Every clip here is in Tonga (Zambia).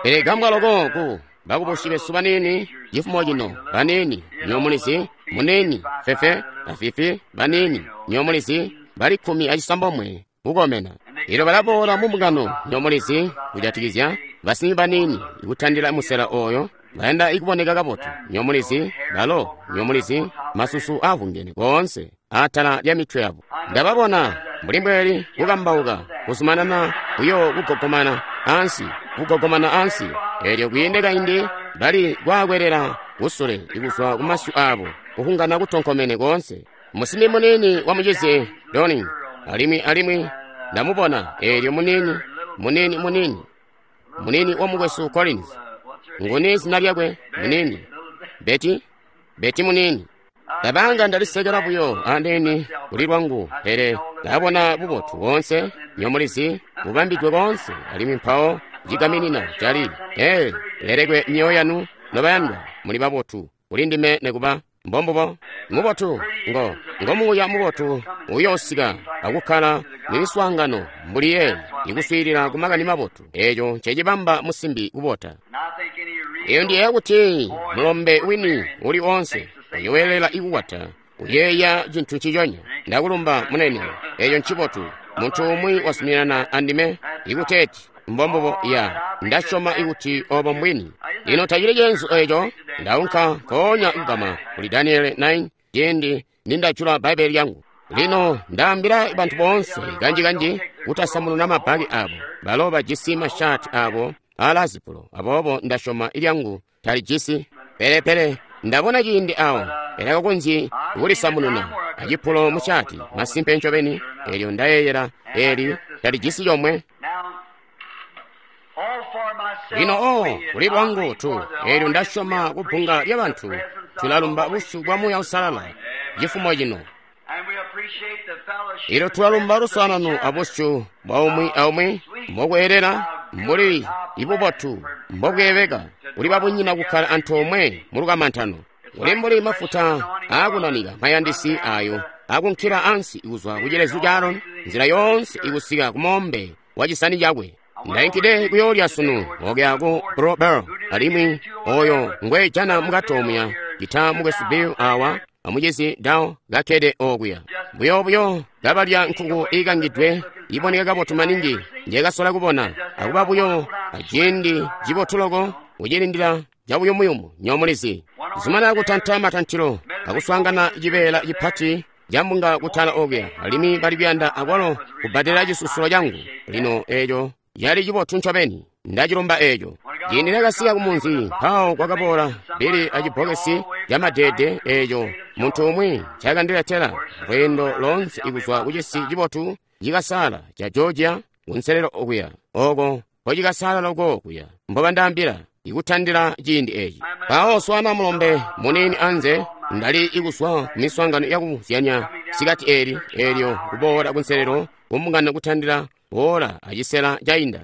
Pele gambwa loko ku bakubusyi besu baniini cifumo cino, baniini, nywebo mulizi, muniini, fefe, afifi, baniini, nywebo mulizi, bali 19 kukomena. Elyo balaboola mu mbungano, nywebo mulizi, kujatikizya basimbi baniini kutandila musela oyo, bayanda kuboneka kabotu, nywebo mulizi, balo, nywebo mulizi, masusu aavungene koonse atala lya mitwe yabo. Ndababona mbuli mbweli kukambauka, kuzumanana buyo kugogomana ansi, kugogomana ansi. Elyo kwiinde kaindi bali kwaakwelela kusule kuzwa ku masyu abo, kuhungana kutonkomene koonse. Musimbi muniini wa mucizi Doni, alimwi, alimwi ndamubona elyo muniini, muniini, muniini, muniini wa mukwesu Collins. Nguni zina lyakwe? Muniini Betty, Betty muniini. Ndabanga ndalisekela buyo andeeni kuli lwangu, pele ndabona bubotu boonse, nywebo mulizi, bubambidwe koonse, alimwi mpawo cigaminina cali, ee, lelekwe myoyo yanu nobayandwa, muli babotu kuli ndime nekuba. Mbombubo, mubotu, ngo, ngo muuya mubotu uyoosika akukkala mu miswaangano mbuli yeeyi, ikuswiilila ku makani mabotu. Eco ncecibamba musimbi kubota. Eyo ndiyeeya kuti mulombe wini uli oonse uyoweelela ikukwata, uyeeya cintu nciconya. Ndakulumba, munene. Eco ncibotu. Muntu umwi wazuminana andime ikuteeti mbombubo. Ya, ndasyoma ikuti obo mbwini. Lino tacili ceenzu eco. Ndaunka nkoonya kugama kuli Daniele 9 ciindi nindajula Bbaibbele lyangu. Lino ndaambila bantu boonse kanji-kanji kutasamununa mabbaki abo. Balo bajisi mashaati abo aalaazipulo, aboobo ndasyoma ilyangu talijisi. Pele, pele ndabona ciindi awo elakakonzyi kulisamununa acipulo mushaati, masimpe ncobeni, elyo ndayeeyela eli talijisi comwe. Lino, oh, kuli lwangu tu, elyo ndasyoma ku bbunga lya bantu, tulalumba busyu bwa Muuya Uusalala cifumo cino. Elyo tulalumba luswaanano abusyu bwa umwi aumwi mbokweelela, mbuli ibubotu mbobweebeka kuli babunyina kukkala antoomwe mu lukamantano. Kuli mbuli mafuta aakunanika mayandisi ayo akunkila ansi kuzwa ku cilezu ca Aroni, nzila yoonse ikusika ku moombe wa cisani cakwe. Ndainkide kuyoolya sunu okuya ku Blue Boar, alimwi oyo Ngwe jana mukati omuya, cita mukwesu Bill awa amucizi Dow kakkede okuya. Buyo, buyo kabalya nkuku iikangidwe iboneka kabotu maningi Nje kasola kubona, akuba buyo aciindi cibotu loko kucilindila cabuyumuyumu, nywebo mulizi. Zumana kutanta matantilo akuswaangana cibeela cipati ca mbunga kutala okuya, alimwi bali kuyanda akwalo kubbadela cisusulo cangu. Lino eco cali cibotu ncobeni. Nda cilumba eco. Ciindi nakasika ku munzi, mpawo kwakaboola Billy a cibbokesi ca madeede eco muntu umwi ncakandiletela lweendo loonse kuzwa ku cisi cibotu cikasaala ca Georgia kunselelo okuya, oko nkocikasaala loko kuya, mbo bandaambila, ikutandila ciindi eci. Mpawo swaana mulombe muniini anze, ndali kuzwa ku miswaangano yakuzyanya sikati eli, elyo kuboola kunselelo ku mbungano kutandila oora acisela cainda.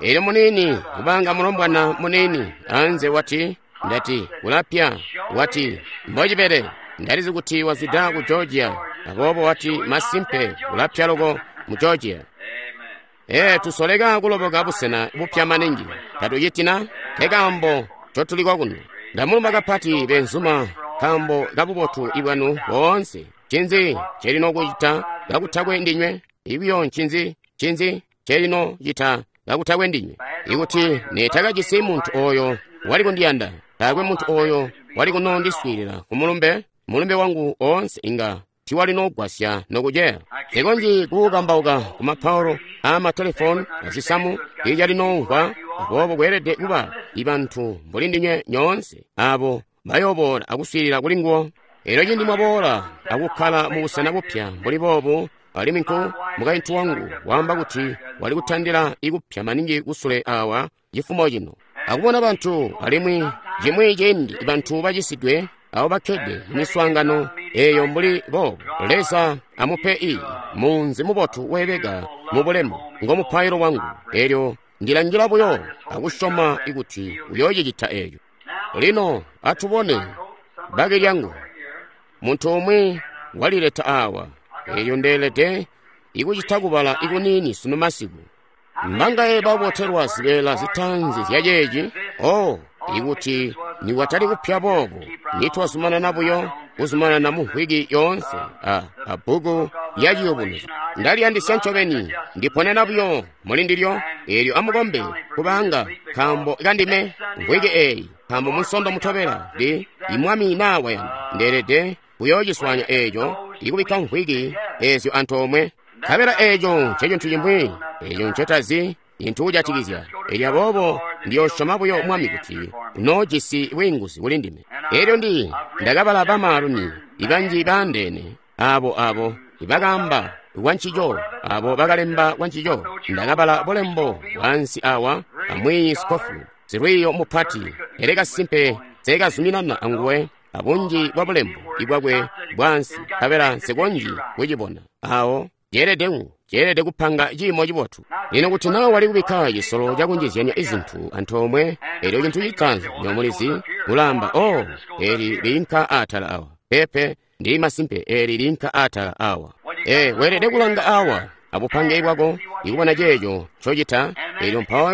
Elyo muniini, kubanga mulombwana muniini anze wati, Ndati, kulapya. Wati, mbocibele. Ndalizi kuti wazwida ku Georgia, aboobo wati, masimpe, kulapya loko mu Georgia. Ee, tusoleka kuloboka busena bupya maningi. Tatuciti na? Nkekaambo ncotuli kokuno. Ndamulumba kapati beenzuma nkaambo ka bubotu bwanu boonse. Ncinzi ncelino kucita kakutakwe ndinywe? Ikuyo ncinzi? Ncinzi ncelino cita kakutakwe ndinywe? Ikuti netakajisi muntu oyo wali kundiyanda, taakwe muntu oyo wali kunoondiswiilila ku mulumbe, mulumbe wangu oonse inga tiwali nogwasya nokuceya. Nsikonzyi kuukambauka ku mapaolo aa matelefoni azisamu, tiicali noumvwa, aboobo kweelede kuba bantu mbuli ndinywe nyoonse abo bayooboola akuswiilila kuli nguwo. Elyo cindi mwaboola akukkala mu busena bupya mbuli boobu, alimwi nku mukaintu wangu waamba kuti wali kutandila ikupya maningi kusule awa cifumo cino, akubona bantu, alimwi cimwi ciindi bantu bacisidwe abo bakkede mu miswaangano eyo mbuli boobu. Leza amupe i munzi mubotu weebeka mu bulemu, ngo mupailo wangu. Elyo Ndila ngila buyo akusyoma kuti uyoocicita eco. Lino atu bone bbaki lyangu. Muntu umwi walileta awa. Elyo ndeelede ikucita kubala ikuniini sunu masiku. Mbangaye babotelwa zibeela zitaanzi zya ceeci? Oh, ikuti nikwatali kupya boobo, nitwazumanana buyo kuzumanana mu mvwiki yoonse a bbuku lya Ciyubunuzyo. Ndaliyandisya ncobeni, ndiponena buyo muli ndilyo. Eelyo amukombe kubanga nkaambo kandime mvwiki eeyi, nkaambo Munsondo mutobela ndi Mwami naa wayanda ndeelede kuyoociswanya eeco ikubikka mvwiki eezyo antoomwe. Nkabela eeco ncecintu cimwi eeco ncetazi cintu kujatikizya. Elyo aboobo ndiyoosyoma buyo Mwami kuti unoojisi bwiinguzi kuli ndime. Elyo ndakabala bamaalumi ibanji baandeene aabo ibakaamba kwancico, abo bakalemba kwancico. Ndakabala bulembo bwaansi awa amwiiyi Scofield, silwiiyo mupati, pele kasimpe nseekazuminana anguwe abunji bwa bulembo ibwakwe bwaansi, nkabela nsikonzyi kucibona. Awo ceelede kupanga ciimo cibotu. Lino kuti naa wali kubikka cisolo cakunjizyanya izintu antoomwe, elyo cintu citaanzi nyomulizi ulaamba, oh, eli liinka aatala awa. Peepe, ndili masimpe eli liinka aatala awa. Weelede kulanga awa abupange bwako ikubona ceeco ncocita. Elyo mpawo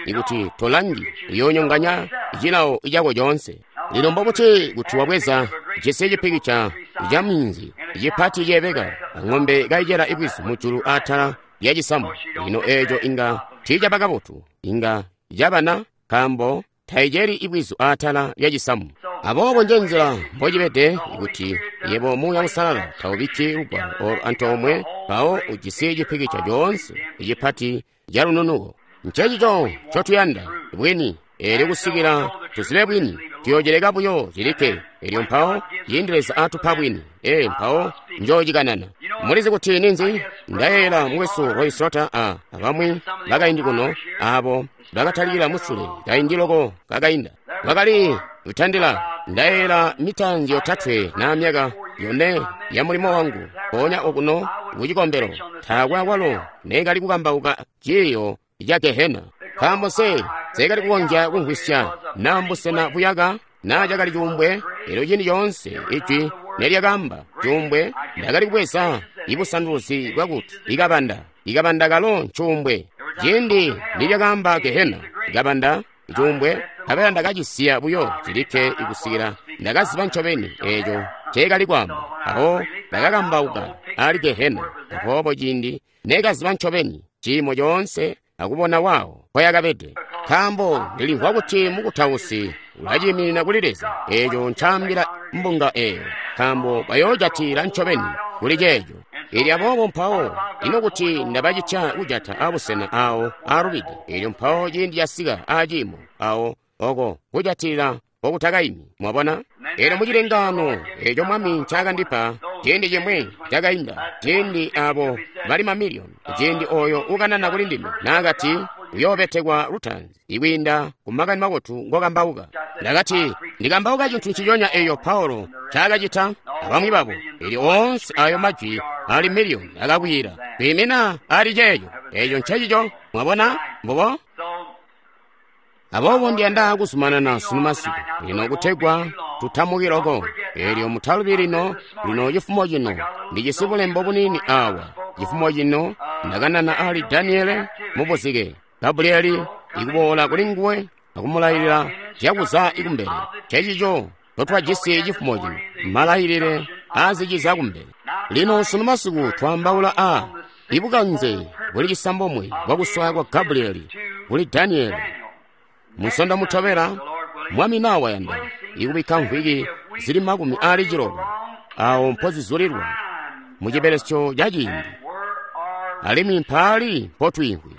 ikuti tolangi, uyoonyonganya cilawo cako coonse. Lino mbobuti kuti wabweza cisi cipikica ca minzi cipati ceebeka ang'ombe kaicela ibwizu mujulu aatala lya cisamu? Lino eeco inga tiicaba kabotu, inga cabana, nkaambo taiceli ibwizu aatala lya cisamu. Aboobo njenzila mbocibede kuti yebo Muuya Uusalala taubikki lugwalo olo antoomwe, mpawo ujisi cipikica coonse cipati ca lununuko. Ncencico ncotuyanda, bwini. Eelyo kusikila tuzibe bwini, tuyoocileka buyo cilikke. Elyo mpawo ciindi Leza atupa bwini, mpawo njoocikanana. Mulizi kuti ninzi? Ndayeeyela mukwesu Roy Slaughter abamwi bakaindi kuno, aabo bakatalikila musule kaindi loko kakainda. Bakali kutandila, ndayeeyela mitaanzi 3 na myaka 4 ya mulimo wangu, mpoonya okuno kucikombelo, taakwe akwalo neekali kukambauka ciiyo ca Gehena. Nkaambo nseekali kukonzya kumvwisya naa mbusena buyaka naa cakali cuumbwe. Elyo ciindi coonse ijwi nelyakaamba cuumbwe, ndakali kubweza ibusanduluzi bwakuti ikabanda, ikabanda kalo ncuumbwe. Ciindi nilyakaamba Gehena, ikabanda, icuumbwe, nkabela ndakacisiya buyo cilikke ikusikila ndakaziba ncobeni eeco nceekali kwaamba. Awo ndakakambauka ali Gehena. Aboobo ciindi neekaziba ncobeni ciimo coonse akubona waawo mpoyakabede, nkaambo ndilimvwa kuti mukutausi ulaciiminina kuli Leza eeco ncaambila mbunga eeyo, nkaambo bayoojatila ncobeni kuli ceeco. Elyo aboobo mpawo ino kuti ndabacitya kujata abusena awo aalubide, elyo mpawo ciindi casika aciimo awo oko kujatilila okutakaimi. Mwabona? Elyo mucilengaano eeco Mwami ncaakandipa ciindi cimwi cakainda, ciindi abo bali mamiliyoni, ciindi oyo ukanana kuli ndime naakati uyoobetekwa lutaanzi ikwiinda ku makani mabotu ngokambauka. Ndakati ndikambauka cintu nciconya eeyo Paulo ncaakacita abamwi babo. Elyo oonse ayo majwi ali miliyoni akakwiila kwiimina ali ceeco. Eeco ncecico. Mwabona? Mbubo. Aboobo ndiyanda kuzumanana sunu masiku lino kutegwa tutamuki loko. Elyo mutalubi lino cifumo cino ndijisi bulembo buniini awa. Cifumo cino ndakanana ali Daniele mubuzike, Gabrieli ikuboola kuli nguwe akumulayilila zyakuza ikumbele. Ncencico totwajisi cifumo cino, malayilile aaziciza kumbele. Lino sunu masiku twaambaula a ibukanze buli cisambomwe bwakuswaya kwa Gabrieli kuli Daniele. Musondo mutobela, Mwami naa wayanda, ikubikka mvwiki zili 60 awo mpozizulilwa mu cibelesyo ca ciindi, alimwi mpaali mpotwiimvwi.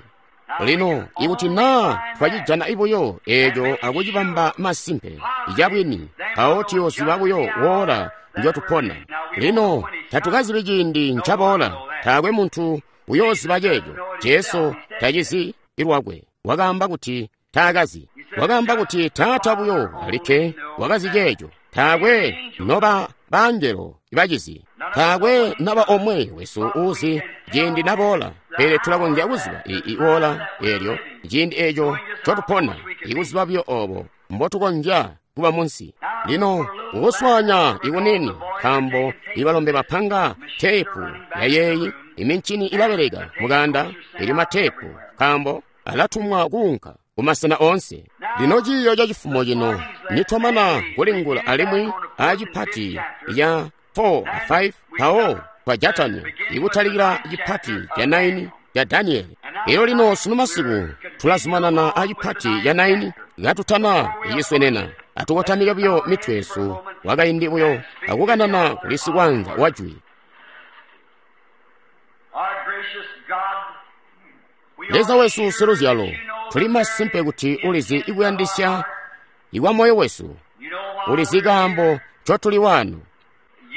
Lino ikuti naa twacijana buyo eeco akucibamba masimpe icabwini, mpawo tuyooziba buyo woola njotupona. Lino tatukazibi ciindi ncaboola, taakwe muntu uyooziba ceeco. Jesu tacizi lwakwe, wakaamba kuti taakazi. Wakaamba kuti Taata buyo alikke wakazi ceeco. Taakwe noba bangelo bacizi, taakwe naba omwe wesu uuzi ciindi naboola, pele tulakonzya kuziba iwoola eelyo ciindi eeco ncotupona, ikuziba buyo oobo mbotukonzya kuba munsi. Lino kukuswanya ikunini, nkaambo ibalombe bapanga teepu yayeeyi. Imincini ilabeleka mukanda, elyo matepu, nkaambo alatumwa kuunka kumasena oonse. Lino ciiyo ca cifumo cino nitwamana kulingula alimwi acipati ya 4 a 5 mpawo twajatanya ikutalikila cipati ca 9 ca Daniele. Elyo lino sunu masiku tulazumanana acipati ca 9 katutana iciswenena. Atukotamike buyo mitwe yesu wakaindi buyo akukanana kuli sikwanza wa jwi. Leza wesu siluzyalo, tuli masimpe kuti ulizi ikuyandisya ikwa moyo wesu, ulizi kaambo ncotuli wano,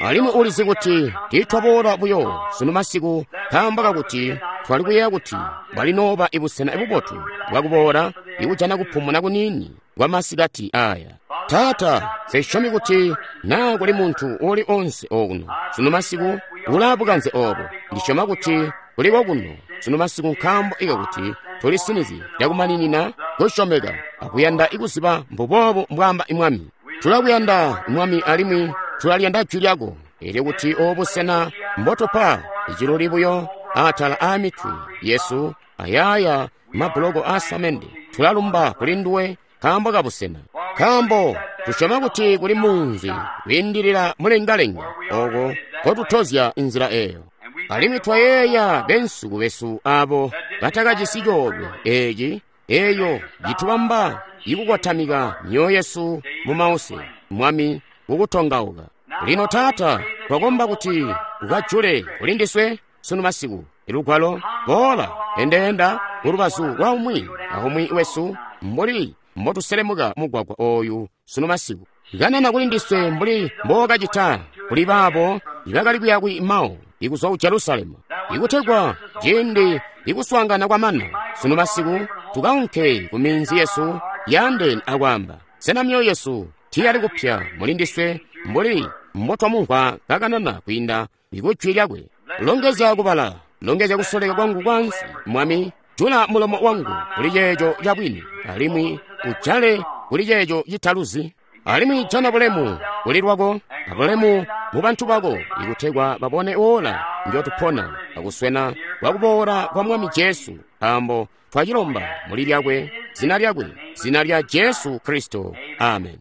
alimwi ulizi kuti tiitwaboola buyo sunu masiku nkaambo kakuti twali kuyeeya kuti bwalinooba ibusena bubotu bwakuboola ikujana kupumuna kuniini kwa masikati aya. Taata, nsisyomi kuti naa kuli muntu uuli onse okuno sunu masiku ulaabukanze obo. Ndisyoma kuti kuliko kuno sunu masiku nkaambo ikakuti tulisinizye cakumaninina kusyomeka akuyanda ikuziba mbuboobo mbwaamba Mwami. Tulakuyanda Mwami alimwi tulaliyanda jwi lyako, elyo kuti obu busena mbotupa iciluli buyo atala aamitwe yesu ayaaya mabuloko aasamende. Tulalumba kuli nduwe nkaambo kabusena, nkaambo tusyoma kuti kuli munzi kwiindilila mulengalenga oko kotutozya inzila eyo. Alimwi twayeeya bensuku besu abo batakajisi coolwe eci eyo citubamba ikukotamika myoyo yesu mu mause, Mwami, kukutongauka. Lino Taata, twakomba kuti ukajule kuli ndiswe sunu masiku ilugwalo boola endeenda kulubazu lwa umwi aumwi wesu mbuli mbotuselemuka mugwagwa oyu sunu masiku. Kanana kuli ndiswe mbuli mbookacita kuli baabo ibakali kuya ku Emau ikuzwa ku Jerusalemu, ikutegwa ciindi ikuswaangana kwamana sunu masiku tukaunke ku minzi yesu yaandeene akwaamba, sena myoyo yesu tiyali kupya muli ndiswe mbuli mbotwamumvwa kakanana kwiinda ikujwi lyakwe. Longezya kubala, longezya kusoleka kwangu kwansi, Mwami, jula mulomo wangu kuli ceeco cabwini, alimwi ujale kuli ceeco citaluzi. Alimwi jana bulemu kuli lwako abulemu mu bantu bako, ikutegwa babone ola njotupona akuswena kwakuboola kwa Mwami Jesu, nkaambo twacilomba muli lyakwe, zina lyakwe, zina lya Jesu Kristo. Amen.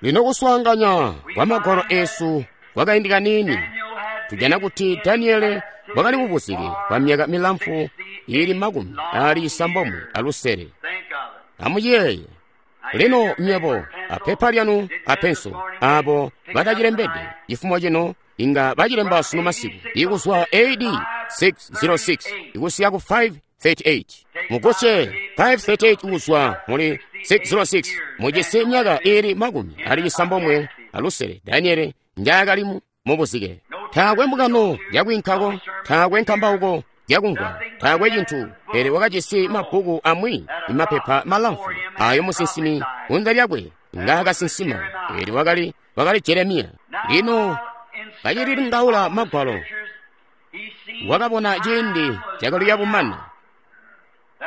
Lino kuswaanganya kwa magwalo esu kwakaindi kaniini, tujana kuti Daniele wakali mubuzike kwa myaka milamfu ili 96. Amuyeeye lino nywebo apepa lyanu apenso abo batacilembede cifumo cino inga bacilemba sunu masiku ikuzwa AD 606 ikusika ku 538. Mugusye 538 kuzwa muli 606 mujisi myaka ili 96 Daniele njaakali mubuzike. Taakwe mbungano yakwiinkako, taakwe nkambauko yakumvwa, taakwe cintu, pele wakajisi mabbuku amwi imapepa malamfu ayo musinsimi kunze lyakwe ngaakasinsima, elyo wakali Jeremiya. Lino kacililingaula magwalo, wakabona ciindi cakali yabumana,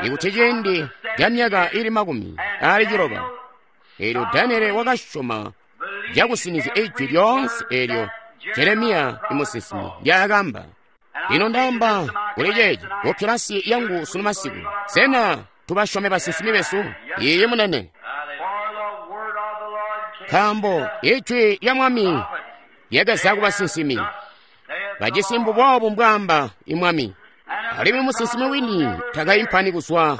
ikuti ciindi ca myaka ili 90. Elyo Daniele wakasyoma cakusinizya ijwi lyoonse elyo Jeremiya imusinsimi ndyaakamba. Lino ndaamba kuli ceeci ku kilasi yangu sunu masiku, sena tubasyome basinsimi besu? Iiyi munene. Nkaambo ijwi lya Mwami lyakaza ku basinsimi, bajisi mbuboobu mbwaamba Mwami. Alimwi musinsimi wini takaimpani kuzwa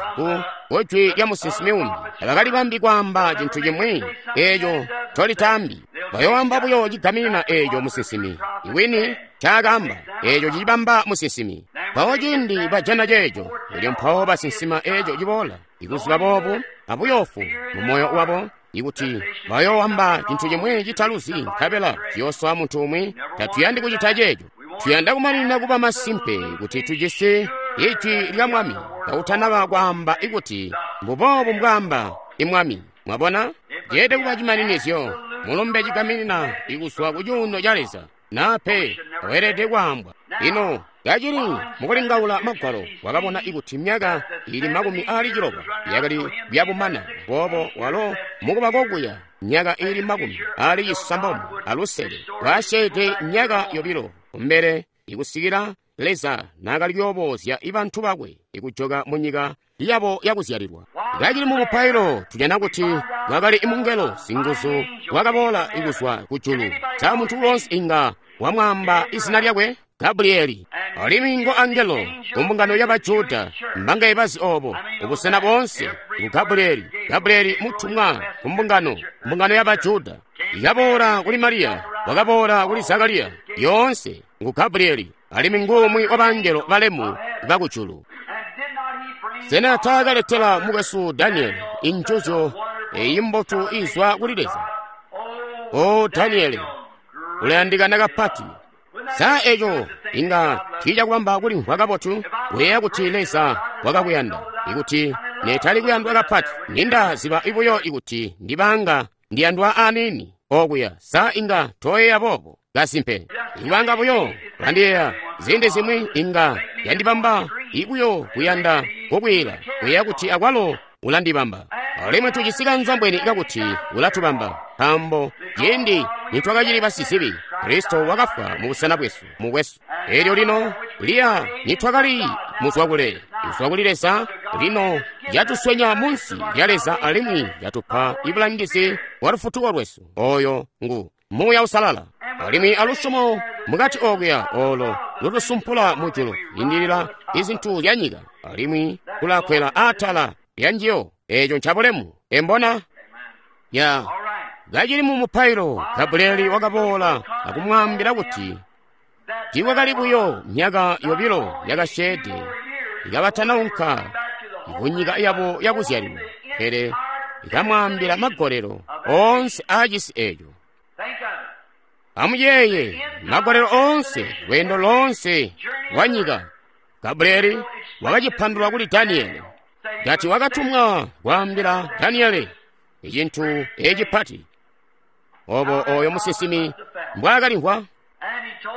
ku jwi lya musinsimi umbi. Tabakali bambi kwaamba cintu cimwi eeco tolitaambi. Bayoamba buyo cigaminina eeco musinsimi wini ncaakaamba, eeco cicibamba musinsimi. Mpawo ciindi bajana ceeco, elyo mpawo basinsima eeco ciboola, ikuziba boobu abuyoofu mu moyo wabo, ikuti bayoowamba cintu cimwi citaluzi nkabela ciyoosowa muntu umwi. Tatuyandi kucita ceeco. Tuyanda kumanina kuba masimpe kuti tujisi ijwi lya Mwami kakutanaba kwaamba ikuti mbuboobu mbwaamba Mwami. Mwabona, ceede kuba cimaninizyo, mulumbe cigaminina ikuzwa ku cuuno ca Leza, naa pe weelede kwaambwa. Lino Kacili mukulingaula magwalo, wakabona ikuti myaka ili 60 yakali kuyabumana. Boobo walo mukuba kokuya myaka ili 96, kwasyeede myaka 2 kumbele ikusikila Leza naakali kuyoobozya bantu bakwe ikujoka munyika yabo yakuzyalilwa. Kacili mu mupailo, tujana kuti kwakali mungelo singuzu wakaboola kuzwa kujulu. Sa muntu uloonse inga wamwaamba izina lyakwe? Gabrieli. Alimwi ngo angelo ku mbungano ya Bajuda, mbangaye bazi obo, ubusena boonse ngu Gabrieli. Gabrieli mutumwa ku mbungano, mbungano ya Bajuda. Yakaboola kuli Mariya, wakaboola kuli Zakariya, yoonse ngu Gabrieli, alimwi ngumwi wa bangelo balemu bakujulu. Sena taakaletela mukwesu Danieli injuzyo eyi mbotu izwa kuli Leza? O Danieli, ulayandikana kapati. Sa eco inga tiicakubamba kulimvwa kabotu kuyeeya kuti Leza wakakuyanda? Ikuti netali kuyandwa kapati, nindaziba buyo ikuti ndibanga ndiyandwa aniini okuya. Sa inga toyeeya boobo? Kasimpe, ikubanga buyo ulandiyeeya ziindi zimwi inga yandibamba ibuyo kuyanda kukwiila, kuyeeya kuti akwalo ulandibamba. Alimwi tujisi kanzambweni kakuti ulatubamba, nkaambo ciindi nitwakacili basizibi, Kristo wakafwa mu busena bwesu, mukwesu. Elyo lino liya nitwakali muzwakule, kuzwa kuli Leza, lino yatuswenya munsi lya Leza alimwi yatupa ibulangizi bwa lufutuko lwesu. Oyo ngu Muuya Uusalala. Alimwi alusyomo mukati okuya olo lutusumpula mujulu indilila izintu zya nyika, alimwi kulakwela atala lya njiyo. Eco ncabulemu. Embona? Ya. Kacili mu mupailo, Gabrieli wakaboola akumwaambila kuti tiikwakali buyo myaka 2 yakasyeede ikabatanaunka kunyika yabo yakuzyalilwa, pele ikamwaambila magolelo oonse aacisi eco. Amuyeeye, magolelo oonse, lweendo loonse lwa nyika. Gabrieli wakacipandulula kuli Daniele, kati wakatumwa kwaambila Daniele icintu ecipati, obo oyo musinsimi mbwaakalimvwa.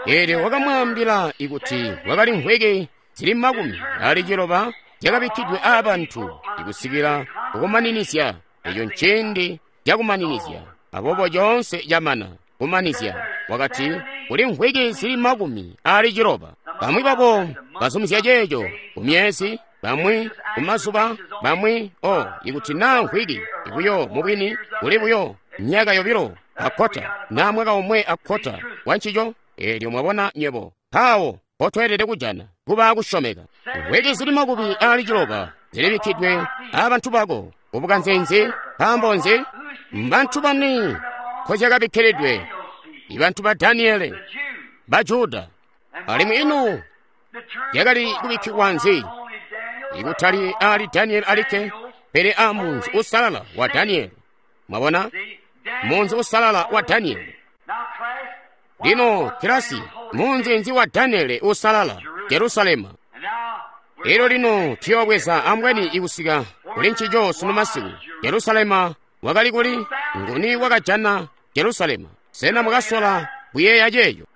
Elyo wakamwaambila ikuti kwakali mvwiki zili 90 zyakabikkidwe aabantu ikusikila kukumaninizya. Eco nciindi cakumaninizya, aboobo coonse camana kumanizya. Wakati kuli mvwiki zili 90. Bamwi babo bazumizya ceeco ku myezi, bamwi ku mazuba, bamwi o ikuti naa mvwiki buyo mubwini kuli buyo myaka 2 akkota naa mwaka 1 akkota wa ncico. Elyo mwabona nywebo mpawo potweelede kujana kuba kusyomeka. Mvwiki zili 90 zilibikkidwe aabantu bako kubukanze nzi? Nkaambo nzi? Mbantu bani nkozyakabikkiridwe? Ibantu ba Daniele, ba Juda. Alimwi ino yakali kubikkilwa nzi? Ikutali ali Daniele alikke, pele a munzi usalala wa Daniele. Mwabona? Munzi usalala wa Daniele. Lino kilasi, munzi nzi wa Daniele usalala? Jerusalema. Elyo lino tuyoobweza ambweni ikusika kuli ncico sunu masiku. Jerusalema wakali kuli? Nguni wakajana Jerusalema? Sena mwakasola kuyeeya ceeco?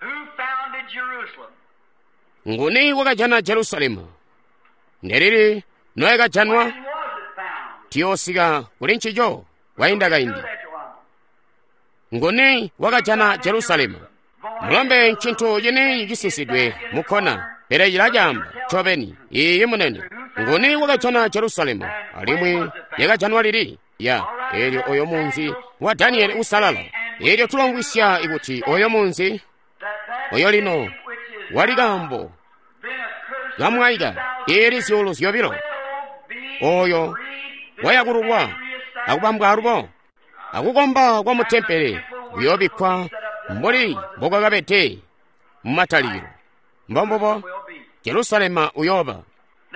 Nguni wakajana Jerusalema? Ndelili noyakajanwa? Tuyoosika kuli ncico kwainda kaindi. Nguni wakajana Jerusalema? Mulombe ncintu cini cisisidwe mukkona, pele cilacaamba ncobeni. Iiyi munene. Nguni wakajana Jerusalema? Alimwi yakajanwa lili? Ya, elyo oyo munzi wa Daniele usalala. Elyo tulongwisya ikuti oyo munzi oyo lino wali kaambo kamwaika eli zyuulu 2 oyo wayakululwa akubambwa alubo akukomba kwa mutempele kuyoobikkwa mbuli mbokwakabede mumatalikilo. Mbombubo Jerusalema uyooba.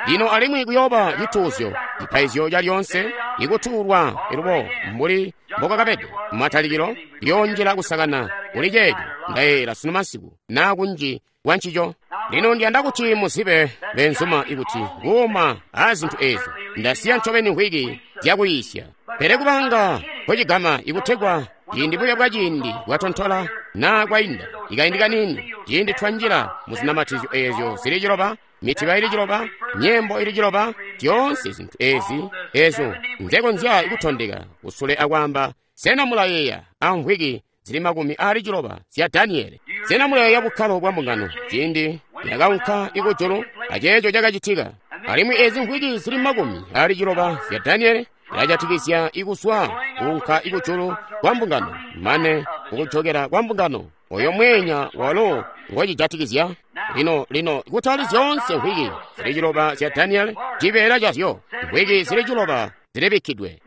Lino alimwi kuyooba cituuzyo, cipaizyo calyoonse ikutuulwa ilubo mbuli mbokwakabede mumatalikilo, kuyoonjila kusakana kuli ceeco ndayeeyela sunu masiku naa kunji kwa ncico. Lino ndiyanda kuti muzibe beenzuma ikuti kuuma aazintu eezi ndasiya ncobeni mvwiki zyakuyiisya, pele kubanga kwecigama ikutegwa ciindi buya bwa ciindi bwatontola na kwainda ikaindi kaniini, ciindi twanjila mu zinamatizyo ezyo zili ciloba, mitiba ili ciloba, nyembo ili ciloba, zyoonse zintu ezi ezo nzekonzya kutondeka kusule akwaamba, sena mulayeeya amvwiki zili 60 zya Daniele? Sena mulayeeya bukkalo bwa mbungano ciindi yakaunka ikujulu aceeco cakacitika? Alimwi ezi mvwiki zili 60 zya Daniele zilajatikizya ikuswa kuunka ikujulu kwa mbungano mane kukujokera kwa mbungano. Oyo mweenya walo ngocijatikizya. Lino, lino kutali zyoonse mvwiki zili ciloba zya Daniele, cibeela cazyo mvwiki zili ciloba zilibikkidwe.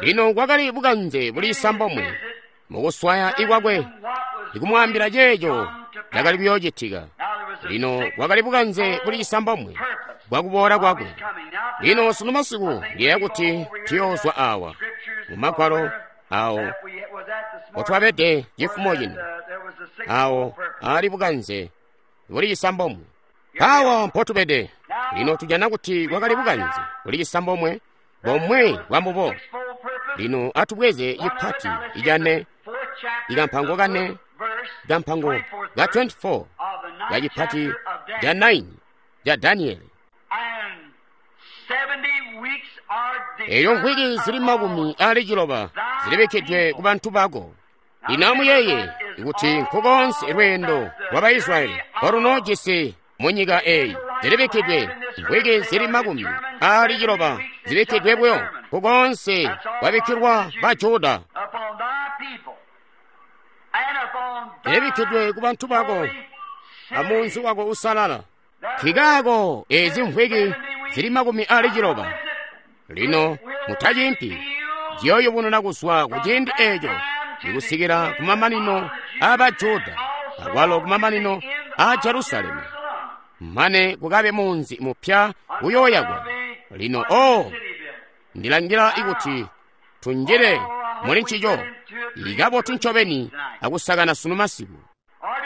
Lino kwakali bukanze buli sambomwe mukuswaya ikwakwe ikumwaambila ceeco cakali kuyoocitika. Lino kwakali bukanze buli sambomwe bwakuboola kwakwe. Lino sunu masiku ndiyeeya kuti tuyoozwa awa mu magwalo awo otwabede cifumo cino, awo ali bukanze buli cisambomwe. Awa mpotubede lino tujana kuti kwakali bukanze buli cisambomwe bomwe bwambubo. Lino atubweze cipati icane, ikampango kane, ikampango ka 24 ka cipati ca 9 ca Daniele. Eyo mvwiki zili 60 zilibikkidwe ku bantu bako. Lino amuyeeye kuti nkukoonse lweendo lwa Baisraeli olunoojisi mu nyika eyi zilibikkidwe mvwiki zili 60 zibikkidwe buyo nkukoonse kwabikkilwa ba Juda. Zilibikkidwe ku bantu bako amunzi wako usalala. Nkikaako ezi mvwiki zili 60. Lino mutacimpi ziyooyubununa kuzwa ku ciindi eco ikusikila ku mamanino aa Juda akwalo ku mamanino aa Jerusalemu, mane kukabe munzi mupya uyooyakwa. Lino o ndilangila ikuti tunjile muli ncico ikabotu ncobeni akusakana sunu masiku.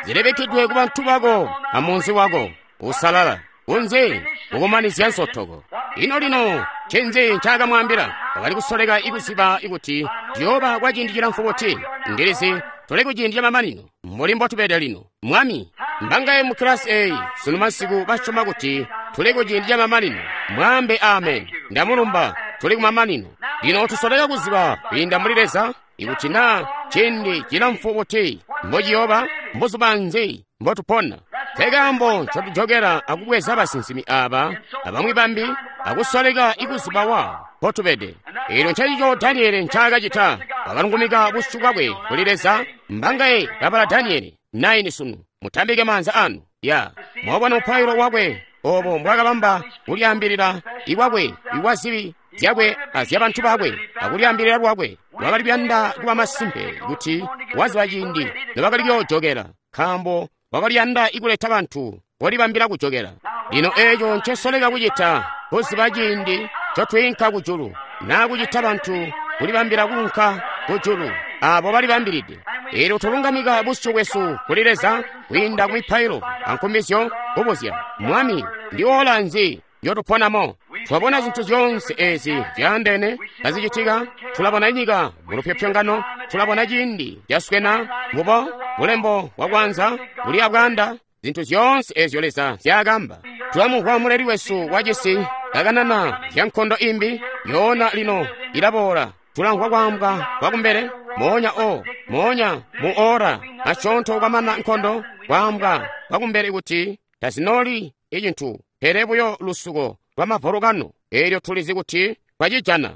Zilibikkidwe ku bantu bako amunzi wako usalala kunze kukumanizya nsotoko. Ino lino ncinzi ncaakamwaambila? Wakali kusoleka ikuziba ikuti ciyooba kwa ciindi cilamfu buti. Ndilizi tuli ku ciindi camamanino mbuli mbotubede lino. Mwami, mbangaye mu kilasi eyi sunu masiku basyoma kuti tuli ku ciindi camamanino? Mwaambe amen. Ndamulumba, tuli kumamanino. Lino tusoleka kuziba kwiinda muli Leza ikuti naa ciindi cilamfu buti mbociyooba, mbuzuba nzi mbotupona. Nkekaambo ncotujokera akubweza basinsimi aba abamwi bambi akusoleka ikuziba wa mpotubede. Eelyo ncencico Daniele ncaakacita. Wakalungumika busyu bwakwe kuli Leza. Mbangaye babala Daniele 9 sunu? Mutambike maanza anu. Ya mwabona mupailo wakwe obo mbwakabamba kulyaambilila ikwakwe ikwa zibi zyakwe azyabantu bakwe akulyaambilila lwakwe. Wakali kuyanda kuba masimpe kuti waziba ciindi nobakali kuyoojokera, nkaambo wakaliyanda ikuleta bantu kolibambila kujokera. Lino eeco ncesoleka kucita, kuziba ciindi ncotwiinka kujulu, naa kucita bantu kulibambila kuunka kujulu abo balibambilide. Eelyo tulungamika busyu bwesu kuli Leza kwiinda ku mipailo ankumbizyo, kubuzya Mwami, ndi ola nzi njotuponamo? Twabona zintu zyoonse ezi zyaandeene kazicitika. Tulabona nyika mu lupyopyongano, tulabona ciindi caswena mbubo bulembo bwakwanza buli abwaanda, zintu zyoonse ezyo Leza nzyaakamba. Tulamumvwa muleli wesu wacisi kakanana zya nkondo imbi yoona lino ilaboola. Tulamvwa kwaambwa kwakumbele moonya o moonya mu ora asyoonto kwamana nkondo, kwaambwa kwakumbele kuti tazinoli icintu pele buyo lusuko lwa mavolokano. Eelyo tulizi kuti twacijana.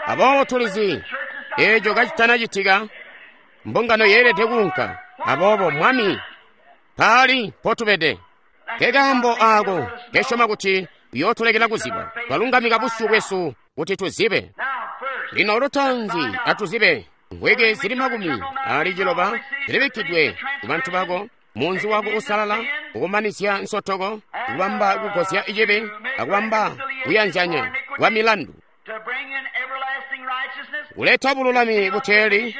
Aboobo tulizi eeco kacitanacitika, mbungano yeelede kuunka. Aboobo Mwami, paali mpotubede. Nkekaambo aako kesyoma kuti uyootulekela kuziba. Twalungamika busyu bwesu kuti tuzibe. Lino lutaanzi atuzibe mvwiki zili 60 zilibikkidwe ku bantu bako, munzi wako usalala, kukumanizya nsotoko, kubamba kugozya icibi, akubamba kuyanzanya kwa milandu, kuleta bululami buteeli,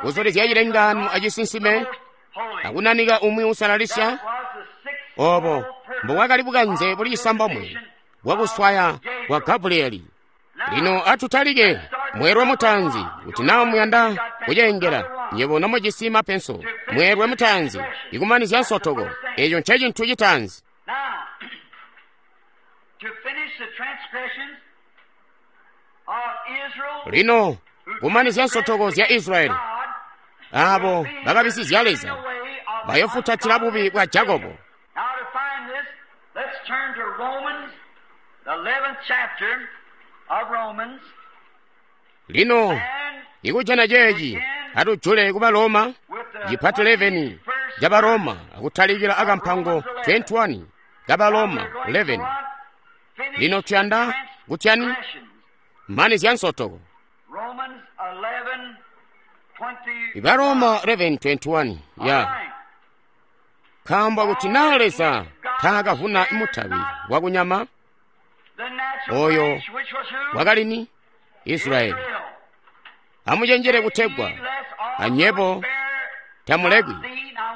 kuzulizya cilengano acisinsime, akunanika umwi usalalisya. Obo mbubwakali bukanze buli cisambomwe bwakuswaya kwa Gabrieli. Lino atutalike Mweelwe mutaanzi, kuti naa muyanda kuceengela, nywebo nomujisi mapenso. Mweelwe mutaanzi, ikumanizya nsotoko. Eco nce cintu citaanzi. Lino, kumanizya nsotoko zya Israyeli, abo bakabisizya Leza, bayofutatila bubi bwa Jakobo. Lino, ikujana ceeci, atujule kuba Roma, cipati 11 ca Roma, akutalikila akampango 21 ka Roma 11. Lino tuyanda kutyani? Manizya nsotoko. Iba Roma 11:21 ya nkaambo kuti naa Leza taakavuna mutabi wakunyama oyo wakalini Israyeli. Amucenjere kutegwa anyebo tamulekwi.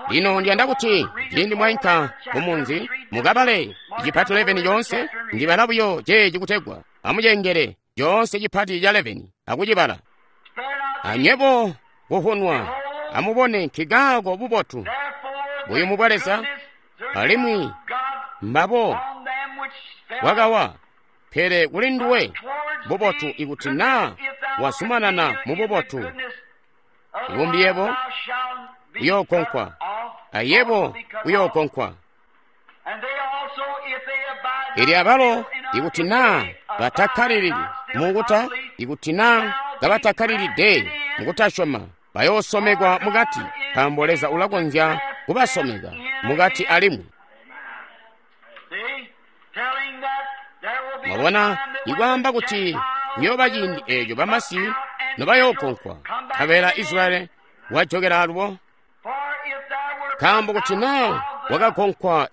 Lino ndiyanda kuti ciindi mwainka mumunzi mukabale cipati 11 coonse. Ndibala buyo ceeci kutegwa amucengere coonse cipati ca 11 akucibala. Anyebo kuvunwa amubone nkikaako bubotu buyumu bwa Leza, alimwi mbabo bwakawa. Pele kuli nduwe bubotu ikuti naa wazumanana mu bubotu, ibumbi yebo uyookonkwa, ayebo uyookonkwa. Ili abalo ikuti naa batakkalilili mukuta, ikuti naa kabatakkalilide mukutasyoma, bayoosomekwa mukati, nkaambo Leza ulakonzya kubasomeka mukati alimwi. Mwabona, ikwaamba kuti kuyooba ciindi eeco bamasi nobayookonkwa, nkabela Israyeli wajokela alubo. Nkaambo kuti naa wakakonkwa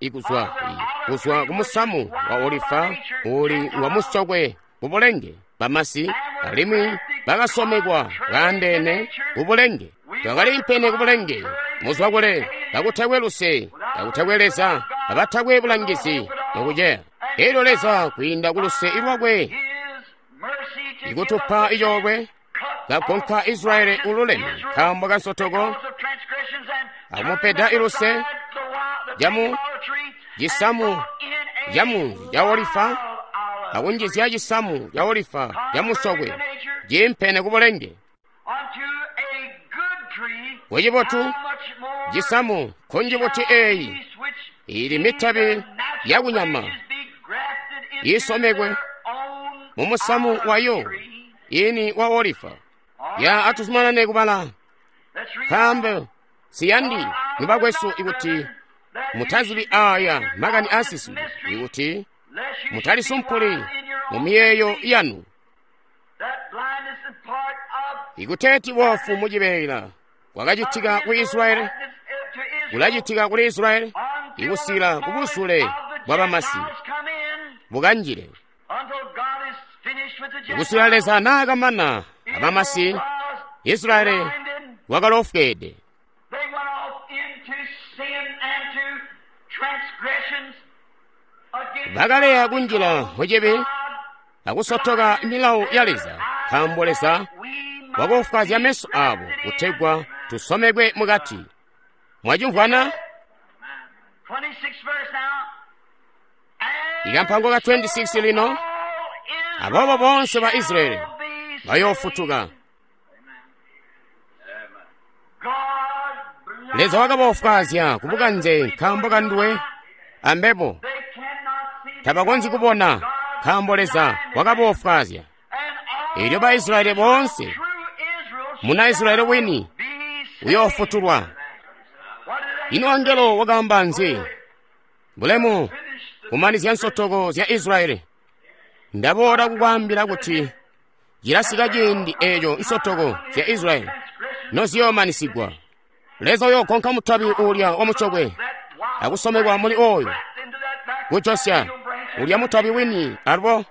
kuzwa kumusamu wa olifa uuli ngwamusokwe kubulenge bamasi, alimwi bakasomekwa baandeene kubulenge, bakaliimpene kubulenge, muzwa kule, kakutakwe luse, kakutakwe Leza, abatakwe bulangizi nokuceya. Elyo Leza kwiinda kuluse lwakwe ikutupa icoolwe, kagonka Israyeli ululeme nkaambo kansotoko, akumupeda iluse jamu cisamu camunzi ca olifa, akunjizya cisamu ca olifa camusokwe ciimpene kubulenge. Kucibotu cisamu nkunji buti eeyi ili mitabi yakunyama isomekwe mumusamu wayo ini wa olifa. Ya atuzumanane kubala, nkaambo siyandi nibakwesu ikuti mutazibi aya makani asiswi, ikuti mutalisumpuli mu miyeeyo yanu, ikuteeti boofu mucibeela kwakacitika ku Israyeli kulacitika kuli Israyeli ikusila kubusule bwa bamasi bukanjile. Ikusila Leza naakamana abamasi, Israyeli wakalofweede. Bakaleya kunjila mucibi akusotoka milawo ya Leza, nkaambo Leza wakofwazya meso abo kutegwa tusomekwe mukati. Mwacimvwana? Ikampango ka 26 lino, aboobo bonse ba Israyeli bayoofutuka. Leza wakabofwazya kubukanze nkaambo kanduwe ambebo tabakonzyi kubona, nkaambo Leza wakabofwazya. Elyo ba Israyeli boonse, muna Israyeli wini uyoofutulwa. Ino angelo wakaamba nzi? Bulemu kumanizya nsotoko zya Israyeli. Ndaboola kukwaambila kuti cilasika ciindi eeco nsotoko zya Israyeli noziyoomanisigwa. Leza uyoogonka mutabi uulya wamucokwe akusomekwa muli oyo kujosya ulya mutabi wini alubo.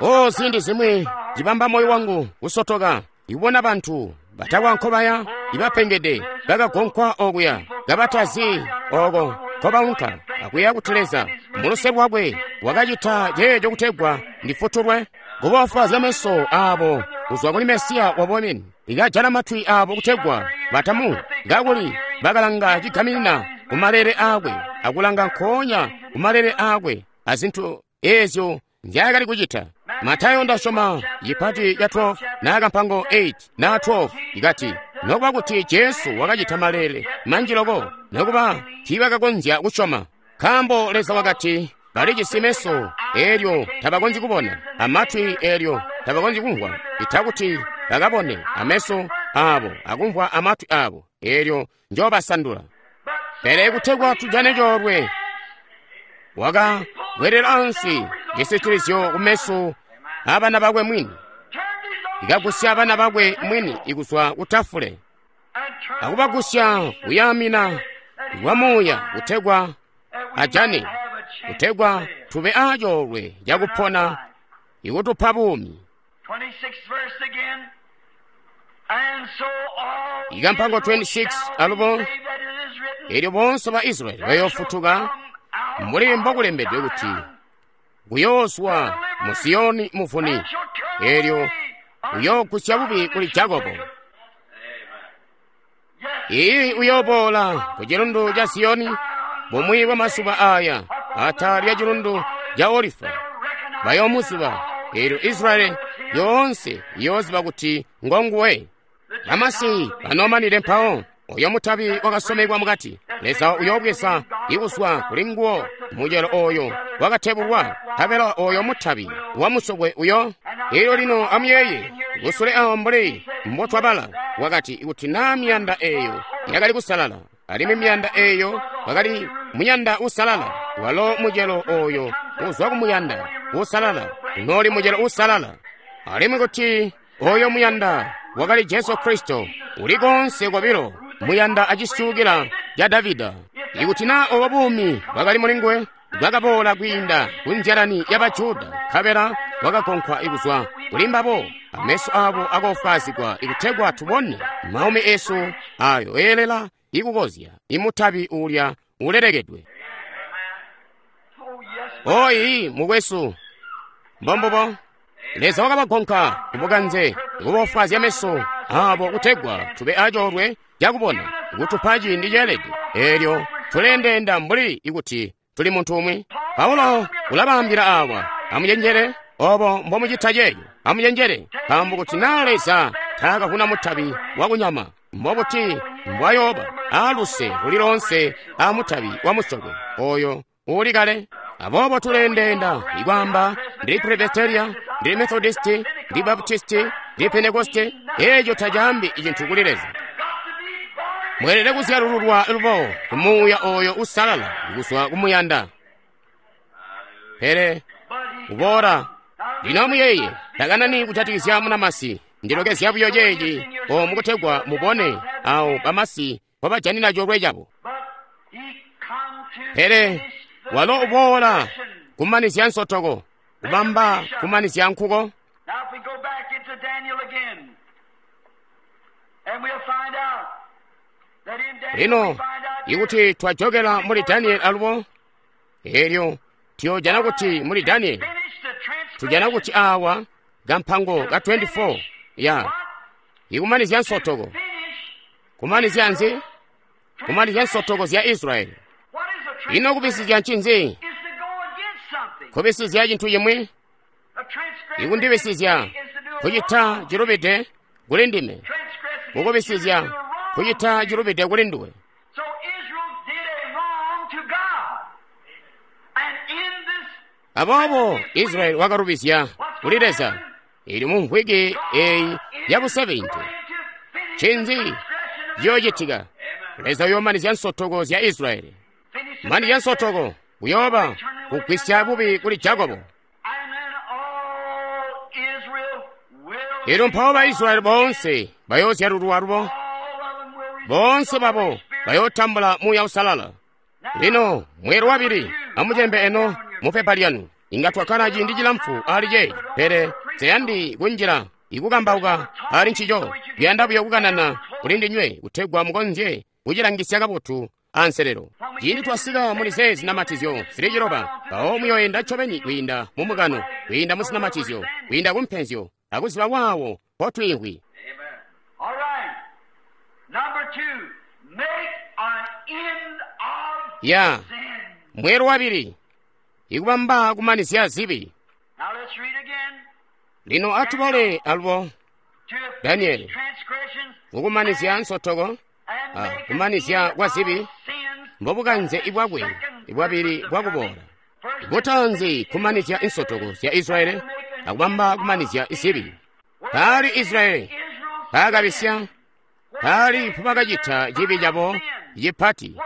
O ziindi zimwi cibamba moyo wangu kusotoka ikubona bantu batakwa nkobaya ibapengede bakagonkwa okuya kabatazi oko nkobaunka, akuyeeya kuti Leza muluse lwakwe wakacita ceeco kutegwa ndifutulwe. Kubofwazya meso abo kuzwa kuli Mesiya wabo wini, ikajala matwi abo kutegwa batamu, kakuli bakalanga cigaminina kumalele aakwe, akulanga nkoonya kumalele aakwe azintu ezyo nzyaakali kucita. Matayo ndasyoma cipati ca 12 na kampango 8 na 12 ikati, nokuba kuti Jesu wakacita malele manji loko, nokuba tiibakakonzya kusyoma, nkaambo Leza wakati balijisi meso elyo tabakonzyi kubona, amatwi elyo tabakonzyi kumvwa, ita kuti bakabone ameso abo akumvwa amatwi abo, elyo njoobasandula. Pele kutegwa tujane coolwe, wakabwelela ansi cisitilizyo kumeso abana bakwe mwini, ikagusya abana bakwe mwini ikuzwa kutafule, akubagusya kuyaamina kwa muuya kutegwa ajane, kutegwa tube acoolwe cakupona ikutupa buumi. Ikampango 26 alubo, elyo boonse ba Israyeli bayofutuka mbuli mbokulembedwe kuti kuyoozwa mu Siyoni muvuni, elyo uyoogusya bubi kuli Jakobo. Iyi uyooboola ku cilundu ca Siyoni bumwi bwa masuba aya, atala lya cilundu ca Olifa, bayoomuziba, elyo Israyeli yoonse iyooziba kuti ngonguwe. Bamasi banoomanile mpawo oyo mutabi wakasomekwa mukati, Leza uyoobweza ikuzwa kuli nguwo mucelo oyo wakatebulwa, nkabela oyo mutabi wamusokwe uyo. Elyo lino amuyeeye kusule awo mbuli mbotwabala, wakati kuti naa miyanda eyo yakali kusalala, alimwi miyanda eyo wakali muyanda usalala, walo mucelo oyo uzwa kumuyanda usalala unooli mucelo usalala. Alimwi kuti oyo muyanda wakali Jesu Kristo, uli konse kobilo muyanda acisyukila ca Davida. Ikuti naa obo buumi bwakali mulinguwe, bwakaboola kwiinda ku nzyalani ya Bajuda, nkabela bwakagonkwa kuzwa kuli mbabo, ameso abo akoofwaazigwa ikutegwa tubone maumi esu ayo eelela ikukozya imutabi uulya ulelekedwe. Oyi mukwesu, mbombubo Leza wakabagonka kubukanze kuboofwaazya meso abo kutegwa tube acoolwe cakubona, kutupa ciindi ceelede, eelyo tuleendeenda mbuli ikuti tuli muntu umwi. Paulo ulabaambila awa, amucenjele obo mbomucita ceeyo, amucenjele, nkaambo kuti naa Leza taakavuna mutabi wakunyama, mbobuti mbwayooba aaluse luli loonse amutabi wamusokwe oyo uli kale. Aboobo tuleendeenda ikwaamba ndili Presbyteria, ndili Methodisti, ndili Baptisti, ndili Pentekoste. Eeco tacaambi cintu kuli Leza. Mweelede kuzyalululwa lubo ku Muuya oyo usalala kuzwa kumuyanda. Pele uboola lino amuyeeye, takanani kujatikizya munamasi. Ndilokezya buyo ceeci omu kutegwa mubone awo bamasi mpobajanina coolwe cabo. Pele walo uboola kumanizya nsotoko, kubamba kumanizya nkuko. Lino ikuti twajokela muli Daniel alubo, elyo tuyojana kuti muli Daniel tujana kuti awa kampango ka 24 ya ikumanizya nsotoko. Kumanizya nzi? Kumanizya nsotoko zya Israyeli. Ino kubisizya ncinzi? Kubisizya cintu cimwi, ikundibisizya kucita cilubide kuli ndime, kukubisizya kucita cilubide kuli nduwe. Aboobo Israyeli wakalubizya kuli Leza. Ili mu mvwiki eyi ya bu70. Ncinzi ciyoocitika? Leza uyoomanizya nsotoko zya Israyeli. Manizya nsotoko kuyooba kugwisya bubi kuli Jakobo. Elyo mpawo ba Israyeli boonse bayoozyalulwa lubo, boonse babo bayootambula Muuya Uusalala. Lino mweelo wabili, amucembe eno mupepa lyanu. Inga twakkala ciindi cilamfu ali ceeci, pele nseyandi kunjila ikukambauka ali ncico. Kuyanda buyo kukanana kuli ndinywe kutegwa mukonzye kucilangisya kabotu anselelo. Ciindi twasika muli zeezi zinamatizyo zili ciloba, mpawo muyoyenda ncobeni kwiinda mu mukano, kwiinda mu zinamatizyo, kwiinda ku mpenzyo, akuziba waawo mpotwiimvwi. Ya mweelo wabili, ikubamba kumanizya zibi. Lino atubale alubo Daniele, kukumanizya nsotoko, kumanizya kwa zibi, mbobukanze bwakwe bwabili bwakuboola. Butanzi kumanizya insotoko zya Israeli akubamba kumanizya zibi. Paali Israeli paakabisya, paali mpobakacita cibi cabo cipati,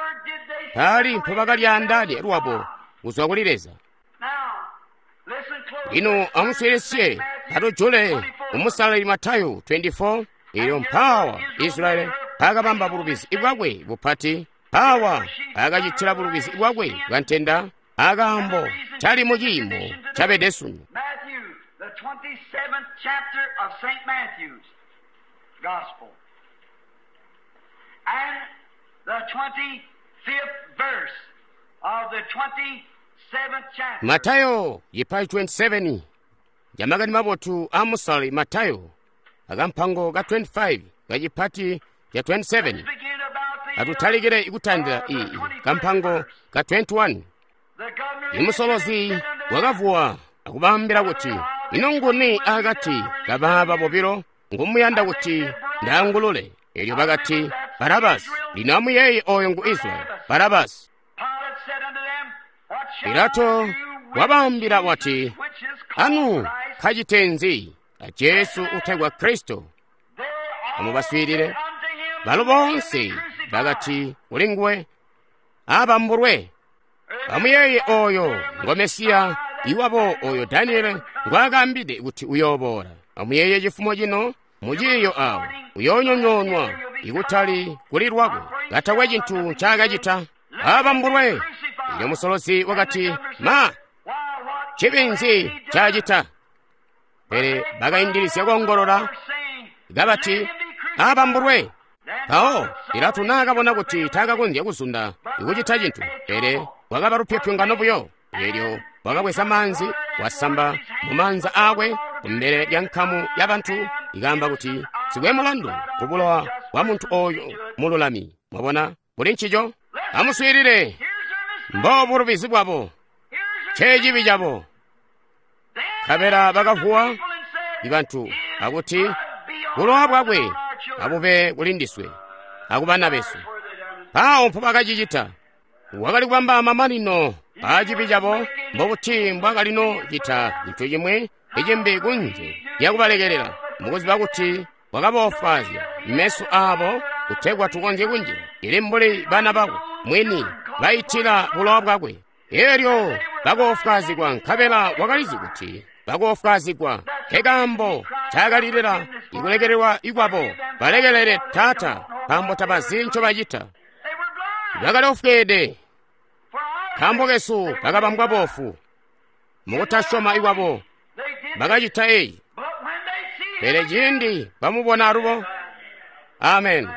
paali mpobakalyaandaanya lwabo kuzwa kuli Leza. Lino amuswiilisye atujule umusalali Matayo 24. Elyo mpaawa Israeli paakabamba bulubizi bwakwe bupati, mpaawa paakacitila bulubizi bwakwe bwa ntenda, akaambo tali mu ciimo cabede sunu. Matayo yipayi 27 ya makani mabotu a musalali Matayo akampango ka 25 kacipati ca 27. Atutalikile ikutandila iyi kampango ka 21. Imusolozi wakavuwa akubaambila kuti, ino nguni akati kabaaba bobilo ngumuyanda kuti ndaangulule? Elyo bakati, Barabasi. Lino amuyeeye oyo ngu Israeli, Barabasi. Pilato wabaambila wati, anu kacitenzi a Jesu utegwa Kristo? Amubaswiilile. Balo boonse bakati kuli nguwe, abambulwe. Amuyeeye oyo ngo Mesiya iwabo oyo Daniele ngwaakaambide kuti uyooboola. Amuyeeye cifumo cino muciiyo awo uyoonyonyoonwa ikutali kuli lwakwe katakwe cintu ncaakacita. Abambulwe. Elyo musolozi wakati, ma cibi nzi ncaacita? Pele bakaindilizya koongolola kabati, abambulwe. Mpawo Pilato naakabona kuti taakakonzya kuzunda ikucita cintu, pele wakaba lupyopyongano buyo. Elyo wakabweza maanzi, wasamba mumaanza aakwe kumbele lya nkamu yabantu, ikaamba kuti, sikwe mulandu kubulowa bwa muntu oyo mululami. Mwabona kuli ncico? Amuswiilile. Mbobulubizi bwabo, ncecibi cabo. Nkabela bakavuwa ibantu akuti, bulowa bwakwe abube kuli ndiswe akubana besu. Mpawo mpobakacicita. Wakali kubamba mamanino aacibi cabo, mbokuti mbwakalino cita cintu cimwi icimbi kunze lyakubalekelela, mukuziba kuti wakaboofwaazya meso aabo kutegwa tukonzye kunjila ili mbuli bana bakwe mwini baitila bulowa bwakwe. Elyo bakoofwaazigwa, nkabela wakalizi kuti bakoofwaazigwa. Nkekaambo ncakalilila ikulekelelwa ikwabo. Balekelele, Taata, nkaambo tabazi ncobacita. Bakali ofweede nkaambo kesu bakabambwa boofu. Mukutasyoma ikwabo bakacita eyi. Pele ciindi bamubona alubo, amen.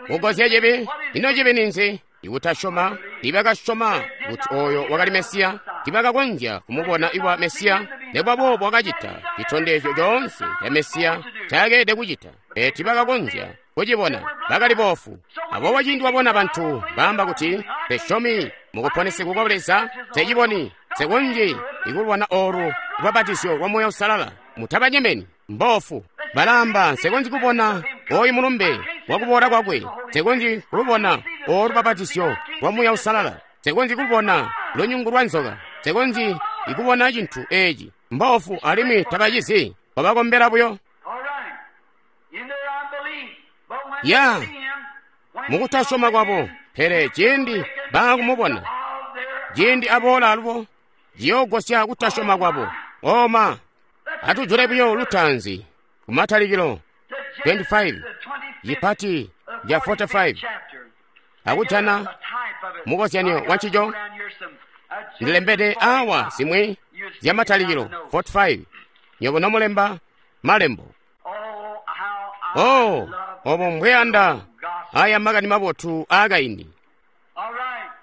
Kugozya cibi. Ino cibi ninzi? Ikutasyoma. Ibakasyoma kuti oyo wakali Mesiya, tibakakonzya kumubona iwa Mesiya. Nekuba boobo wakacita citondezyo coonse ca Mesiya ncakeelede kucita, pele tibakakonzya kucibona, bakali boofu. Aboobo ciindi wabona bantu baamba kuti, nsesyomi mukuponesegwa kwa Leza, nseciboni, nsekonzyi ikulwana olu lubapatizyo lwa Muuya Uusalala, mutabanyemeni, mboofu. Balaamba, nsekonzyi kubona oyu mulumbe wakuboola kwakwe, nsekonzyi kulubona olu lubapatizyo lwa Muuya Uusalala, nsekonzyi kulubona lunyungu lwa nzoka, nsekonzyi ikubona cintu eci. Mboofu alimwi tabacizi, wabakombela buyo. Ya mukutasyoma kwabo. Pele ciindi baakumubona, ciindi aboola alubo, ciyoogosya kutasyoma kwabo. Oma, atujule buyo lutaanzi kumatalikilo 25 cipati ca 45 akujana mukozyanyo wancico. Ndilembede awa zimwi zya matalikilo 45 nyobo nomulemba malembo. Oh, obo mbweyanda aya makani mabotu aakaindi.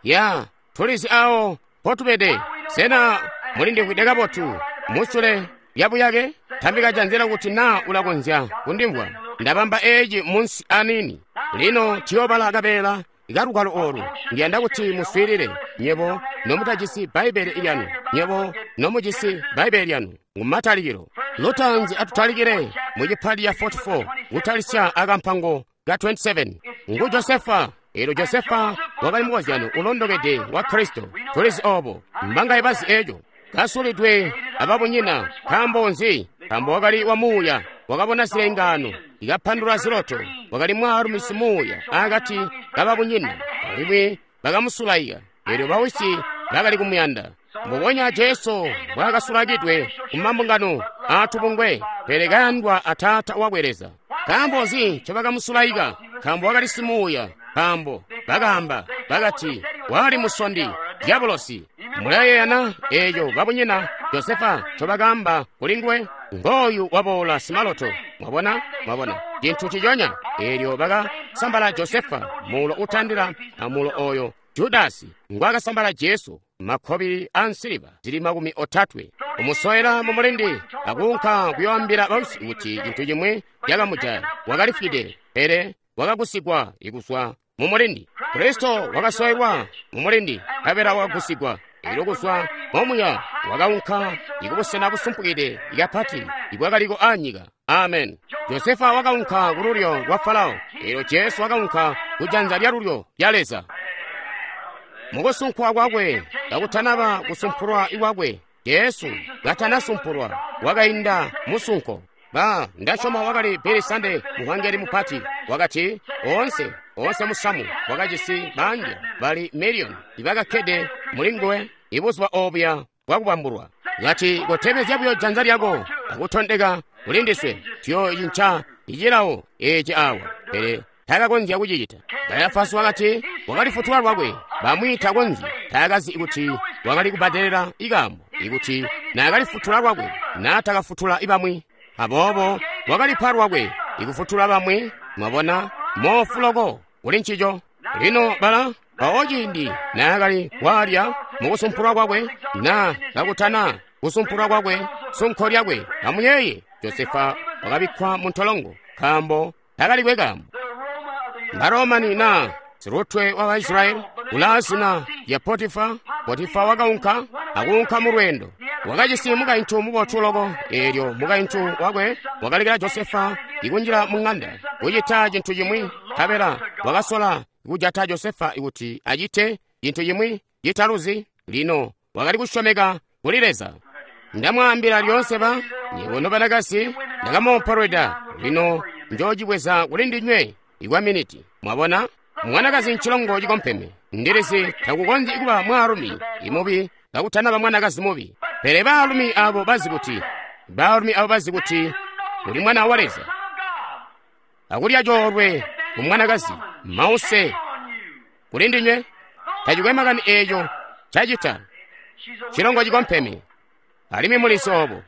Ya tulizi awo potubede. Sena mulindimvwide kabotu musule lyabuyake? Tambika janza kuti naa ulakonzya kundimvwa. Ndabamba eci munsi aniini. Lino tuyobala kabeela kalugwalo olu. Ndiyanda kuti muswiilile, nywebo nomutajisi Bbaibbele lyanu, nywebo nomujisi Bbaibbele lyanu. Ngumatalikilo. Lutaanzi atutalikile mu cipali ya 44, kutalisya akampango ka 27. Ngu Josefa. Eelyo Josefa wakali mukozyano ulondokede wa Kristo. Tulizi obo. Mbangaye bazi eco. Kasulidwe ababunyina. Nkaambo nzi? Nkaambo wakali wa muuya, wakabona zilengaano, ikapandula ziloto, wakali mwaalumi simuuya akati kababunyina, alimwi bakamusulaika. Eelyo bawisi bakali kumuyanda. Mbubonya Jesu mbwaakasulakidwe kumambungano aatubungwe, pele kayandwa a Taata wakwe Leza. Nkaambo nzi ncobakamusulaika? Nkaambo wakali simuuya. Nkaambo bakaamba bakati wali musondi, dyabulosi. Mulayeeyana eeco babunyina Josefa ncobakaamba kulinguwe? Ngooyu waboola simaloto. Mwabona? Mwabona cintu ciconya. Eelyo bakasambala Josefa muulo utandila amuulo oyo Judasi ngwaakasambala Jesu, makkobili a nsiliva zili 30. Kumusoela mu mulindi akuunka kuyoambila bawisi kuti cintu cimwi cakamujaya. Wakalifwide, pele wakagusigwa kuzwa mu mulindi. Kristo wakasoelwa mu mulindi, nkabela wakagusigwa. Eelyo kuzwa momuya wakaunka ikubusena busumpukide kapati ibwakaliko anyika. Amen. Josefa wakaunka kululyo lwa Farao. Eelyo Jesu wakaunka kujanza lyalulyo lya Leza. Mukusunkwa kwakwe kakutanaba kusumpulwa kwakwe, Jesu katanasumpulwa wakainda musunko. Ba ndasyoma wakali Billy Sunday muhangeli mupati wakati oonse oonse musamu wakajisi bangi bali miliyoni ibakakkede mulinguwe ibuzuba obuya bwakubambulwa. Kati kotebezya buyo janza lyako akutondeka kulindiswe tuyocinca icilawo eci awa. Pele takakonzya kucicita. Kayafasi wakati wakalifutula lwakwe, bamwi takonzyi, taakazi kuti wakali kubbadelela ikaambo ikuti naakalifutula lwakwe naatakafutula ibamwi. Aboobo wakalipa lwakwe ikufutula bamwi. Mwabona moofu loko kuli ncico. Lino bala mpawo ciindi naakali kwaalya mukusumpulwa kwakwe na kakutana kusumpulwa kwakwe sunko lyakwe, amuyeeye Josefa wakabikkwa mu ntolongo nkaambo takalikwe kaambo. Baromani na silutwe wa Baisraeli ulaa zina lya Potifa. Potifa wakaunka akuunka mu lweendo. Wakajisi mukaintu mubotu loko. Eelyo mukaintu wakwe wakalekela Josefa ikunjila mu ŋanda kucita cintu cimwi, nkabela wakasola kujata Josefa kuti acite cintu cimwi citaluzi. Lino wakali kusyomeka kuli Leza. Ndamwaambila lyoonse ba nywebo nobanakazi, ndakamoopolweda. Lino njoocibweza kuli ndinywe ikwa miniti. Mwabona? Mwanakazi ncilongo cikompeme. Ndilizi takukonzyi kuba mwaalumi imubi kakutanaba mwanakazi mubi. Pele baalumi abo bazi kuti, baalumi abo bazi kuti uli mwana wa Leza, akulya coolwe ku mwanakazi mause kuli ndinywe. Tacikwe makani eeco cacita, cilongo cikompeme. Alimwi mulizi obo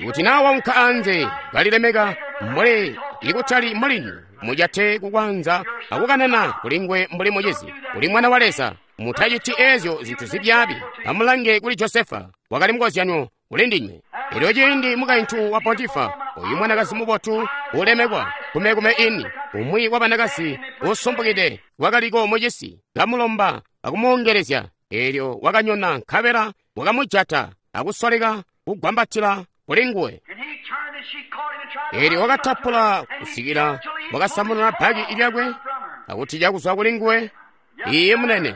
kuti naa waunka anze kalilemeka mbuli ikutali mulini, mujate kukwanza akukanana kulingwe mbuli mucizi. Uli mwana wa Leza. Mutaciti eezyo zintu zibyaabi. Amulange kuli Josefa, wakali mukozyanyo kuli ndinywe. Elyo ciindi mukaintu wa Potifa, oyu mwanakazi mubotu ulemekwa, kumekume ini, umwi wa banakazi usumpukide wakaliko mucisi, kamulomba akumuongelezya. Elyo wakanyona nkabela wakamujata akusoleka kugwambatila kulinguwe. Elyo wakatapula kusikila wakasamununa bbaki lyakwe akutija kuzwa kulinguwe. Iye munene.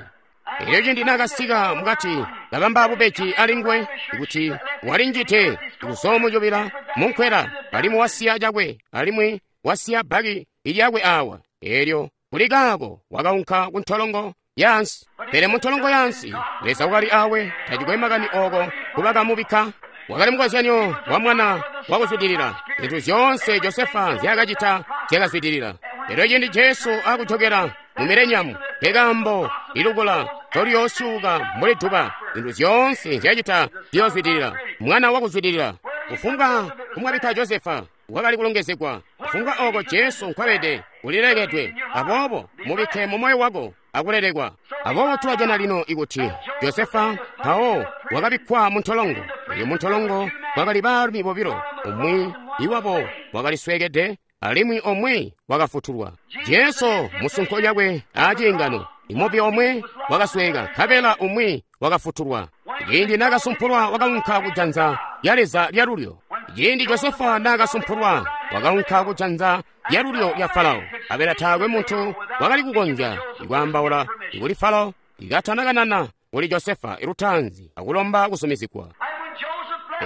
Elyo ciindi naakasika mukati kabamba bubeji alinguwe kuti walinjite kuzoomucubila munkwela, alimwi wasiya cakwe, alimwi wasiya bbaki lyakwe awa. Elyo kuli kaako wakaunka ku ntolongo yaansi. Pele mu ntolongo yaansi Leza wakali awe, tacikwe makani oko kubakamubikka. Wakali mukozyanyo wa mwana wakuzwidilila. Zintu zyoonse Josefa nzyaakacita zyakazwidilila. Elyo ciindi Jesu akujokela mu milenyamu, nkekaambo ilukula toliyoosyuuka mbuli duba. Zintu zyoonse nzyacita ziyoozwidilila. Mwana wakuzwidilila. Kufumbwa kumwabikka Josefa wakali kulongezegwa. Kufumbwa oko Jesu nkwabede ulilekedwe. Aboobo mubikke mu moyo wako akulelekwa. Aboobo tulajana lino ikuti Josefa mpawo wakabikkwa mu ntolongo. Elyo mu ntolongo kwakali baalumi bobilo. Umwi iwabo wakali sweekede, alimwi omwe wakafutulwa. Jesu musunko lyakwe aaciingano, imubi omwe wakasweeka, nkabela umwi wakafutulwa. Ciindi naakasumpulwa wakaunka kujanza lya Leza lyalulyo. Ciindi Josefa naakasumpulwa wakaunka kujanza lyalulyo lya Farao, nkabela taakwe muntu wakali kukonzya ikwaambaula kuli Farao ikatanakanana kuli Josefa lutaanzi akulomba kuzumizigwa.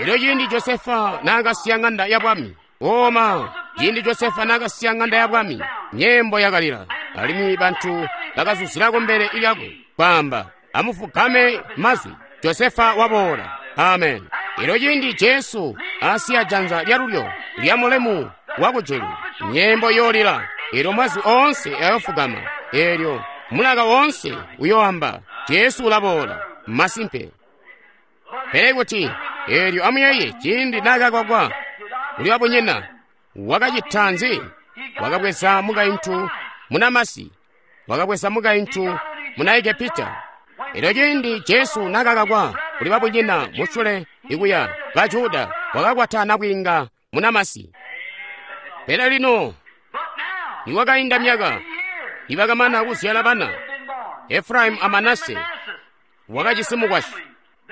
Elyo ciindi Josefa naakasiya ŋanda ya bwami, oma, ciindi Josefa naakasiya ŋanda ya bwami, myeembo yakalila, alimwi bantu bakazuzila kumbele lyakwe kwaamba, amufugame mazwi, Josefa waboola. Amen. Elyo ciindi Jesu asiya janza lyalulyo lya mulemu wakujulu, myeembo yoolila, elyo mazwi oonse ayofugama, elyo mulaka woonse uyoamba, Jesu ulaboola. Masimpe. Pele kuti elyo amuyeeye ciindi naakakwakwa kuli wabunyina, wakacita nzi? Wakabweza mukaintu munamasi, wakabweza mukaintu muna Egepita. Elyo ciindi Jesu naakakakwa kuli babunyina musule ikuya ba Juda, wakakwata nabwiinga munamasi. Pele lino nikwakainda myaka, nibakamana kuzyala bana, Efraimu a Manase wakajisi mukwasyi.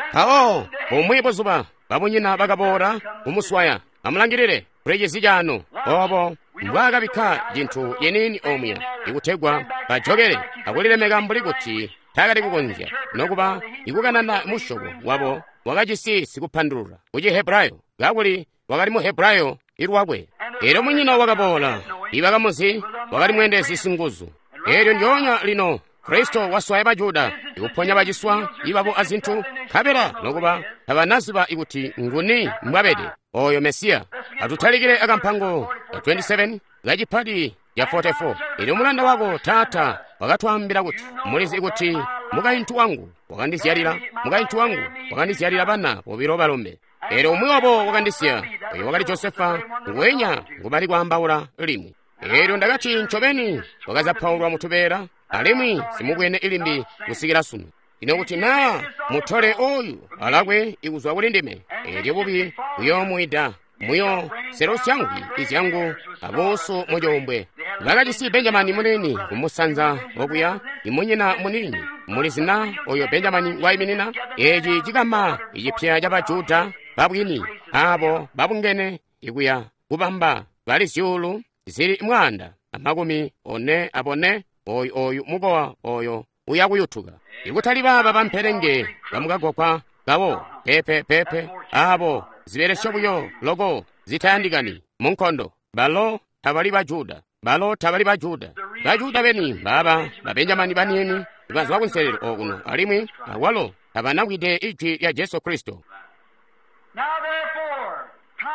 Mpawo bumwi buzuba babunyina bakaboola kumuswaya. Amulangilile kuli cisi canu obo mbwaakabikka cintu ciniini omuya ikutegwa bajokele akulilemeka mbuli kuti taakali kukonzya nokuba ikukanana musyobo wabo wakajisi sikupandulula ku Chihebrayo, kakuli wakali mu Hebrayo ilwakwe. Elyo munyina wakaboola, ibakamuzi wakali mweendezi singuzu. Elyo ndyoonya lino Kristo waswaya ba Juda ikuponya baciswa ibabo azintu, nkabela nokuba tabanaziba ikuti nguni mbwabede oyo Mesiya. Atutalikile akampango ka 27 kacipati ca 44. Elyo mulanda wako taata wakatwaambila kuti, mulizi kuti mukaintu wangu wakandizyalila, mukaintu wangu wakandizyalila bana bobilo balombe. Elyo umwi wabo wakandisiya, oyo wakali Josefa nguwenya ngubali kwaambaula limwi. Elyo ndakati ncobeni wakazapaulwa mutubeela, alimwi simubwene ilimbi kusikila sunu. Ino kuti naa mutole oyu alakwe ikuzwa kuli ndime, elyo bubi buyoomwida, muyo selusya ngwi izyangu abuusu mucuumbwe. Bakajisi Benjamini muniini kumusanza okuya, imunyina muniini. Mulizi na oyo Benjamini waiminina? Eci cikama icipya ca Bajuda babwini, abo babungene ikuya kubamba bali zyuulu zili 144, oyu oyu mukowa oyo uya kuyutuka. Ikutali baaba bampelenge bamukagwagwa kawo, pepe pepe, abo zibelesyo buyo loko zitayandikani munkondo. Balo tabali ba Juda, balo tabali ba Juda. Ba Juda beni baaba ba Benjamini baniini bazwa kunselelo okuno, alimwi awalo tabanamvwide ijwi lya Jesu Kristo.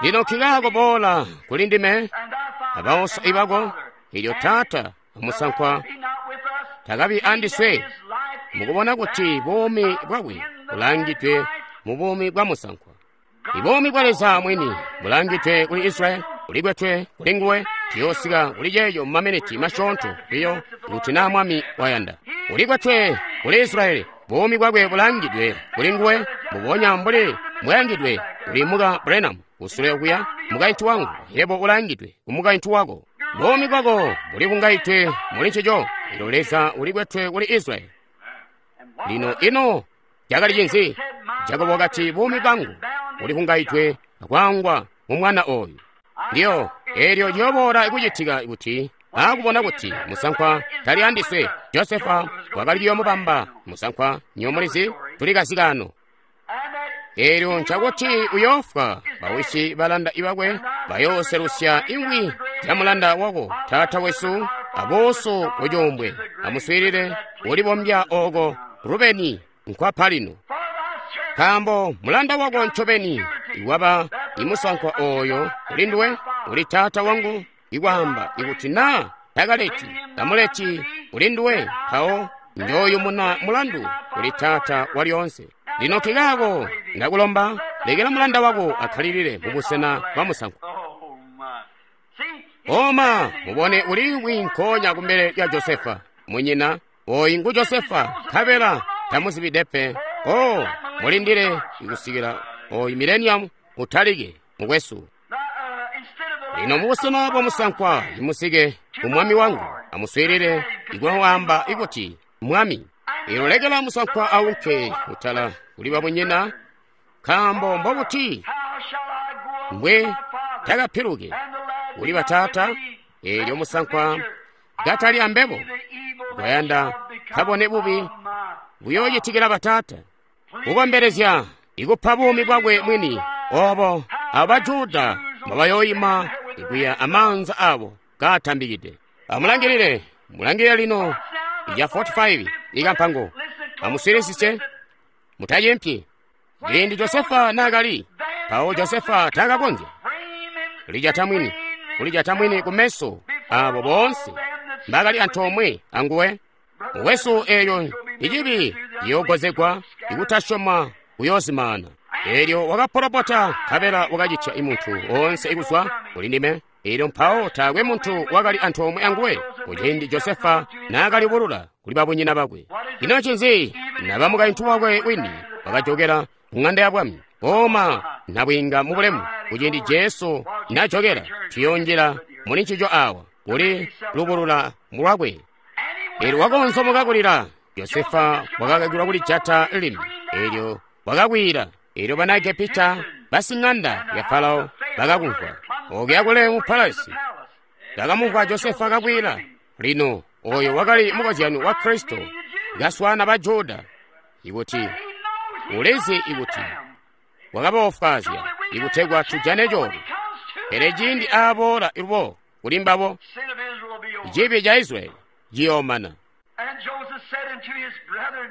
Lino nkikaako boola kuli ndime abaosa ibako, elyo taata amusankwa takabi andiswe, mukubona kuti buumi bwakwe bulangidwe mu buumi bwa musankwa. Ibuumi bwa Leza mwini bulangidwe kuli Israyeli, bulikwetwe kuli nguwe. Tuyoosika kuli ceeco mu maminiti masyoonto biyo kuti naa Mwami wayanda. Ulikwetwe kuli Israyeli, buumi bwakwe bulangidwe kuli nguwe, mbubonya mbuli mbwayangidwe kuli muka Branham kusule okuya, mukaintu wangu, yebo ulangidwe ku mukaintu wako. Buumi bwako buli kungaitwe muli ncico. Elyo Leza ulikwetwe kuli Israyeli. Lino ino cakali cinzi? Jakobo wakati, buumi bwangu buli kungaitwe akwaangwa mu mwana oyu. Lyo elyo ciyoboola kucitika kuti akubona kuti musankwa tali andiswe, Josefa wakali kuyoomubamba musankwa. Nyomulizi tuli kazikano. Elyo ncakuti uyoofwa, bawisi balanda ibakwe bayooselusya ingwi zya mulanda wako taata wesu abuusu kucuumbwe. Amuswiilile ulibombya oko Rubeni nkwapa lino, nkaambo mulanda wako ncobeni iwaba imusankwa oyo kuli nduwe, uli taata wangu, ikwaamba ikuti naa takaleti tamuleti kuli nduwe, mpawo njooyumuna mulandu kuli taata walyoonse. Lino nkikaako ndakulomba, lekela mulanda wako akkalilile mubusena bwa musankwa. Oma, mubone uliimwi nkoonya kumbele lya Josefa munyina. Oyu ngu Josefa, nkabela tamuzibide pe. Oh, mulindile kusikila oyu millennium utalike, mukwesu. Lino mubusena bwa musankwa imusike kumwami wangu, amuswiilile ikwaamba ikuti mwami. Eelyo lekela musankwa aunke kutala kuli babunyina, nkaambo mbobuti mbwe takapiluke kuli bataata, eelyo musankwa katali ambebo, kwayanda kabone bubi buyoocitikila bataata. Kukombelezya ikupa buumi bwakwe mwini, obo abo Bajuda mbabayooyima ikuya amaanza abo kaatambikide. Amulangilile, mulangilile lino ya 45 ikampango. Amuswiilisise, mutacimpyi. Ciindi Josefa naakali, mpawo Josefa taakakonzya kulijata mwini, kulijata mwini kumeso abo boonse mbakali antoomwe anguwe. Mukwesu, eeyo icibi ciyoogozegwa, ikutasyoma kuyoozimana. Eelyo wakapolopota, nkabela wakacitya imuntu woonse ikuzwa kuli ndime. Eelyo mpawo taakwe muntu wakali antoomwe anguwe kuciindi Josefa naakalibulula kuli babunyina bakwe. Ino ncinzi? Naba mukaintu wakwe wini wakajokela ku ŋanda ya bwami, kooma nabwiinga mubulemu. Kuciindi Jesu najokela, tuyoonjila muli ncico awa kuli lubulula lwakwe. Eelyo wakoonzomoka kulila. Josefa wakakakilwa kulijata limi. Eelyo wakakwiila. Eelyo bana Egepita basiŋanda ya Farao bakakumvwa. Okuya kule mu palasi bakamumvwa Josefa kakwiila. Lino oyo wakali mukozyano wa Kristo kaswaana ba Juda, ikuti ulizi ikuti wakabaofwaazya ikutegwa tujane coolwe. Pele ciindi aaboola lubo kuli mbabo, cibi ca Israyeli ciyoomana.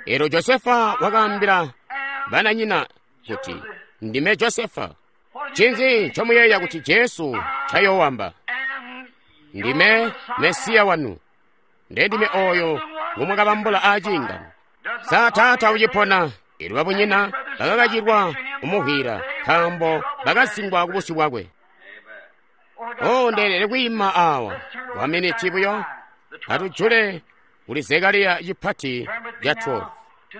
Eelyo Josefa wakaambila bananyina kuti, ndime Josefa. Ncinzi ncomuyeeya kuti Jesu ncayoowamba? Ndime Mesiya wanu. Ndendime oyo ngumwakabambula aaciingano. Sa taata ucipona? Eelyo babunyina bakakacilwa kumuhwila, nkaambo bakasingwa kubusyu bwakwe. Oh, ndeelede kwiima awa kwa miniti buyo. Atujule kuli Zekariya cipati ca 12.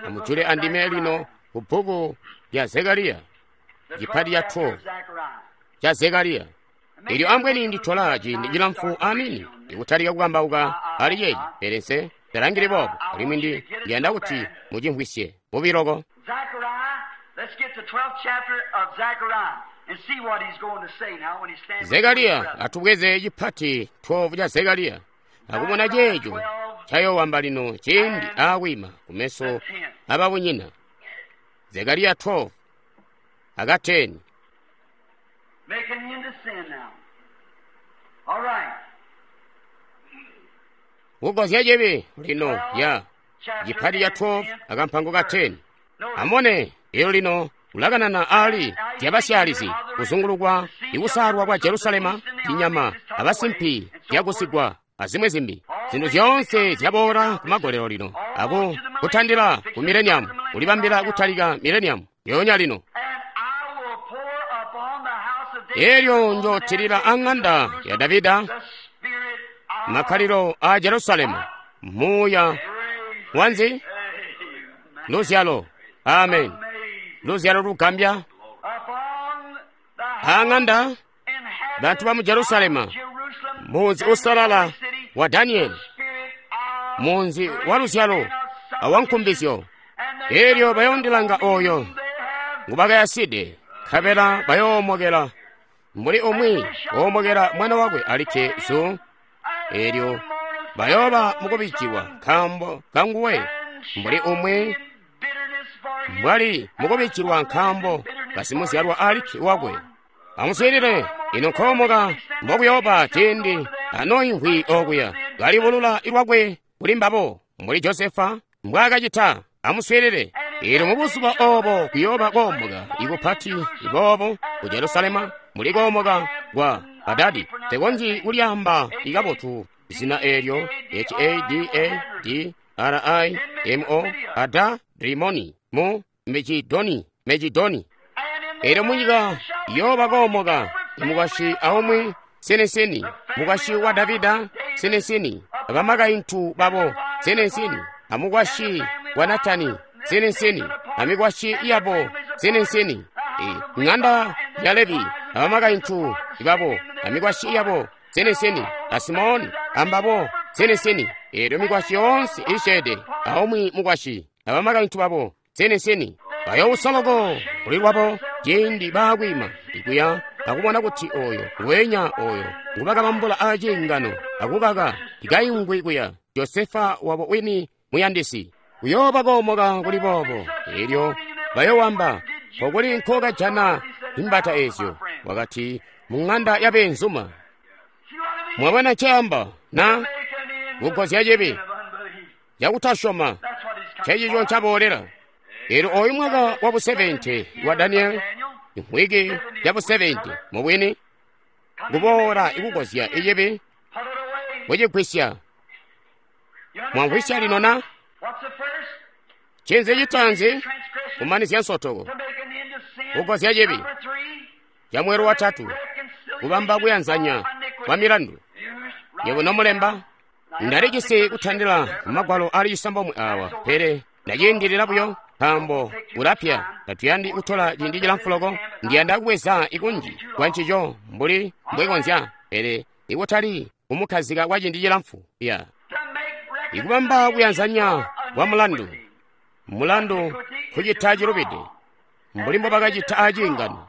Amujule andime lino ku bbuku lya Zekariya, cipati ca 12 ca Zekariya. Eelyo ambweni nditola ciindi cilamfu amini ikutalika kukambauka ali ceeci, pele nse talangili boobo, alimwi ndi ndiyanda kuti mucimvwisye bubiloko. Zekariya, atubweze cipati 12 ca Zekariya, akubona ceeco ncayoowamba lino ciindi aakwiima kumeso ababunyina. Zekariya 12 aka 10. Make an end to sin now. All right. Kugozya cibi lino ya cipati ca 12 akampango ka 10. Amone elo lino ulakanana ali zyabasyalizi kuzungulukwa ikusaalwa kwa Jerusalema, inyama abasimpi zyakusigwa azimwi zimbi. Zintu zyoonse zyaboola kumagolelo lino, aku kutandila ku mileniamu, kulibambila kutalika mileniamu yoonya lino. Eelyo njootilila aŋanda ya Davida makkalilo a Jerusalemu muuya wanzi luzyalo. Amen. Luzyalo lugambya aŋanda bantu ba mu Jerusalema, munzi usalala wa Danieli, munzi wa luzyalo awankumbizyo. Eelyo bayoondilanga oyo ngubakayaside, nkabela bayoomokela mbuli umwi woomokela mwana wakwe alikke zu. Eelyo bayooba mukubijiwa nkaambo kanguwe, mbuli umwi mbwali mukubijilwa nkaambo kasimuzyalwa alikke wakwe. Amuswiilile, ino nkoomoka mbokuyooba ciindi anoimvwi okuya kalibulula lwakwe kuli mbabo, mbuli Josefa mbwaakacita. Amuswiilile, eelyo mubuzuba obo kuyooba koomoka ikupati boobo ku Jerusalema, mbuli koomoka kwa Hadadi. Tekonzyi kulyaamba ikabotu zina eelyo, H-A-D-A-D-R-I-M-O, Hadadrimoni mu Mejidoni, Mejidoni. Eelyo munyika iyooba koomoka imukwasyi aumwi sinisini, mukwasyi wa Davida sinisini, abamakaintu babo sinisini, amukwasyi wa Natani sinisini, amikwasyi yabo sinisini, ŋanda ya Levi abamakaintu babo amikwasyi yabo sinisini, a Simoni ambabo sinisini. Eelyo mikwasyi yoonse isyeede, aumwi mukwasyi abamakaintu babo sinisini, bayoousa loko kuli lwabo ciindi baakwiima ikuya akubona kuti oyo ngweenya oyo ngubakabambula aciingano akukaka tikayungwi kuya Josefa wabo wini muyandisi. Kuyooba koomoka kuli boobo. Eelyo bayowamba, "Nkokuli nkokajana imbata ezyo?" Wakati, "Mu ŋanda yabeenzuma." Mwabona nceamba na kugozya cibi cakutasyoma ncencico ncaboolela. Eelyo oyu mwaka wabu 70 wa Daniele, imvwiki yabu 70 mubwini, kuboola ikugozya icibi kucigwisya. Mwamvwisya lino na? Ncinzi citaanzi? Kumanizya nsotoko, kugozya cibi. Camweelo watatu, kubamba kuyanzanya kwa milandu. Yebo nomulemba, ndalijisi kutandila magwalo ali 9 awa, pele ndaciindilila buyo nkaambo ulapya. Tatuyandi kutola ciindi cilamfu loko. Ndiyanda kubweza ikunji kwa ncico mbuli mbwekonzya, pele ikutali kumukhazika kwa ciindi cilamfu. Ya ikubamba kuyanzanya kwa mulandu. Mulandu kucita cilubide mbuli mbobakacita aciingano.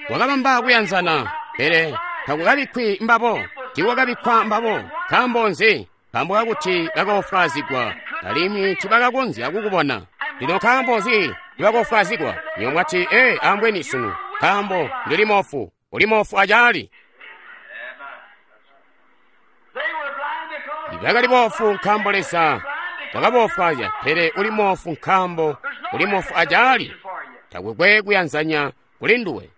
Wakabamba kuyanzana, pele takukabikkwi mbabo. Tiiwakabikkwa mbabo. Nkaambo nzi? Nkaambo kakuti bakoofwaazigwa alimwi tibakakonzya kukubona. Lino nkaambo nzi tibakoofwaazigwa? Nywebo mwati, "Ee, ambweni sunu, nkaambo ndili moofu." Uli moofu acaali. Bakali boofu nkaambo Leza wakaboofwaazya, pele uli moofu nkaambo uli moofu acaali. Takukwe kuyanzanya kuli nduwe.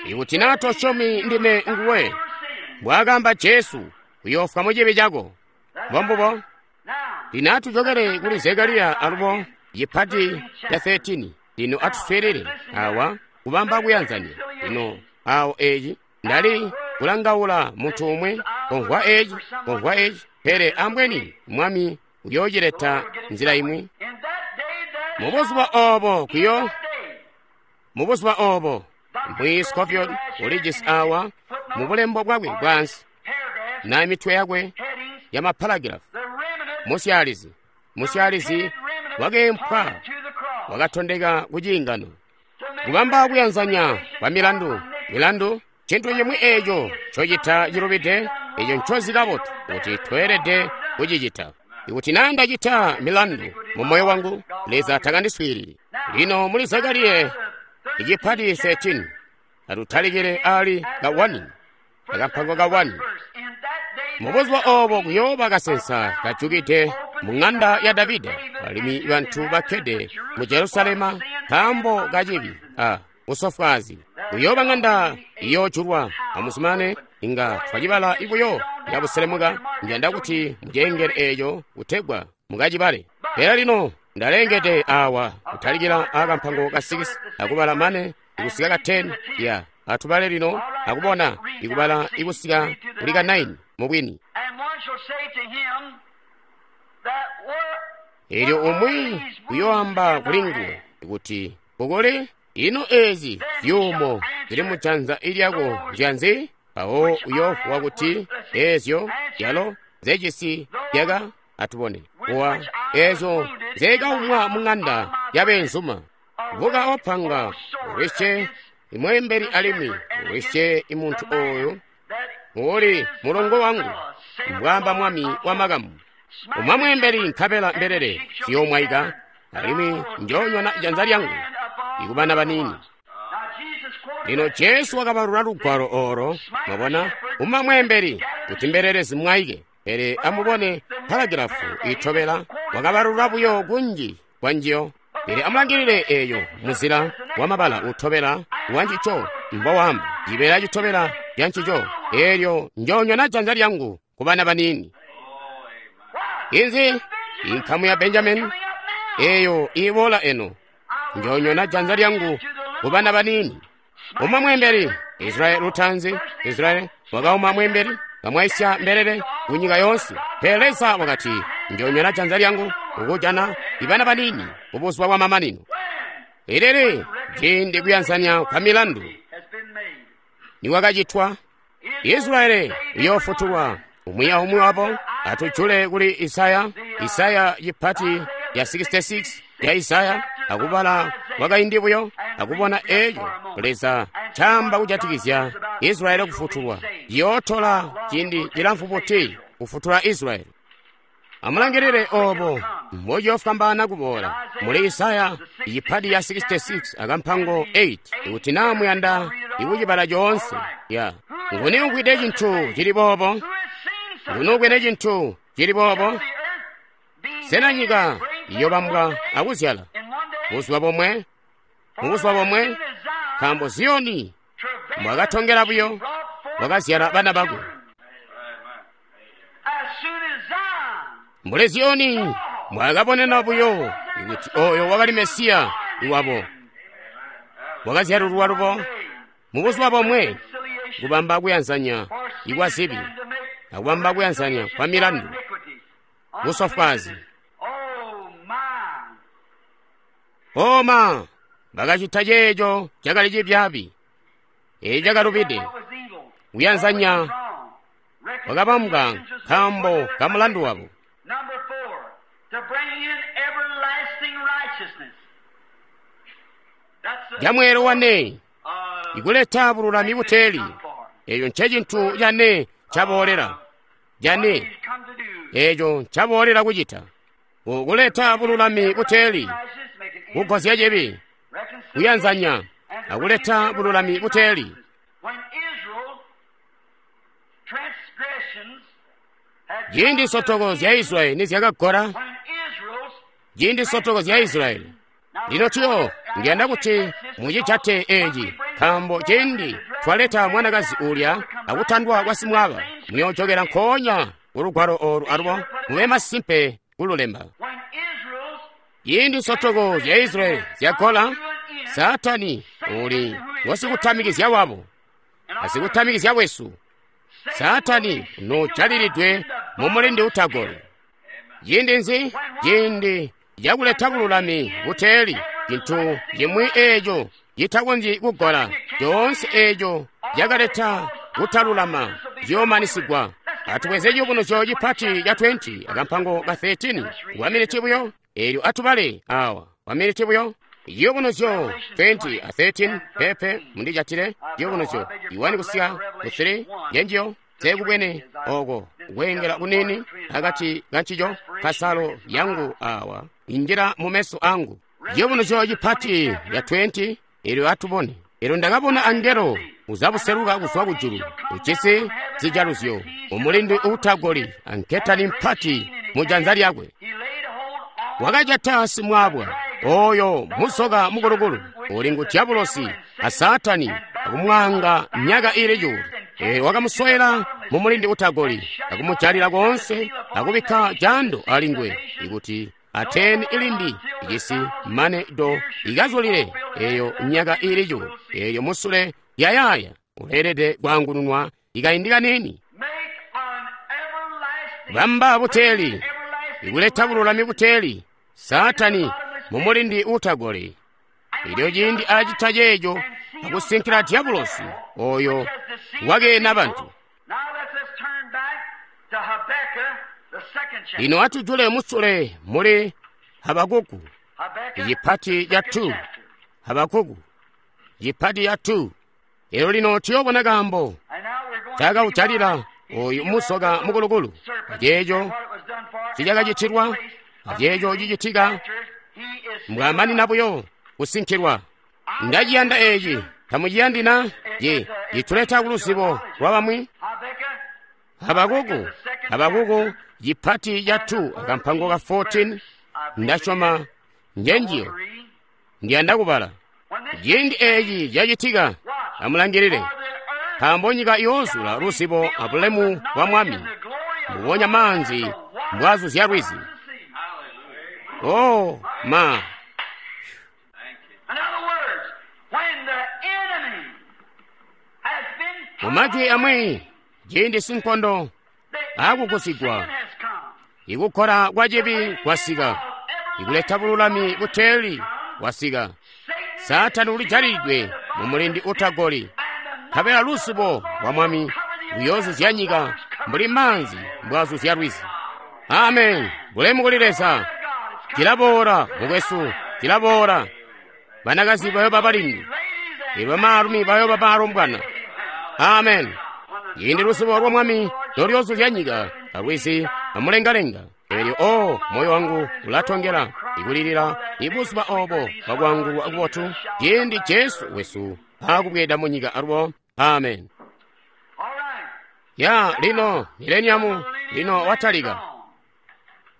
Ikuti naa tosyomi ndime nguwe, mbwaakaamba Jesu, uyoofwa mucibi cako. Mbombubo. Lino atujokele kuli Zekariya alubo cipati ca 13. Lino atuswiilile awa kubamba kuyanzanya. Lino awo eci ndali kulangaula muntu umwe komvwa eci, komvwa eci, pele ambweni Mwami uyoocileta nzila imwi. Mubuzuba obo kuyo, mubuzuba obo, Mbwi Scofield ulijisi awa mu bulembo bwakwe bwaansi na mitwe yakwe ya maparagilafu. Musyaalizi, musyaalizi wakeempwa wakatondeka ku ciingano. Kubamba kuyanzanya kwa milandu, milandu cintu cimwi eco ncocita cilubide, eco ncozi kabotu kuti tweelede kucicita. Ikuti naa ndacita milandu mu moyo wangu, Leza takandiswiilili. Lino muli Zekariya icipati 13, atutalikile ali ka 1, akampango ka 1. Mubuzuba obo kuyooba kasensa kajukide mu ŋanda ya Davida, alimwi bantu bakkede mu Jerusalema nkaambo kacibi a busofwaazi. Kuyooba ŋanda iyoojulwa. Amuzumane, inga twacibala ibuyo yabuselemuka. Njanda kuti muceengele eeco kutegwa mukacibale. Pele lino ndalengede awa kutalikila akampango ka 6 akubala mane ikusika ka 10. Ya atubale lino akubona ikubala ikusika kuli ka 9 mubwini. Eelyo umwi uyoamba kuli nguwe kuti, "Kukuli ino ezi zyuumo zili mujanza ilyako nzyanzi?" Mpawo uyovuwa kuti, "Ezyo zyalo zecisi zyaka atubone kuwa ezyo zekaumwa mu ŋanda yabeenzuma. Buka opanga ulwisye imweembeli alimwi ulwisye imuntu oyo uli mulongo wangu, mbwaamba Mwami wamakamu. Umwa mweembeli nkabela mbelele ziyoomwaika, alimwi njoonyona janza lyangu ikubana baniini." Lino Jesu wakabalula lugwalo olo, mwabona, uma mweembeli kuti mbelele zimwaike. Pele amubone paragilafu itobela, wakabalula buyo kunji kwanjiyo. Pele amulangilile eyo muzila wamabala utobela wancico mbowamba cibeela citobela cancico, eelyo njoonyona janza lyangu kubana baniini. Inzi inkamu ya Benjamini eyo iboola eno, njoonyona janza lyangu kubana baniini. Uma mweembeli Israeli lutanzi, Israeli wakauma mweembeli kamwaisya mbelele kunyika yoonse. Pele Leza wakati, njoonyona janza lyangu kukujana ibana baniini kubuzuba bwa mamanino. Ilili Ciindi kuyanzanya kwa milandu nikwakacitwa, Israeli uyoofutulwa. Umwi aumwi wabo atujule kuli Isaya, Isaya cipati ya 66 ya Isaya, akubala kwakaindi buyo akubona eco Leza ncaamba kujatikizya Israeli kufutulwa. Ciyootola ciindi cilamfu buti kufutula Israeli? Amulangilile obo mbociyofwambaana kuboola muli Isaya icipati ya 66 akampango 8, ikuti naa muyanda ikucibala coonse. Ya nguni umvwide cintu cili boobo? Nguni ubwene cintu cili boobo? Sena nyika iyobambwa akuzyala buzuba bomwe, mubuzuba bomwe? Nkaambo Ziyoni mbwakatongela buyo wakazyala bana bakwe. Mbuli Ziyoni mbwakabonena buyo kuti oyo wakali Mesiya wabo, wakazyalulwa lubo mubuzuba bomwe, kubamba kuyanzanya ikwa zibi akubamba kuyanzanya kwa milandu, busofwazi. Oma bakacita ceeco cakali cibyaabi, eco cakalubide. Kuyanzanya kwakabambwa nkaambo ka mulandu wabo. Camweelo wane, ikuleta bululami buteeli. Eco ncecintu cane caboolela, cane eco ncaboolela kucita, kuleta bululami buteeli, kugozya cibi, kuyanzanya akuleta bululami buteeli. Ciindi nsotoko zya Israeli nizyakagola, ciindi nsotoko zya Israeli. Lino tuyo ndiyanda kuti mucijate eci, nkaambo ciindi twaleta mwanakazi ulya akutandwa kwa simwaaba, muyoojokela nkoonya kulugwalo olu alubo mube masimpe kululemba. Ciindi nsotoko zya Israeli zyagola, Saatani uli ngosikutamikizya wabo asikutamikizya wesu. Saatani nojalilidwe mumulindi utagoli. Ciindi nzi? Ciindi cakuleta bululami buteeli, cintu cimwi eeco citakonzyi kugola. Coonse eeco cakaleta kutalulama ciyoomanisigwa. Atubweze ciyubunuzyo cipati ca 20 akampango ka 13 kwa miniti buyo, eelyo atubale awa kwa miniti buyo. Ciyubunuzyo 20 a 13 pepe mundijatile. Ciyubunuzyo 1 kusika ku 3 njenjiyo sekubwene oko kweengela kunini akati kancico kasalo yangu awa injila mumeso angu. Ciyubunuzyo cipati ya 20 eelyo atubone. Eelyo ndakabona angelo uzabuseluka kuzwa kujulu, ujisi zijaluzyo, umulindi uutagoli anketani mpati mujanza lyakwe. Wakajata simwaabwa oyo musoka mukulukulu uli ngu Diabulosi a Saatani, akumwaanga myaka ili cuulu. Wakamuswela mumulindi utagoli, akumujalila koonse, akubikka jando alingwe ikuti ateni ilimbi icisi mane do ikazulile eyo myaka ili cuulu. Eyo musule yayaaya uleelede kwaangununwa ikaindi kanini. Bamba buteeli, ikuleta bululami buteeli, Saatani mumulindi utagoli. Elyo ciindi acita ceeco akusinkila Diabulosi oyo wakeena bantu. Lino atujule musule muli Habakuku icipati ca 2. Habakuku cipati ca 2. Elyo lino tuyobona kaambo cakaujalila oyu musoka mukulukulu, aceeco cicakacitilwa, aceeco cicitika mbwamanina buyo kusinkilwa. Ndaciyanda eci, tamuciyandi na? Ye cituleta kuluzibo lwa bamwi. Habakuku, Habakuku cipati ca 2 akampango ka 14, ndasyoma njenjiyo ndiyanda kubala. Ciindi eci cacitika, amulangilile, nkaambo nyika iyoozula luzibo abulemu bwa Mwami, mbubonya maanzi mbwaazuzya lwizi. Oh ma! Mumajwi amwi, ciindi sinkondo akugusigwa, ikukola kwa cibi kwasika, ikuleta bululami buteeli kwasika. Saatani ulijalilidwe mu mulindi utagoli, nkabela luzibo lwa Mwami luyoozuzya nyika mbuli maanzi mbwaazuzya lwizi. Amen. Bulemu kuli Leza. Cilaboola, mukwesu, cilaboola. Banakazi bayooba balindi, elyo bamaalumi bayooba balombwana. Amen. Ciindi luzibo lwa Mwami noluyoozuzya nyika alwizi amulengalenga, elyo o moyo wangu ulatongela ikulilila ibuzuba obo bwakuangulwa kubotu, ciindi Jesu wesu aakubweeda mu nyika alubo. Amen. Ya lino mileniamu lino watalika.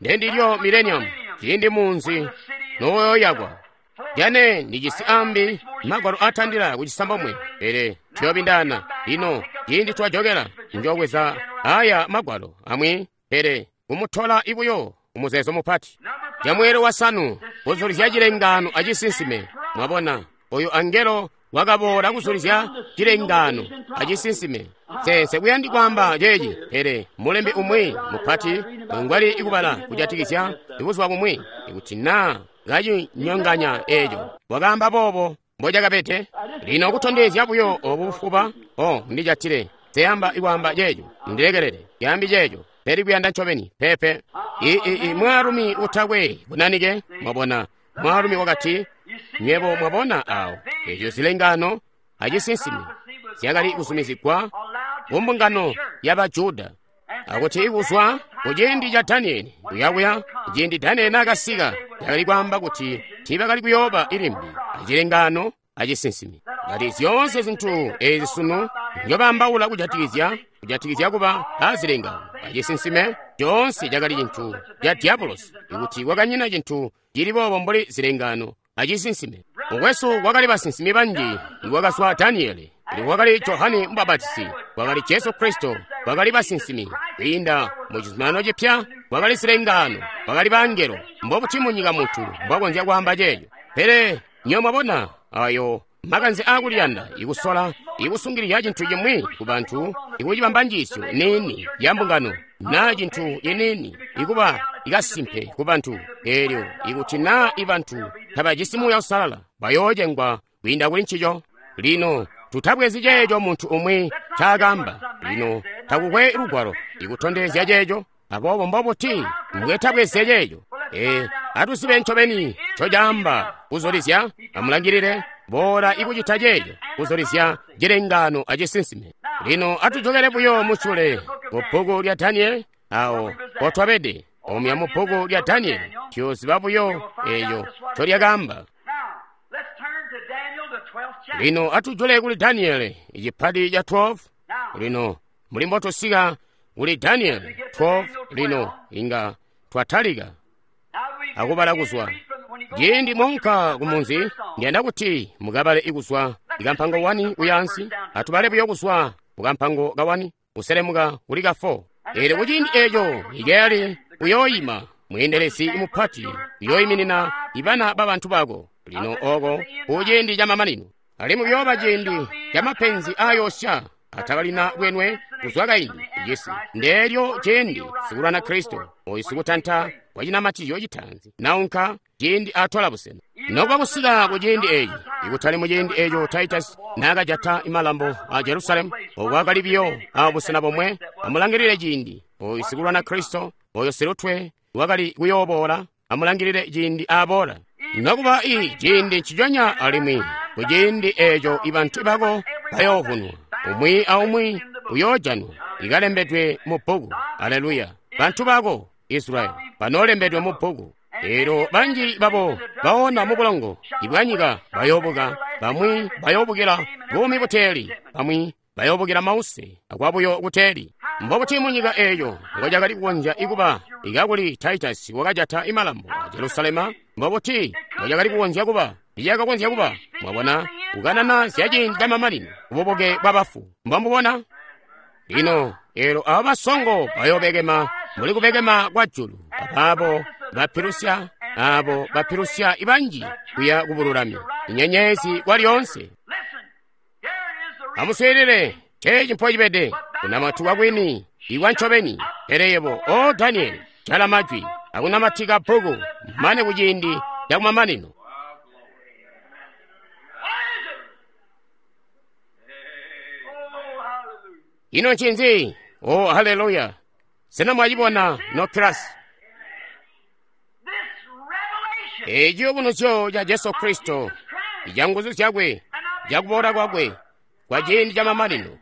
Ndendilyo mileniamu ciindi munzi noyoyakwa. Jane ndijisi ambi magwalo atandila kucisambomwe, pele tuyobindana lino ciindi twajokela njobweza aya magwalo amwi, pele kumutola ibuyo kumuzeezo mupati. Camweelo wasanu kuzulizya cilengaano acisinsime. Mwabona oyo angelo wakaboola kuzulizya cilengaano acisinsime. Nse kuyandi kwaamba ceeci, pele mulembi umwi mupati ngwali ikubala kujatikizya buzuba bumwi, ikuti naa kacinyonganya eeco wakaamba boobo mbocakabede. Lino kutondezya buyo obu bufuba, o ndijatile seyamba ikwaamba ceeco, ndilekelele yambi ceeco, pele kuyanda ncobeni pepe. I mwaalumi utakwe bunanike, mwabona, mwaalumi wakati, nywebo mwabona awo eco zilengaano acisinsime zyakali kuzumizigwa ku mbungano yaba Juda, akuti ikuzwa kuciindi ca Danieli kuyakuya ciindi Danieli naakasika, yakali kwaamba kuti tiibakali kuyooba ilimbi acilengaano acisinsime. Ngati zyoonse zintu ezi sunu njobaambaula kujatikizya kuba azilengaano acisinsime, coonse cakali cintu ca diabolosi, ikuti kwakanyina cintu cili boobo mbuli zilengaano acisinsime. Mukwesu, kwakali basinsimi banji. Ikwakazwa Daniele, kwakali Johane Mubapatizi, kwakali Jesu Kristo, kwakali basinsimi. Kwiinda mu Cizuminano Cipya kwakali zilengaano, kwakali bangelo. Mbobuti munyika muntu mbwakonzya kwaamba ceeco? Pele nywebo mwabona ayo makanze aakuliyanda, ikusola ikusungilizya cintu cimwi ku bantu, ikucibamba njiisyo niini ya mbungano naa cintu ciniini ikuba ikasimpe ku bantu. Eelyo ikuti naa ibantu tabajisi Muuya Uusalala, bayoocengwa kwiinda kuli ncico. Lino tutabwezi ceeco muntu umwi ncaakaamba. Lino takukwe lugwalo ikutondezya ceeco, aboobo mbobuti mbwetabweze ceeco? Atuzibe ncobeni ncocaamba kuzulizya. Amulangilile boola ikucita ceeco, kuzulizya cilengaano acisinsime. Lino atujokele buyo musyule ku bbuku lya Danieli awo potwabede. Omuya mu bbuku lya Danieli tuyooziba buyo eeco ncolyakaamba. Lino atujule kuli Danieli icipati ca 12. Lino muli mbotusika kuli Danieli 12, lino inga twatalika akubala kuzwa ciindi mwaunka kumunzi. Ndiyanda kuti mukabale ikuzwa ikampango 1 kuyaansi. Atubale buyo kuzwa kukampango ka 1 kuselemuka kuli ka 4. Eelyo kuciindi eeco Mikayeli uyooyima, mweendelezi mupati, uyooyiminina ibana babantu bako. Lino oko kuciindi camamanino, alimwi kuyooba ciindi camapenzi aayoosya atakalina bwenwe kuzwa kaindi icisi. Ndeelyo ciindi sikulwana Kristo oyu sikutanta wacinamatizyo citaanzi naunka, ciindi atola busena. Nokuba kusika ku ciindi eeci, ikutali mu ciindi eeco Titus naakajata imalambo a Jerusalemu, okwakali biyo a busena bomwe. Amulangilile ciindi oyu sikulwana Kristo oyo silutwe wakali kuyooboola. Amulangilile ciindi aaboola. Nokuba i ciindi nciconya, alimwi ku ciindi eeco ibantu bako bayoovunwa, umwi aumwi uyoojanwa ikalembedwe mu bbuku. Aleluya! Bantu bako Israyeli banoolembedwe mu bbuku. Eelyo banji babo baona mu bulongo ibwanyika bayoobuka, bamwi bayoobukila buumi buteeli, bamwi bayoobukila mause akwabuyo kuteeli. Mbobuti munyika eeyo ngocakali kukonzya ikuba ikakuli Titus wakajata imalambo a Jerusalema? Mbobuti ngocakali kukonzya kuba? Icakakonzya kuba, mwabona, kukanana zya ciindi camamanino, kububuke bwa bafu. Mbomubona? Lino eelyo abo basongo bayoobekema mbuli kubekema kwa julu, abaabo bapilusya, abo bapilusya ibanji kuya kubululami, inyenyeezi kwa lyoonse. Amuswiilile, ceeci mpocibede kunamatuka kwini ikwa ncobeni. Pele yebo, o Danieli, jala majwi akunamatika bbuku mane kuciindi cakumamanino. Ino ncinzi? Oh, haleluya! Sena mwacibona nokilasi? This revelation Eci ciyubunuzyo ca Jesu Kristo, of Jesus Christ ca nguzu zyakwe, ca kuboola kwakwe, kwa ciindi ca mamanino,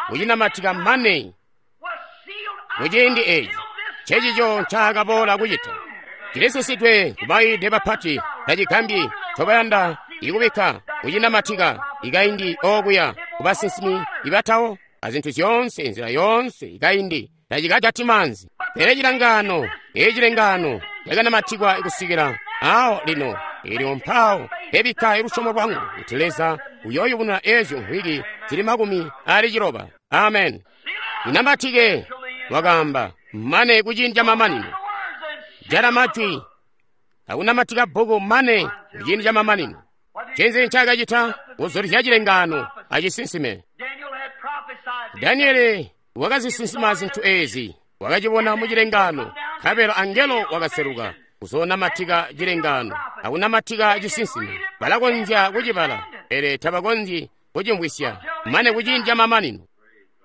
kucinamatika mane was sealed up kuciindi eci. until this Ncecico ncaakaboola kucita. Cilisisidwe kubaide bapati tacigambyi ncobayanda ikubikka kucinamatika ikaindi okuya kubasinsimi ibatawo azintu zyoonse nzila yoonse ikaindi tacikajati maanzi. Pele cilangano eci cilengano cakanamatikwa kusikila awo lino elyo mpawo mpebikka lusyomo lwangu kuti Leza uyooyubununa ezyo mvwiki zili 60. Amen. Inamatike wakaamba mane kuciindi ca mamanino. the words and Jala majwi akunamatika bbuku mane kuciindi ca mamanino. Ncinzi ncaakacita? Kuzulizya cilengano acisinsime. Daniel had prophesied these Daniele wakazisinsima zintu ezi, wakacibona mu cilengano, nkabela angelo wakaseluka kuzoonamatika cilengano akunamatika cisinsime. Balakonzya kucibala, pele tabakonzyi kucimvwisya mane kuciindi ca mamanino.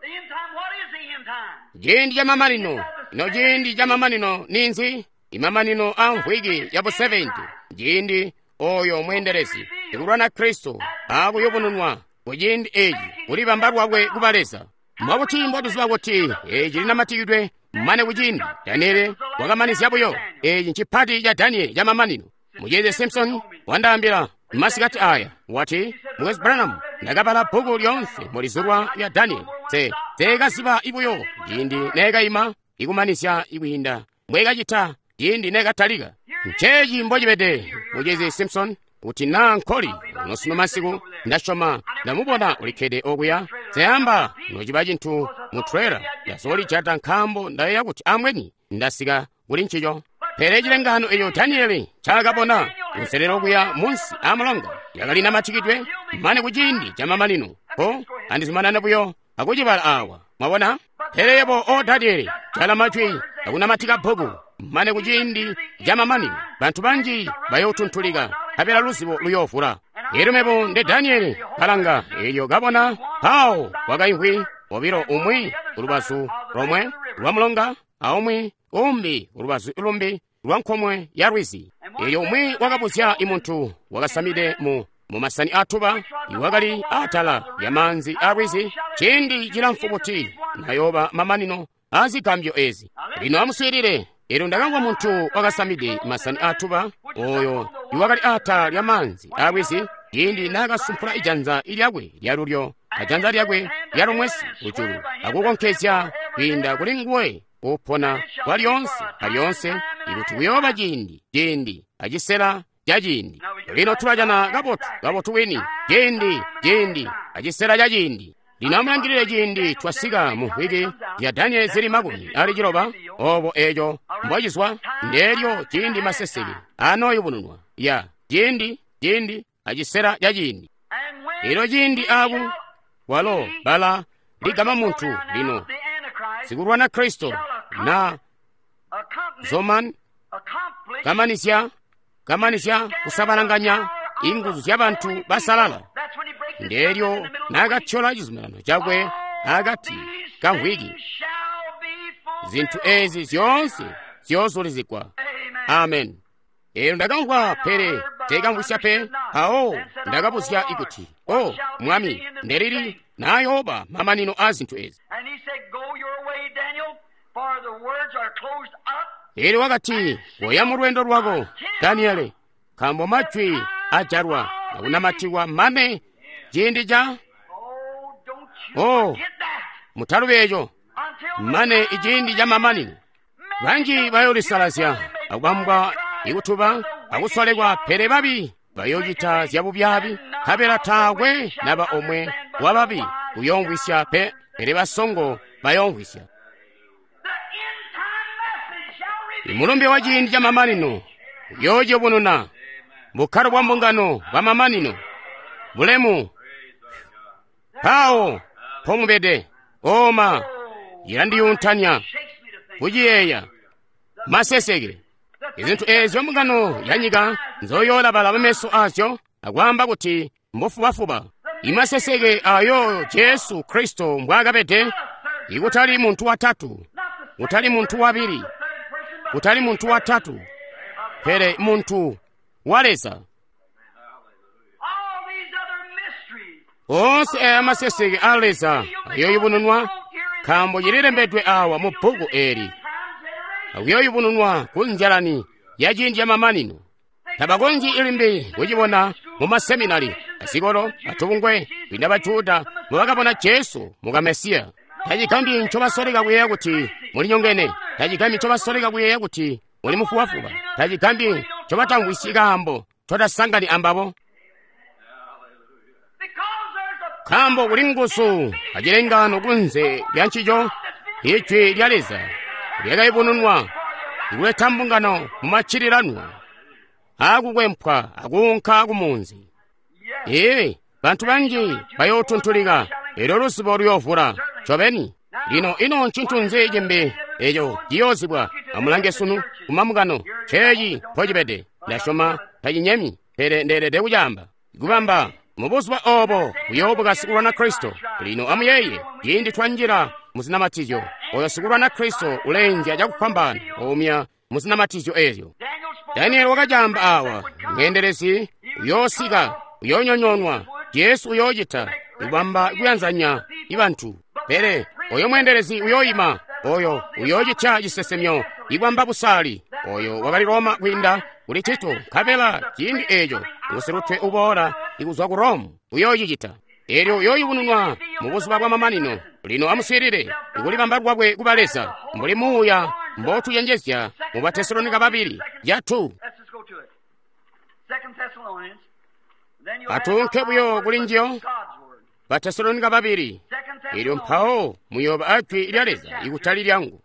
The end time, what is the end time? Ciindi ca mamanino. Ino ciindi ca mamanino ninzi? Imamanino a mvwiki ya bu 70. Ciindi oyo mweendelezi ikulwana Kristo akuyubununwa kuciindi eci kulibamba lwakwe kuba Leza. Mwakuti mbotuziba kuti eci linamatikidwe mane kuciindi Daniele wakamanizya buyo. Eci ncipati ca Daniele ca mamanino. Mucezi Simpson wandaambila masikati aya wati, Mukwesu Branham, ndakabala bbuku lyoonse mulizulwa lya Daniele. Seekaziba ibuyo ciindi neekaima ikumanizya ikwiinda mbwekacita ciindi neekatalika. Nceeci mbocibede, Mucezi Simpson, kuti naa nkoli unosino masiku ndasyoma ndamubona ulikkede okuya. Seyamba nociba cintu mu trailer ndazoolijata nkaambo ndayeeya kuti amweni ndasika kuli ncico. Pele cilengano eco Daniele ncaakabona kunselelo kuya munsi amulonga yakali namatikidwe mane kuciindi ca mamanino. Ko andizumanane buyo akucibala awa. Mwabona? Pele yebo o Daniele, jala majwi akunamatika bbuku mane kuciindi ca mamanino. Bantu banji bayootuntulika, nkabela luzibo luyoovula. Elyo mebo nde Daniele kalanga, elyo kabona mpawo kwakaimvwi bobilo, umwi kulubazu lomwe lwa mulonga aumwi umbi kulubazu lumbi lwa nkomwe ya lwizi. Elyo umwi wakabuzya imuntu wakasamide mu masani atuba iwakali atala ya maanzi a lwizi, ciindi cilamfu buti nayooba mamanino a zigambyo ezi. Lino amuswiilile. Elyo ndakamvwa muntu wakasamide masani atuba oyo iwakali atala lya maanzi a lwizi, ciindi naakasumpula ijanza lyakwe lyalulyo ajanza lyakwe lyalumwesi kujulu akukonkezya kwiinda kuli nguwe upona kwa lyoonse alyoonse, ikuti kuyooba ciindi ciindi acisela ca ciindi. Lino tulajana kabotu kabotu wini ciindi ciindi acisela ca ciindi. Lino amulangilile ciindi twasika mu mvwiki ya Daniele zili 60 obo eco mbocizwa ndeelyo ciindi maseseke anooyubununwa ya ciindi ciindi acisela ca ciindi. And when Elyo ciindi aku walo bala ligama muntu lino the Antichrist sikulwana Kristo na accompanied, zoman accomplished kamanizya kamanizya kusabalanganya inguzu zya bantu basalala. That's when he breaks his Ndeelyo covenant in the middle of the week. naakathyola cizuminano cakwe akati ka mvwiki. These shall be fulfilled. Zinthu ezi zyoonse ziyoozulizigwa. Amen. Amen. Elyo ndakamvwa pele teekamvwisya pe. Mpawo ndakabuzya ikuti, O Mwami, ndelili nayooba mamanino a zinthu ezi? And he said, Go your way, Daniel, for the words are closed up. Elyo wakati, koya mu lwendo lwako, Daniele, nkaambo majwi ajalwa akunamatikwa mane ciindi ca Oh, don't you Oh. forget that. mutalubi eco Until the mane time iciindi ca mamanino. Banji bayoolisalazya akubambwa ikutuba akusolekwa, pele babi bayoocita zyabubyabi, nkabela taakwe naba omwe wababi uyoomvwisya pe, pele basongo bayoomvwisya. the end time message shall reveal. Imulumbe wa ciindi ca mamanino uyoociyubununa bukkalo bwa mbungano bwa mamanino bulemu mpawo mpomubede. Oma ilandiyuntanya Shakes me to think. kuciyeeya maseseke. Izintu eezyo mbungano ya nyika nzoyoolabala bameso azyo akwaamba kuti mbufubafuba. Imaseseke ayo Jesu Kristo mbwaakabede Ikutali muntu watatu, kutali muntu wabili, kutali muntu watatu, pele muntu wa Leza. Oonse aya maseseke a Leza ayoyubununwa, nkaambo cililembedwe awa mu bbuku eli, akuyoyubununwa ku nzyalani ya ciindi camamanino. Tabakonzyi limbi kucibona mu maseminari, azikolo, atubungwe, kwiinda Bajuda mbubakabona Jesu muka Mesiya. Tacigambyi ncobasoleka kuyeeya kuti mulinyongene. Tacigambyi ncobasoleka kuyeeya kuti muli mufubafuba. Tacigambyi ncobatamvwisyi kaambo ncotasangani ambabo. Nkaambo kuli nguzu acilengano kunze lya ncico, Ijwi lya Leza lyakayubununwa ikuleta mbungano mu maccililanwa akukwempwa akuunka kumunzi. Ee, bantu banji bayootuntulika, elyo luzibo luyoovula. Ncobeni. Lino ino ncintu nzi cimbi eco ciyoozibwa? Amulange sunu kumamukano, ceeci mpocibede. Ndasyoma tacinyemi, pele ndeelede kucaamba. Kubamba mubuzuba obo kuyoobuka sikulwana Kristo. Lino amuyeeye, ciindi twanjila muzinamatizyo, oyo sikulwana Kristo uleenzya cakufwambaana oumya muzinamatizyo ezyo. Danieli wakacaamba awa, mweendelezi uyoosika, uyoonyonyoonwa. Jesu uyoocita kubamba kuyanzanya ibantu. Pele oyo mweendelezi uyoyima, oyo uyoocita cisesemyo ibwamba busaali. Oyo wakali Roma kwiinda kuli Tito, nkabela ciindi eeco ngusilutwe uboola ikuzwa ku Rome uyoocicita. Elyo uyoyubununwa mu buzuba bwamamanino. Lino amuswiilile, ikulibamba lwakwe kuba Leza, mbuli Muuya mbotucenjezya mu Batesalonika babili yatu. Atuunke buyo kuli njiyo, Batesalonika babili. Elyo mpawo muyooba ajwi lya Leza ikutali lyangu.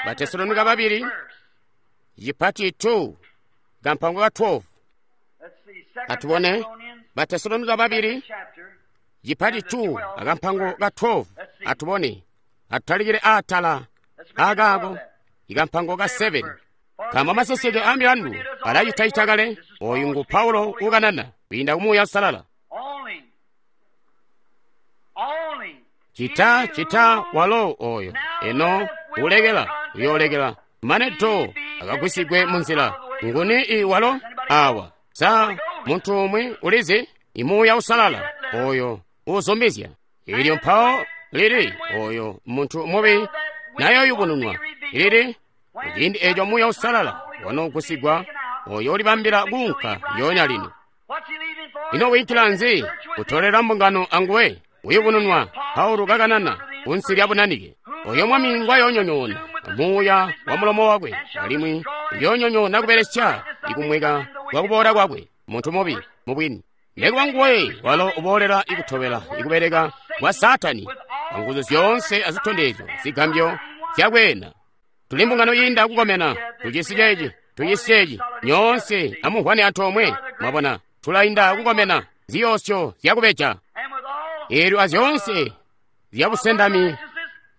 Batesalonika babili, cipati 2, kampango ka 12. Atubone Batesalonika babili, cipati 2, akampango ka 12. Atubone, atutalikile aatala akaako, ikampango ka 7. Nkaambo maseseke a milandu alacitacita kale. Oyu ngu Paulo ukanana kwiinda ku Muuya Uusalala. Cita cita walo oyo eno ulekela uyoolekela mane do akagwisigwe munzila. Nguni i walo awa? Sa muntu umwi ulizi? Imuuya Uusalala oyo uzumbizya. Ilyo mpawo lili oyo muntu mubi nayoyubununwa lili kuciindi eco Muuya Uusalala wanogusigwa, oyo ulibambila kuunka lyoonya lino. Ino wiinkila nzi kutolela mbungano anguwe? Uyubununwa Paulo kakanana kunsi lya bunanike. Oyo mwami ngwayoonyonyoona muuya wa mulomo wakwe, alimwi uyoonyonyoona kubelesya ikumweka kwa kuboola kwakwe. Muntu mubi mubwini nekuba nguwe walo uboolela ikutobela ikubeleka kwa Saatani anguzu zyoonse azitondezyo zigambyo zyakweena. Tuli mbungano yiinda kukomena, tujisi ceeci, tujisi ceeci, nyoonse amumvwane antoomwe. Mwabona, tulainda kukomena ziyoosyo zyakubeja. Eelyo azyoonse zyabusendami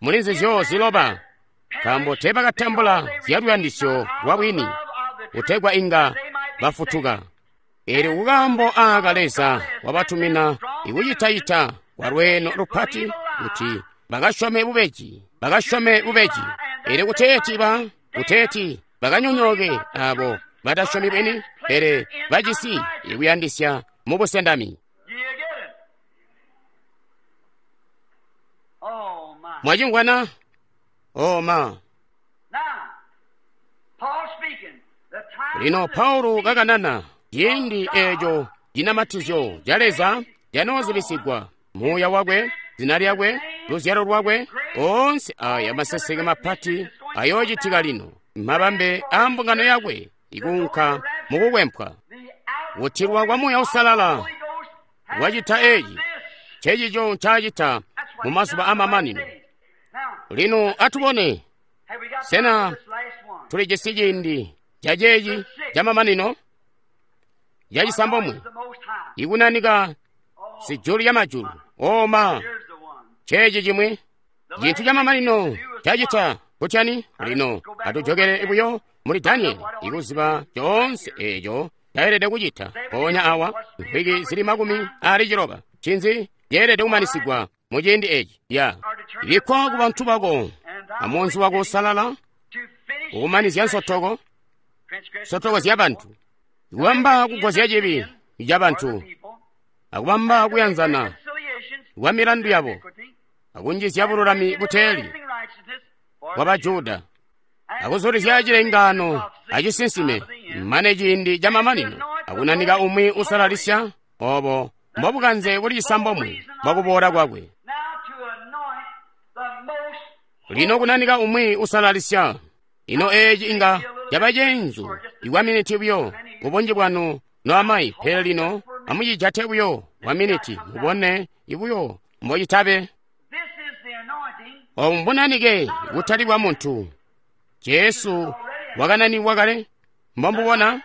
muli nzizyo ziloba, nkaambo teebakatambula zyaluyandisyo lwa bwini, kutegwa inga bafutuka. Eelyo kukaambo aaka Leza wabatumina ikucitacita kwa lweeno lupati kuti bakasyome bubeji, bakasyome bubeji. Eelyo kuteeti bakanyonyooke abo batasyomi bwini, pele bajisi ikuyandisya mubusendami. Mwacimvwana? Oh ma. Lino Paulo kakanana ciindi eeco cinamatizyo ca Leza canoozibisigwa, muuya wakwe, zina lyakwe, luzyalo lwakwe, oonse aya maseseke mapati ayoocitika lino, mabambe a mbungano yakwe ikuunka mukukwempwa. Kutilwa kwa Muuya Uusalala wacita eeci, ncecico ncaacita mu mazuba amamanino. Lino atubone, sena tulijisi ciindi caceeci camamanino? Yacisambomwe, ikunanika sijulu lya majulu. Oma, ceeci cimwi cintu camamanino cacita kutyani? Lino atujokele buyo muli Danieli ikuziba coonse eeco taelede kucita. Mpoonya awa mvwiki zili 60 ncinzi ceelede kumanisigwa mu ciindi eci ya. Ibikkwa ku bantu bako amunzi wako usalala, kukumanizya nsotoko, nsotoko zya bantu, kubamba kugozya cibi ca bantu, akubamba kuyanzana kwa milandu yabo, akunjizya bululami buteeli bwa Bajuda, akuzulizya cilengaano acisinsime mane ciindi camamanino, akunanika umwi usalalisya. Obo mbobukanze buli cisambomwe bwakuboola kwakwe. Lino kunanika umwi usalalisya. Ino eeci inga caba ceenzu ikwa miniti buyo kubunji bwanu noamayi, pele lino amucijate buyo kwa miniti mubone ibuyo mbocitabe. Obu mbunanike butali bwa muntu. Jesu wakananikwa kale. Mbombubona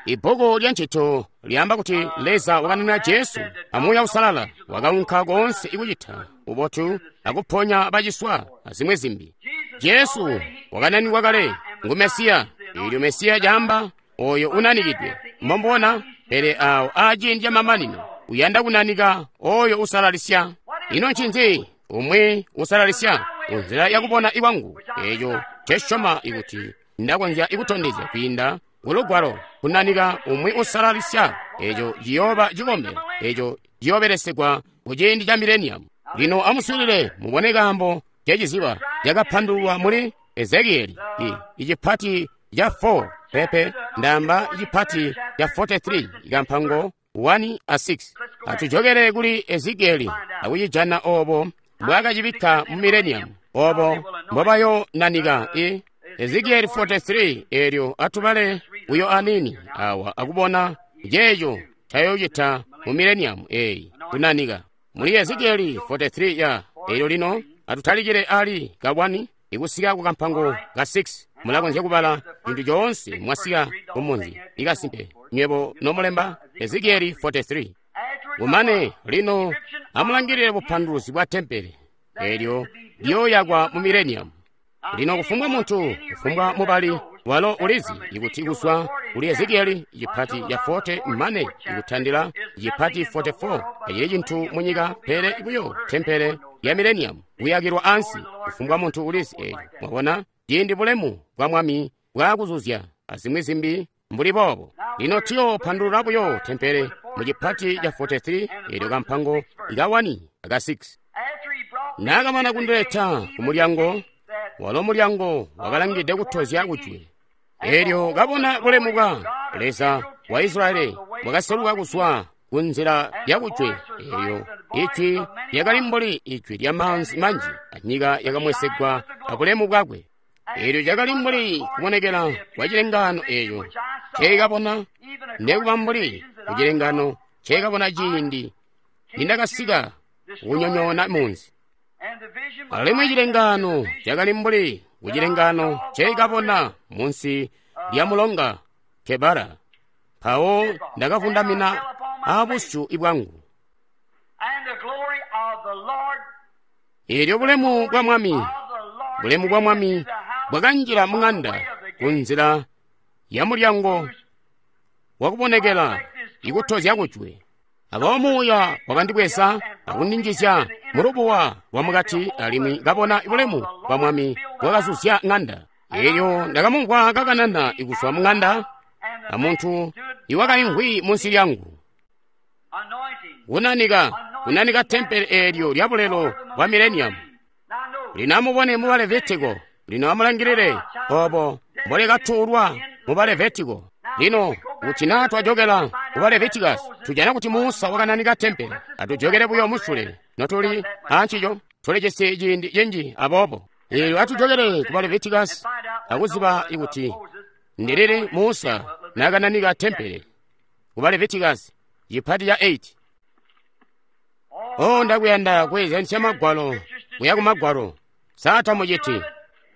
ibbuku lya Ncito lyaamba kuti Leza wakananina Jesu amuuya usalala, wakaunka koonse ikucita ubotu akuponya baciswa azimwi zimbi. Jesu wakananikwa kale, ngu Mesiya. Eelyo Mesiya caamba oyo unanikidwe. Mbombubona, pele awo aciindi camamanino uyanda kunanika oyo usalalisya. Ino ncinzi umwi usalalisya? Kunzila yakubona ikwangu, eeco ncesyoma ikuti ndakonzya ikutondezya kwiinda kulugwalo, kunanika umwi usalalisya, eeco ciyooba cikombelo, eeco ciyoobelesegwa kuciindi ca mileniamu. Lino amuswiilile mubone kaambo ceciziba cakapandululwa muli Ezekieli icipati ca 4 pepe ndaamba icipati ca 43 ikampango 1 a 6. Atujokele kuli Ezekieli akucijana obo mbwaakacibikka mu mileniamu, obo mbobayonanika Ezekieli 43. Eelyo atubale buyo anini awa akubona ceeco cayocita mu mileniamu eeyi kunanika. Muli Ezekieli 43 ya eelyo lino atutalikile ali ka 1 ikusika ku kampango ka 6. Mulakonzya kubala cintu coonse mwasika kumunzi ikasimpe nywebo nomulemba Ezekieli 43. Kumane lino amulangilile bupanduluzi bwa tempele eelyo liyooyakwa mu mileniamu. Lino kufumbwa muntu, kufumbwa mubali walo ulizi ikuti kuzwa kuli Ezekieli cipati ca 40 mane ikutandila cipati 44 tacili cintu munyika pele buyo tempele ya mileniamu kuyakilwa ansi. Kufumbwa muntu ulizi eeco. Mwabona ciindi bulemu bwa Mwami bwaakuzuzya azimwi zimbi mbuli boobo. Lino tuyoopandulula buyo tempele mu cipati ca 43 eelyo kampango ka 1 aka 6. Naakamana kundileta kumulyango, walo mulyango wakalangide kutozya kujwe. Eelyo kabona bulemu bwa Leza wa Israeli bwakaseluka kuzwa ku nzila ya kujwe. Eelyo ijwi lyakali mbuli ijwi lya maanzi manji, anyika yakamwesegwa abulemu bwakwe. Eelyo cakali mbuli kubonekela kwa cilengaano eeco nceekabona, nekuba mbuli kucilengaano nceekabona ciindi nindakasika kunyonyoona munzi. Alimwi cilengaano cakali mbuli kucilengaano nceekabona munsi lya mulonga Kebara. Mpawo ndakavundamina abusyu bwangu. Eelyo bulemu bwa Mwami, bulemu bwa Mwami bwakanjila muŋanda kunzila ya mulyango wakubonekela ikutozya kujwe. Aboobo muuya wakandibweza akundinjizya mulubuwa lwamukati, alimwi kabona bulemu bwa Mwami bwakazuzya ŋanda. Eelyo ndakamumvwa kakanana ikuzwa muŋanda amuntu iwakaimvwi munsi lyangu. Kunanika, kunanika tempele eelyo lya bulelo bwa mileniamu. Lino amubone mu Balevitiko. Lino amulangilile obo mbolekatuulwa mu Balevitiko. Lino kuti naa twajokela ku Balevitikasi, tujana kuti Musa wakananika tempele. Atujokele buyo musule notuli ancico, tulijisi ciindi cinji aboobo. Eelyo atujokele ku Balevitikasi akuziba ikuti ndilili Musa naakananika tempele. Ku Balevitikasi cipati ca 8. Oh, ndakuyanda kweezyanisya magwalo kuya ku magwalo. Sa muciti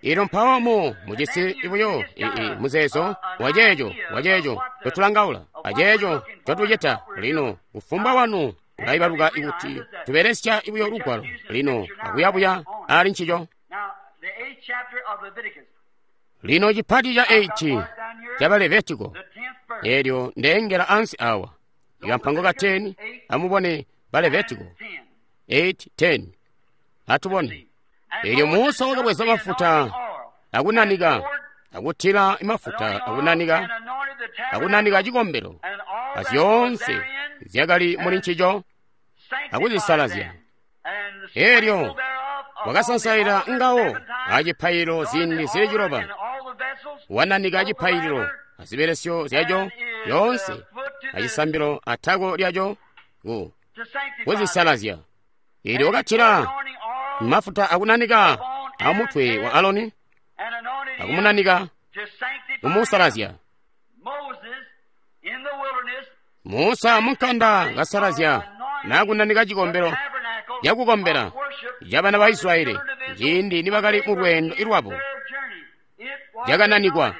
Ilo mpawo mu mujisi buyo muzeezo waceeco ncotulangaula aceeco ncotucita. Lino kufumbwa wanu ulaibaluka ikuti tubelesya buyo lugwalo lino akuyabuya ali ncico. Lino cipati ca 8 ca Balevitiko, eelyo ndeengela ansi awa ikampango ka 10. Amubone Balevitiko 8:10. Atubone. Eelyo Musa wakabweza mafuta akunanika, akutila mafuta akunanika, akunanika cikombelo azyoonse zyakali muli ncico, akuzisalazya. Eelyo wakasansaila ngawo acipaililo ziindi zili 7, wananika cipaililo azibelesyo zyaco zyoonse, acisambilo atako lyaco kuzisalazya. Eelyo wakatila mafuta akunanika amutwe wa Aloni, akumunanika kumusalazya. Musa munkanda kasalazya nakunanika cikombelo cakukombela cabana ba Israyeli ciindi nibakali mu lweendo lwabo, cakananikwa.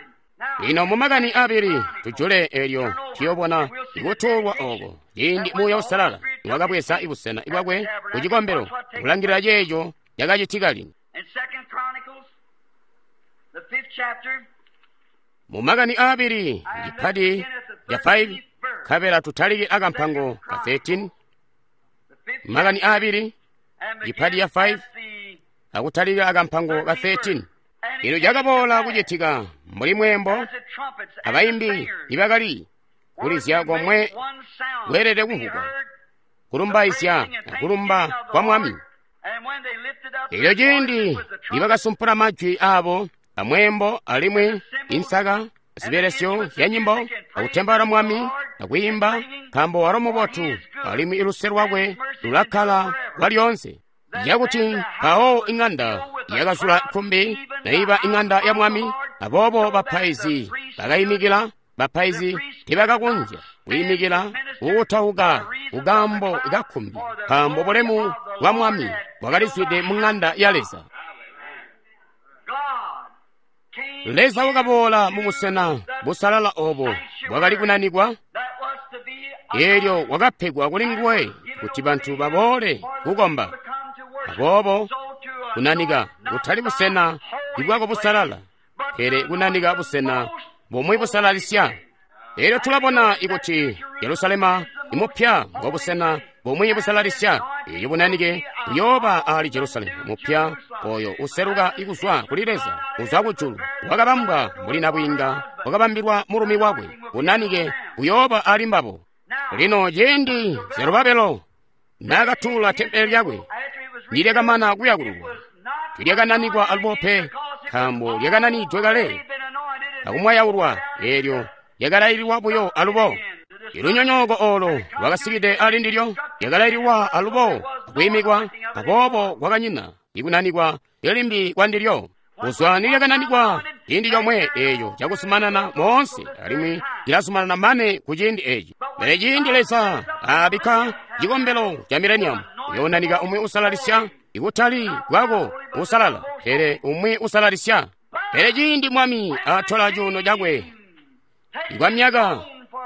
Lino mumakani abili tujule eelyo tuyobona ikutuulwa ooko ciindi Muuya Uusalala wakabweza busena bwakwe ku cikombelo kulangilila ceeco cakacitika lino. Mumakani aabili cipati ca 5 nkabela tutalike akampango ka 13. Makani aabili cipati ca 5 akutalika akampango ka 13. Eelyo cakaboola kucitika mbuli mweembo abayimbi nibakali kulizya komwe kweelede kumvwugwa kulumbaizya akulumba kwa Mwami. Eelyo ciindi nibakasumpula majwi aabo amweembo alimwi insaka zibelesyo zya nyimbo akutembaula Mwami akwiimba, nkaambo walo mubotu alimwi iluse lwakwe lulakkala kwalyoonse. Yakuti mpawo iŋanda yakazula kkumbi naiba iŋanda ya Mwami, aboobo bapaizi bakayimikila. Bapaizi tibakakonzya kuyimikila kukutauka kukambo kakkumbi, nkaambo bulemu bwa Mwami bwakalizwide mu ŋanda ya Leza. Leza wakaboola mubusena busalala oobo bwakali kunanikwa, eelyo wakapegwa kuli nguwe kuti bantu baboole kukomba. Aboobo kunanika kutali busena ibwako busalala, pele kunanika busena bumwi busalalisya. Eelyo tulabona ikuti Jerusalema imupya ngobusena bumwi busalalisya. Eelyo bunanike buyooba ali Jerusalemu mupya oyo useluka ikuzwa kuli Leza, kuzwa kujulu, wakabambwa mbuli nabwiinga wakabambilwa mulumi wakwe. Bunanike buyooba ali mbabo. Lino ciindi Zerubabelo naakatuula tempele lyakwe, nilyakamana kuyakululwa, tilyakananikwa alubo pe, nkaambo lyakananidwe kale akumwayaulwa. Eelyo lyakalaililwa buyo alubo. Ilunyonyooko oolo lwakasikide ali ndilyo lyakalaililwa alubo akwiimikwa, aboobo kwakanyina ikunanikwa limbi kwandilyo. Kuzwa nilyakananikwa ciindi comwe eeco cakuzumanana moonse, alimwi cilazumanana mane ku ciindi eeci. Pele ciindi Leza aabikka cikombelo ca mileniamu, uyoonanika umwi usalalisya, ikutali kwako usalala, pele umwi usalalisya. Pele ciindi Mwami atola cuuno cakwe kwa myaka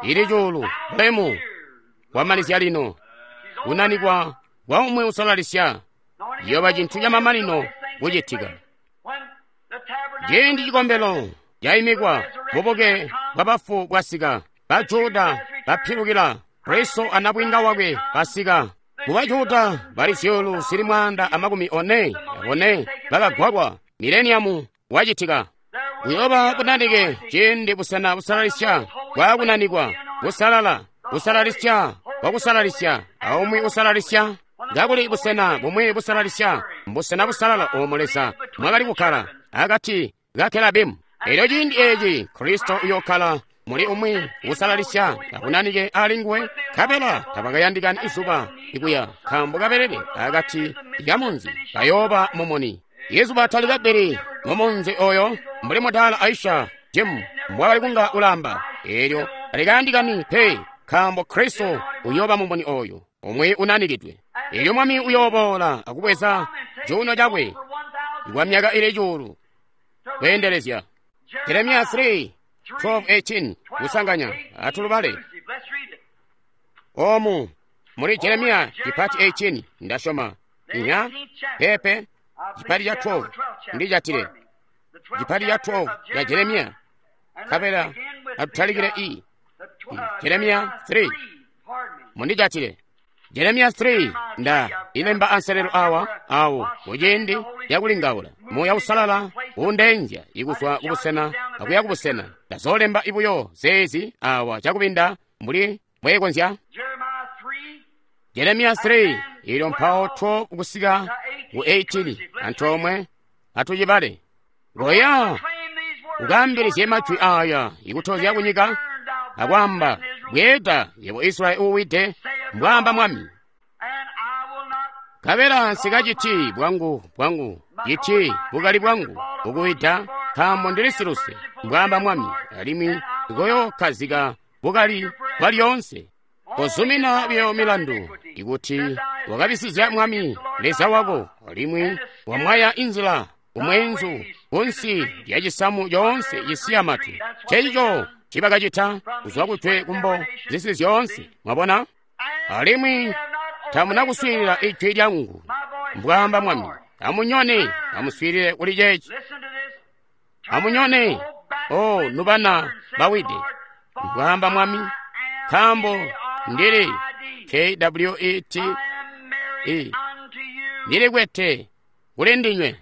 ili cuulu, bulemu kwamalizya lino kunanikwa kwa umwi usalalisya ciyooba cintu camamanino kucitika. Ciindi cikombelo caimikwa, bubuke bwabafu bwasika, Bajuda bapilukila, Kristo anabwinga wakwe basika. Mu Bajuda bali 444 bakagwalwa, mileniamu wacitika. Kuyooba bunanike ciindi busena busalalisya bwaakunanikwa, busalala, busalalisya bwakusalalisya, aumwi usalalisya. Kakuli busena bumwi busalalisya, mbusena busalala oomo Leza mwakali kukkala akati ka Kerabimu. Eelyo ciindi eeci Kristo uyookkala muli umwi usalalisya akunanike ali nguwe, nkabela tabakayandikani izuba ikuya, nkaambo kabelele akati kamunzi kayooba mumuni. Izuba talikabbili mumunzi oyo mbuli mudaala Aisha Jim mbwakali kunga ulaamba. Eelyo talikayandikani pe, nkaambo Kristo uyooba mumuni oyo umwi unanikidwe. Eelyo Mwami uyooboola akubweza cuuno cakwe kwa myaka ili cuulu kweendelezya. Jeremiya 3:12-18 kusanganya atulubale omu muli Jeremiya chipati 18 ndasyoma inya pepe chipati cha 12 ndichatile chipati cha 12 ya Jeremiya kapela atutalikile i Jeremiya 3 mundichatile Jeremiya 3 nda ilemba anselelo awa awo kuciindi yakulingaula. Muuya Uusalala uundeenzya ikuzwa kubusena akuya kubusena. Ndazoolemba ibuyo zeezi awa cakubinda mbuli mbweekonzya. Jeremiah 3, Jeremiya 3 ilyo mpawo 12 kusika ku 18 antoomwe atucibale. Goya claim these words ukaambilizye majwi aya ikutozya kunyika akwaamba, bweeda yebo Israyeli uuwide, mbwaamba Mwami. and I will not Kabela nsikaciti bwangu bwangu citi bukali bwangu bukuwida, nkaambo ndili siluse, mbwaamba Mwami, alimwi ndikoyokkazika bukali bwa lyoonse. Kozumina biyo milandu ikuti wakabisizya Mwami Leza wako, alimwi wamwaya inzila kumweenzu kunsi lya cisamu coonse cisiya matu. Ncencico ncibakacita kuzwa kujwe kumbo zisi zyoonse. Mwabona? Alimwi tamuna kuswiilila ijwi lyangu, mbwaamba Mwami. Amunyone, amuswiilile kuli ceeci. listen to this. Amunyone, o nubana bawide, mbwaamba Mwami, nkaambo ndili K-W-E-T, I am married E. unto you. ndilikwete kuli ndinywe.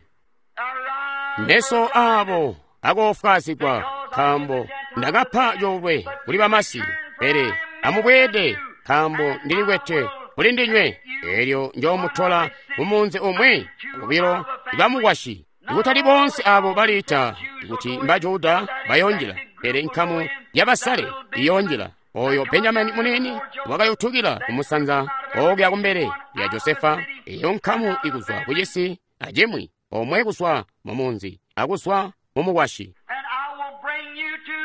Arise, Meso aabo akoofwaazigwa, nkaambo ndakapa coolwe kuli bamasi, pele amubweede, nkaambo ndilikwete kuli ndinywe. Eelyo njoomutola mumunzi umwi obilo ibamukwasyi. Ikutali boonse abo baliita kuti mba Juda bayoonjila, pele nkamu yabasale iyoonjila. Oyo Benjamini munini wakayutukila kumusanza okuya kumbele lya Josefa, eyo nkamu ikuzwa ku cisi acimwi, omwe kuzwa mu munzi akuzwa mu mukwasyi. and I will bring you to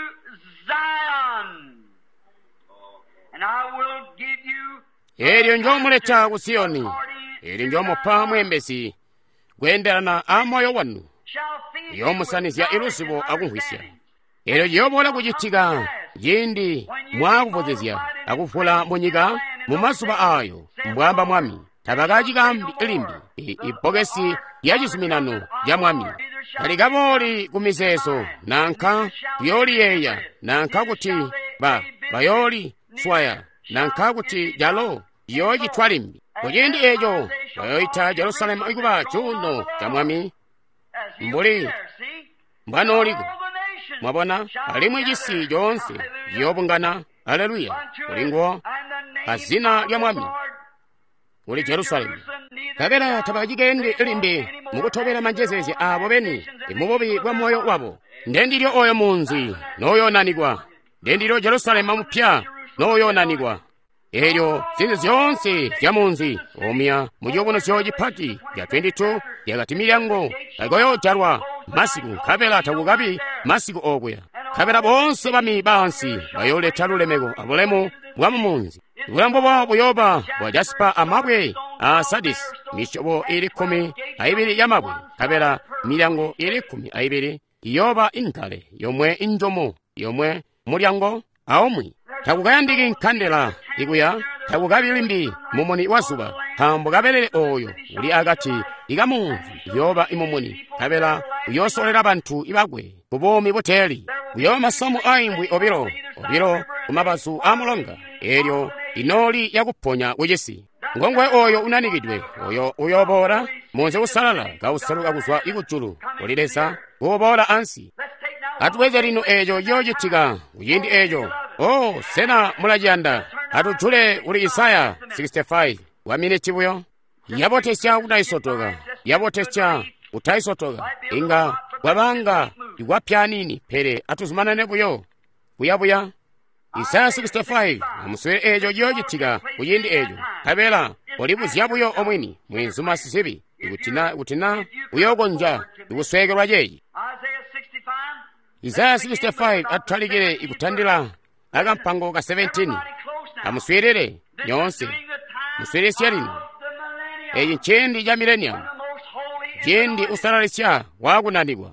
Zion. And I will give you Eelyo njoomuleta ku Siyoni, eelyo njoomupa mwembezi kweendelana a moyo wanu, shall feed you with yoomusanizya knowledge iluzibo and akumvwisya. understanding. Eelyo ciyooboola kucitika ciindi mwaakuvuzizya akuvula munyika mu mazuba ayo, mbwaamba Mwami. Tabakacikambi limbi ibbokesi lya cizuminano lya Mwami. Talikabooli ku mizeezo nanka kuyooliyeeya nanka kuti bayooli swaya nanka kuti calo ciyoocitwa limbi. Kuciindi eeco bayooyita Jerusalemu ikuba cuuno ca Mwami As he'll Mbuli be there, see? mbwanooliko. All the nations Mwabona, shall alimwi gather. cisi coonse Hallelujah. ciyoobungana, aleluya, Unto kuli it, nguwo and the name azina of lya the Mwami Lord kuli Jerusalemu. Jerusalem, neither Kabela shall tabacikendi they limbi walk anymore mukutobela manjezeezya aabo beni nations and mububi bwa moyo wabo. Ndendilyo oyo munzi nooyoonanikwa, ndendilyo Jerusalemu mupya nooyoonanikwa. Eelyo zintu zyoonse zya munzi omuya mu ciyubunuzyo cipati ca 22 lyakati milyango taikoyoojalwa masiku, nkabela takukabi masiku okuya. Nkabela boonse bami baansi bayooleta lulemeko abulemu bwa mu munzi. Bulambo bwawo buyooba bwa jasipa amabwe a sadisi, misyobo ili 12 ya mabwe, nkabela milyango ili 12 iyooba inkale, yomwe injomo, yomwe mulyango aumwi. Takukayandiki nkandela ikuya, takukabi limbi mumuni wa zuba, nkaambo kabelele oyo uli akati ikamunzi uyooba imumuni, nkabela uyoosolera bantu ibakwe ku buumi buteeli. Kuyooba masamu aimbwi obilo obilo ku mabazu a mulonga, eelyo inooli yakuponya kucisi. Ngongwe oyo unanikidwe, oyo uyooboola munzi usalala kauseluka kuzwa ikujulu kuli Leza kuuboola ansi. Let's take now Atubweze lino eeco ciyoocitika kuciindi eeco. Oh, sena mulaciyanda? Atujule kuli Isaya 65 wa miniti buyo. Yabotesya kutaisotoka, yabotesya kutaisotoka, inga kwabanga ikwapya nini, pele atuzumanane buyo buyabuya. Isaya 65 amuswele eeco ciyoocitika kuciindi eeco. Nkabela kolibuzya buyo omwini mwinzuma sizibi ikuti na uyookonzya ikusweekelwa ceeci. Isaiah 65. Isaya 65 atutalikile ikutandila akampango ka 17. Everybody close now. Amuswiilile This is nyoonse, during the time muswiilisye lino. of the millennium, Eeci nciindi ca mileniamu, when the most holy is ciindi anointed. usalalisya waakunanikwa.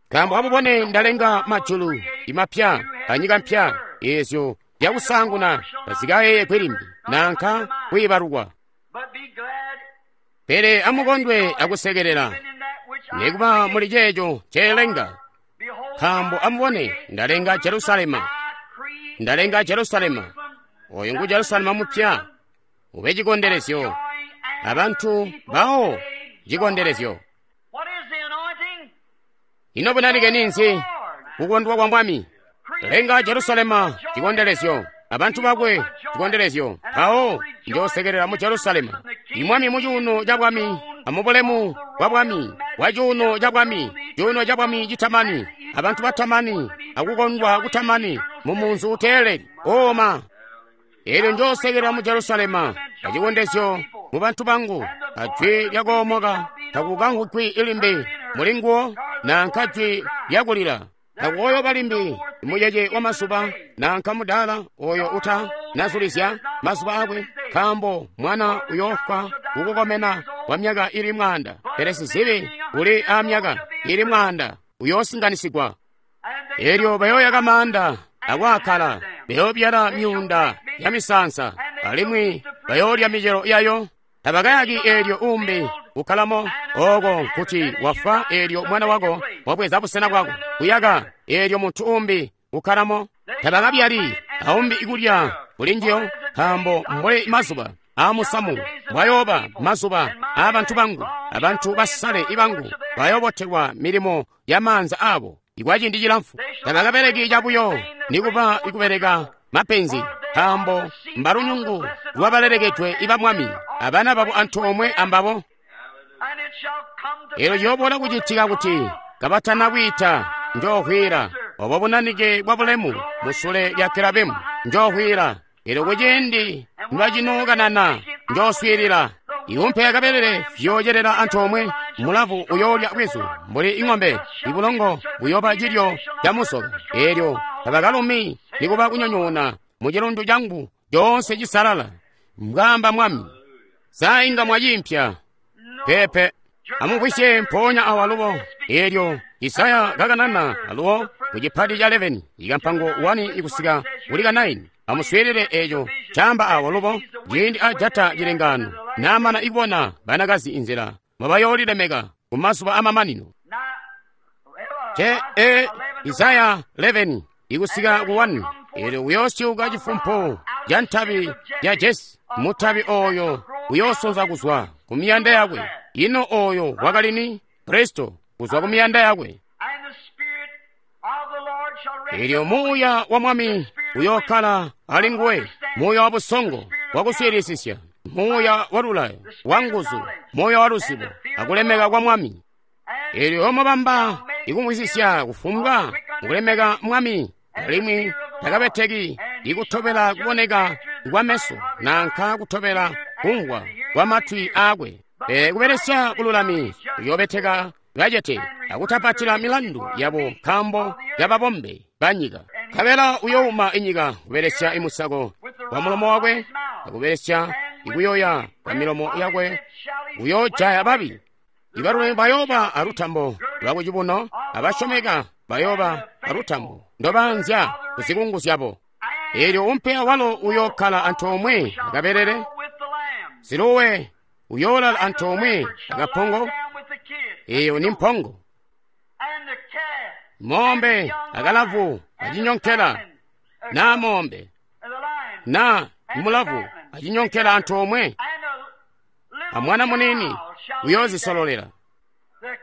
Nkaambo amubone ndalenga majulu imapya anyika mpya, eezyo zyakusaanguna tazikayeeyegwi limbi nanka kwiibalukwa. But be glad Pele amukondwe akusekelela, even in that which I nikuba muli create. ceeco nceelenga. Behold, Nkaambo I amubone create ndalenga Jerusalema, I create ndalenga Jerusalema, oyo ngu Jerusalema mupya, ube chikonderezyo, joy and abantu people bawo take chikonderezyo. joy. What Ino bunanike ninzi? Kukondwa kwa Mwami. Lenga Jerusalema chikondelezyo, abantu bakwe chikondelezyo. Mpawo njoosekerera mu Jerusalema. Imwami mu cuuno ca bwami, amubulemu bwa bwami, bwa cuuno ca bwami, cuuno ca bwami citamani, abantu batamani, akukondwa kutamani, mu munzi uteeleli. Oma. Eelyo njoosekerera mu Jerusalema, acikondezyo mu bantu bangu, ajwi lyakoomoka takukamvwigwi ilimbi mulinguwo, nanka jwi lyakulila. Takukooyoba limbi mucece wa mazuba, nanka mudaala oyo uta nazulizya mazuba akwe, nkaambo mwana uyoofwa kukukomena kwa myaka ili 100, pele sizibi uli aamyaka ili 100 uyoosinganisigwa. Eelyo bayooyaka maanda akwaakala, bayoobyala myuunda ya misaansa, alimwi bayoolya micelo yayo. Tabakayaki eelyo uumbi kukkalamo, ooko nkuti wafwa eelyo mwana wako wabweza busena bwako. Kuyaka eelyo muntu uumbi kukkalamo. Tabakabyali aumbi ikulya kulinjiyo, nkaambo mbuli mazuba aamusamu bwayooba mazuba aabantu bangu, abantu basale ibangu bayoobotelwa milimo ya maanza aabo ikwaciindi cilamfu. Tabakabeleki cabuyo nikuba ikubeleka mapenzi, nkaambo mbalunyungu lwabalelekedwe iba Mwami, abana babo antoomwe ambabo. Eelyo ciyooboola kucitika kuti kabatana kwiita, njoohwila obo bunanike bwa bulemu musule lya Kerabimu, njoohwila. Eelyo kuciindi nibacinookanana, njooswiilila. Iwumpe akabelele viyoocelela antoomwe, mulavu uyoolya bwizu mbuli ing'ombe, ibulongo buyooba cilyo ca musoka. Eelyo tabakalumi nikuba kunyonyoona mu cilundu cangu coonse cisalala, mbwaamba Mwami. Sa inga mwaciimpya? Peepe. Amumvwisye mpoonya awa alubo. Eelyo Isaya kakanana alubo ku cipati ca 11 ikampango 1 ikusika kuli ka 9. Amuswiilile eeco caamba awa alubo ciindi ajata cilengaano naamana ikubona banakazi inzila mwabayoolilemeka ku mazuba amamanino. Isaya 11 ikusika ku 1. Eelyo uyoosyuka cifumpu ca ntabi ya Jese, mutabi ooyo uyoosonza kuzwa ku miyanda yakwe. Ino ooyo wakali ni? Kristo kuzwa ku miyanda yakwe. Eelyo muuya wa Mwami uyookkala ali nguwe, muuya wa busongo wakuswiilisisya, muuya wa lulayo, wa nguzu, muuya wa luzibo, akulemeka kwa Mwami. Eelyo omubamba ikumvwisisya kufumbwa mukulemeka Mwami, alimwi takabeteki ikutobela kuboneka kwa meso nanka kutobela kumvwa kwa matwi aakwe. Pele kubelesya bululami uyoobeteka bacete akutapatila milandu yabo nkaambo yababombe banyika. Nkabela uyouma inyika kubelesya imusako wa mulomo wakwe, akubelesya ikuyoya kwa milomo yakwe uyoojaya babi. Ibalulami bayooba alutambo lwakucibuno, abasyomeka bayooba alutambo ndobaanzya kuzikungu zyabo. Eelyo umpe awalo uyookkala antoomwe akabelele, siluwe uyoolala antoomwe akapongo, eyo ni mpongo. Mombe akalavu acinyonkela, na mombe na mulavu acinyonkela antoomwe, amwana munini uyoozisololela.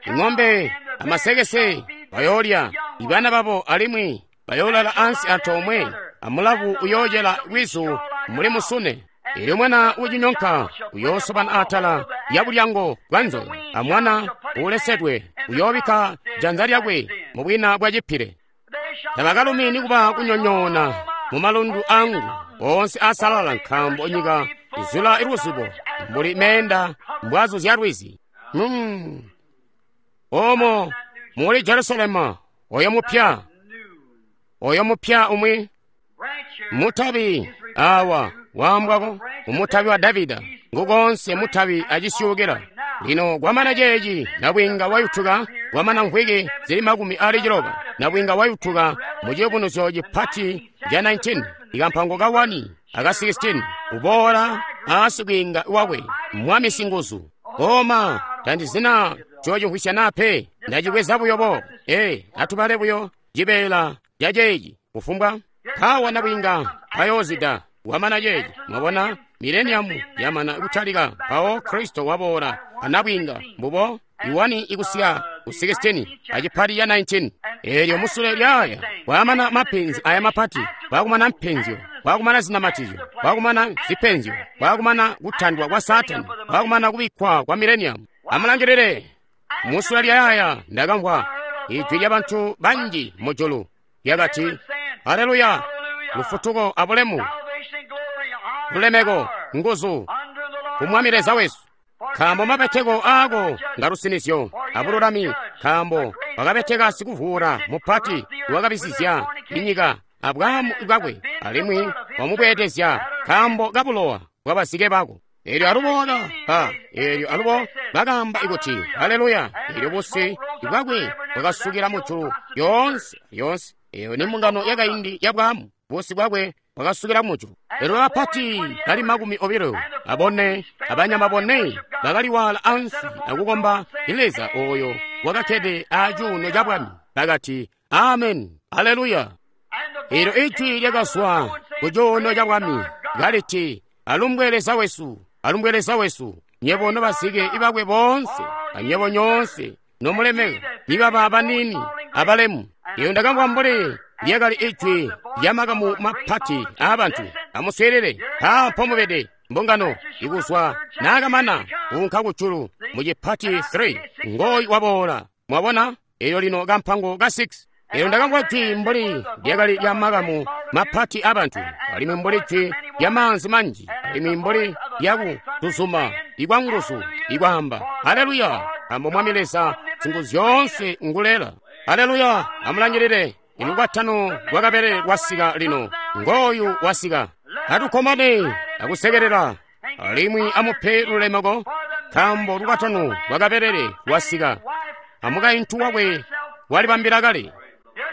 Ing'ombe amasekese bayoolya ibana babo, alimwi bayoolala ansi antoomwe, amulavu uyoocela bwizu muli musune. Eelyo mwana ucinyonka uyoosobana atala lya bulyango bwa nzoka, amwana uulesedwe uyoobikka janza lyakwe mu bwina bwa cipile. Tabakalumi nikuba kunyonyoona mu malundu angu oonse asalala, nkaambo nyika izula iluzibo mbuli meenda mbwazu zya lwizi. Omo muli Jerusalema oyo mupya, oyo mupya umwi mutabi awa waambwako umutabi wa Davida, ngukonse mutabi acisyuukila. Lino kwamana ceeci nabwiinga wayutuka, kwamana mvwiki zili 90 nabwiinga wayutuka mu ciyubunuzyo cipati ca 19 ikampango ka 1 aka 16 uboola aasikwiinga wakwe Mwami Singuzu. Oma tandizina cocimvwisya nape, ndacibweza buyo boobo. Atubale buyo cibeela ca ceeci kufumbwa mpawa nabwiinga payoozida. Wamana ceeci, mwabona mileniamu yamana kutalika, mpawo Kristo waboola anabwiinga mbubo iwani ikusika ku 16 acipati ya 19. Eelyo musule lyaaya kwaamana mapenzi aya mapati, kwakumana mpenzyo, kwakumana zinamatizyo, kwakumana zipenzyo, kwakumana kutandwa kwa Saatani, kwakumana kubikkwa kwa mileniamu. Amulangilile, musule lyaaya ndakamvwa ijwi lya bantu banji mujulu lyakati, Haleluya! Lufutuko abulemu, lulemeko, nguzu ku Mwami Leza wesu, nkaambo mabeteko aako ngalusinizyo abululami, nkaambo wakabeteka sikuvuula mupati wakabisizya inyika abwaamu bwakwe, alimwi wamubweedezya nkaambo kabulowa bwabazike bako. Eelyo alubo waka eelyo alubo bakaamba ikuti haleluya. Eelyo busi bwakwe bwakasukila mujulu yoonse yoonse. Eyo ni mbungano yakaindi ya bwaamu. Busi bwakwe bwakasukila mujulu. Eelyo bapati bali 24 abanyama bone bakaliwaala ansi akukomba Leza oyo wakakkede acuuno ca bwami. Bakati, Amen, haleluya. Eelyo ijwi lyakazwa ku cuuno ca bwami kaliti, Alumbwe Leza wesu, alumbwe Leza wesu, nyebo nobazike ibakwe boonse, anyebo nyoonse nomulemeka, nibaba baniini abalemu. Iyo ndakamvwa mbuli lyakali ijwi lya makamu mapati aabantu. Amuswiilile, mpaapo mubede mbungano ikuzwa naakamana kuunka kujulu mu cipati 3 ngooyu waboola. Mwabona? Eelyo lino kampango ka 6. Eelyo ndakamvwa jwi mbuli lyakali lya makamu mapati aabantu, alimwi mbuli jwi lya maanzi manji, alimwi mbuli lyakutuzuma ikwanguzu ikwaamba, Haleluya! Nkaambo Mwami Leza Singuzyoonse ngulela. Haleluya! Amulangilile, ilukwatano lwakabele lwasika lino. Ngooyu wasika. Atukkomane akusekelela, alimwi amupe lulemeko, nkaambo lukwatano lwakabelele lwasika, amukaintu wakwe walibambila kale.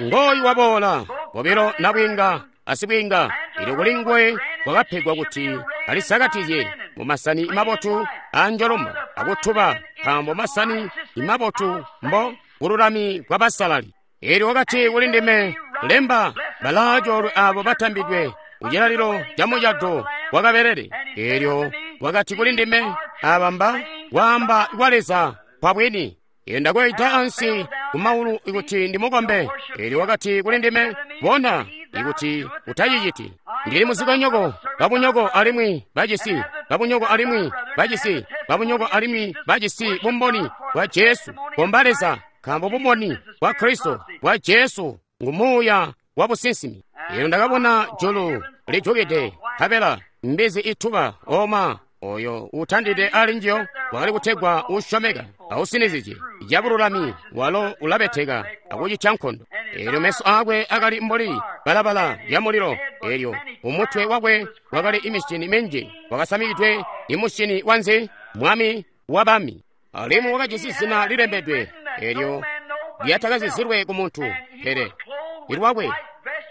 Ngooyu waboola, bobilo nabwiinga asibwiinga. Eelyo kuli nguwe kwakapegwa kuti alisakatizye mu masani mabotu aanjoloma akutuba, nkaambo masani mabotu mbo bululami bwa basalali. Eelyo wakati kuli ndime, Lemba, balaacoolwe aabo batambidwe kucilalilo ca mucado wa kabelele. Eelyo wakati kuli ndime, Aaba mba kwaamba kwa Leza kwa bwini. Eelyo ndakweyita ansi kumaulu ikuti ndimukombe. Eelyo wakati kuli ndime, Bona, ikuti utaciciti. Ndili muzikonyoko, babunyoko alimwi bacisi, babunyoko alimwi bacisi, babunyoko alimwi bacisi bumboni bwa Jesu. Komba Leza, nkaambo bumboni bwa Kristo bwa Jesu ngu muuya wa businsimi. Eelyo ndakabona julu lijukide, nkabela mbizi ituba oma oyo utandide ali njiyo wakali kutegwa usyomeka ausinizije cabululami, walo ulabeteka akucitya nkondo. Eelyo meso aakwe akali mbuli balabala lyamulilo, eelyo umutwe wakwe wakali imishini minji, wakasamikidwe imushini wanzi mwami wabami, alimwi wakajisi zina lilembedwe eelyo lyatakazizilwe ku muntu pele ilwakwe.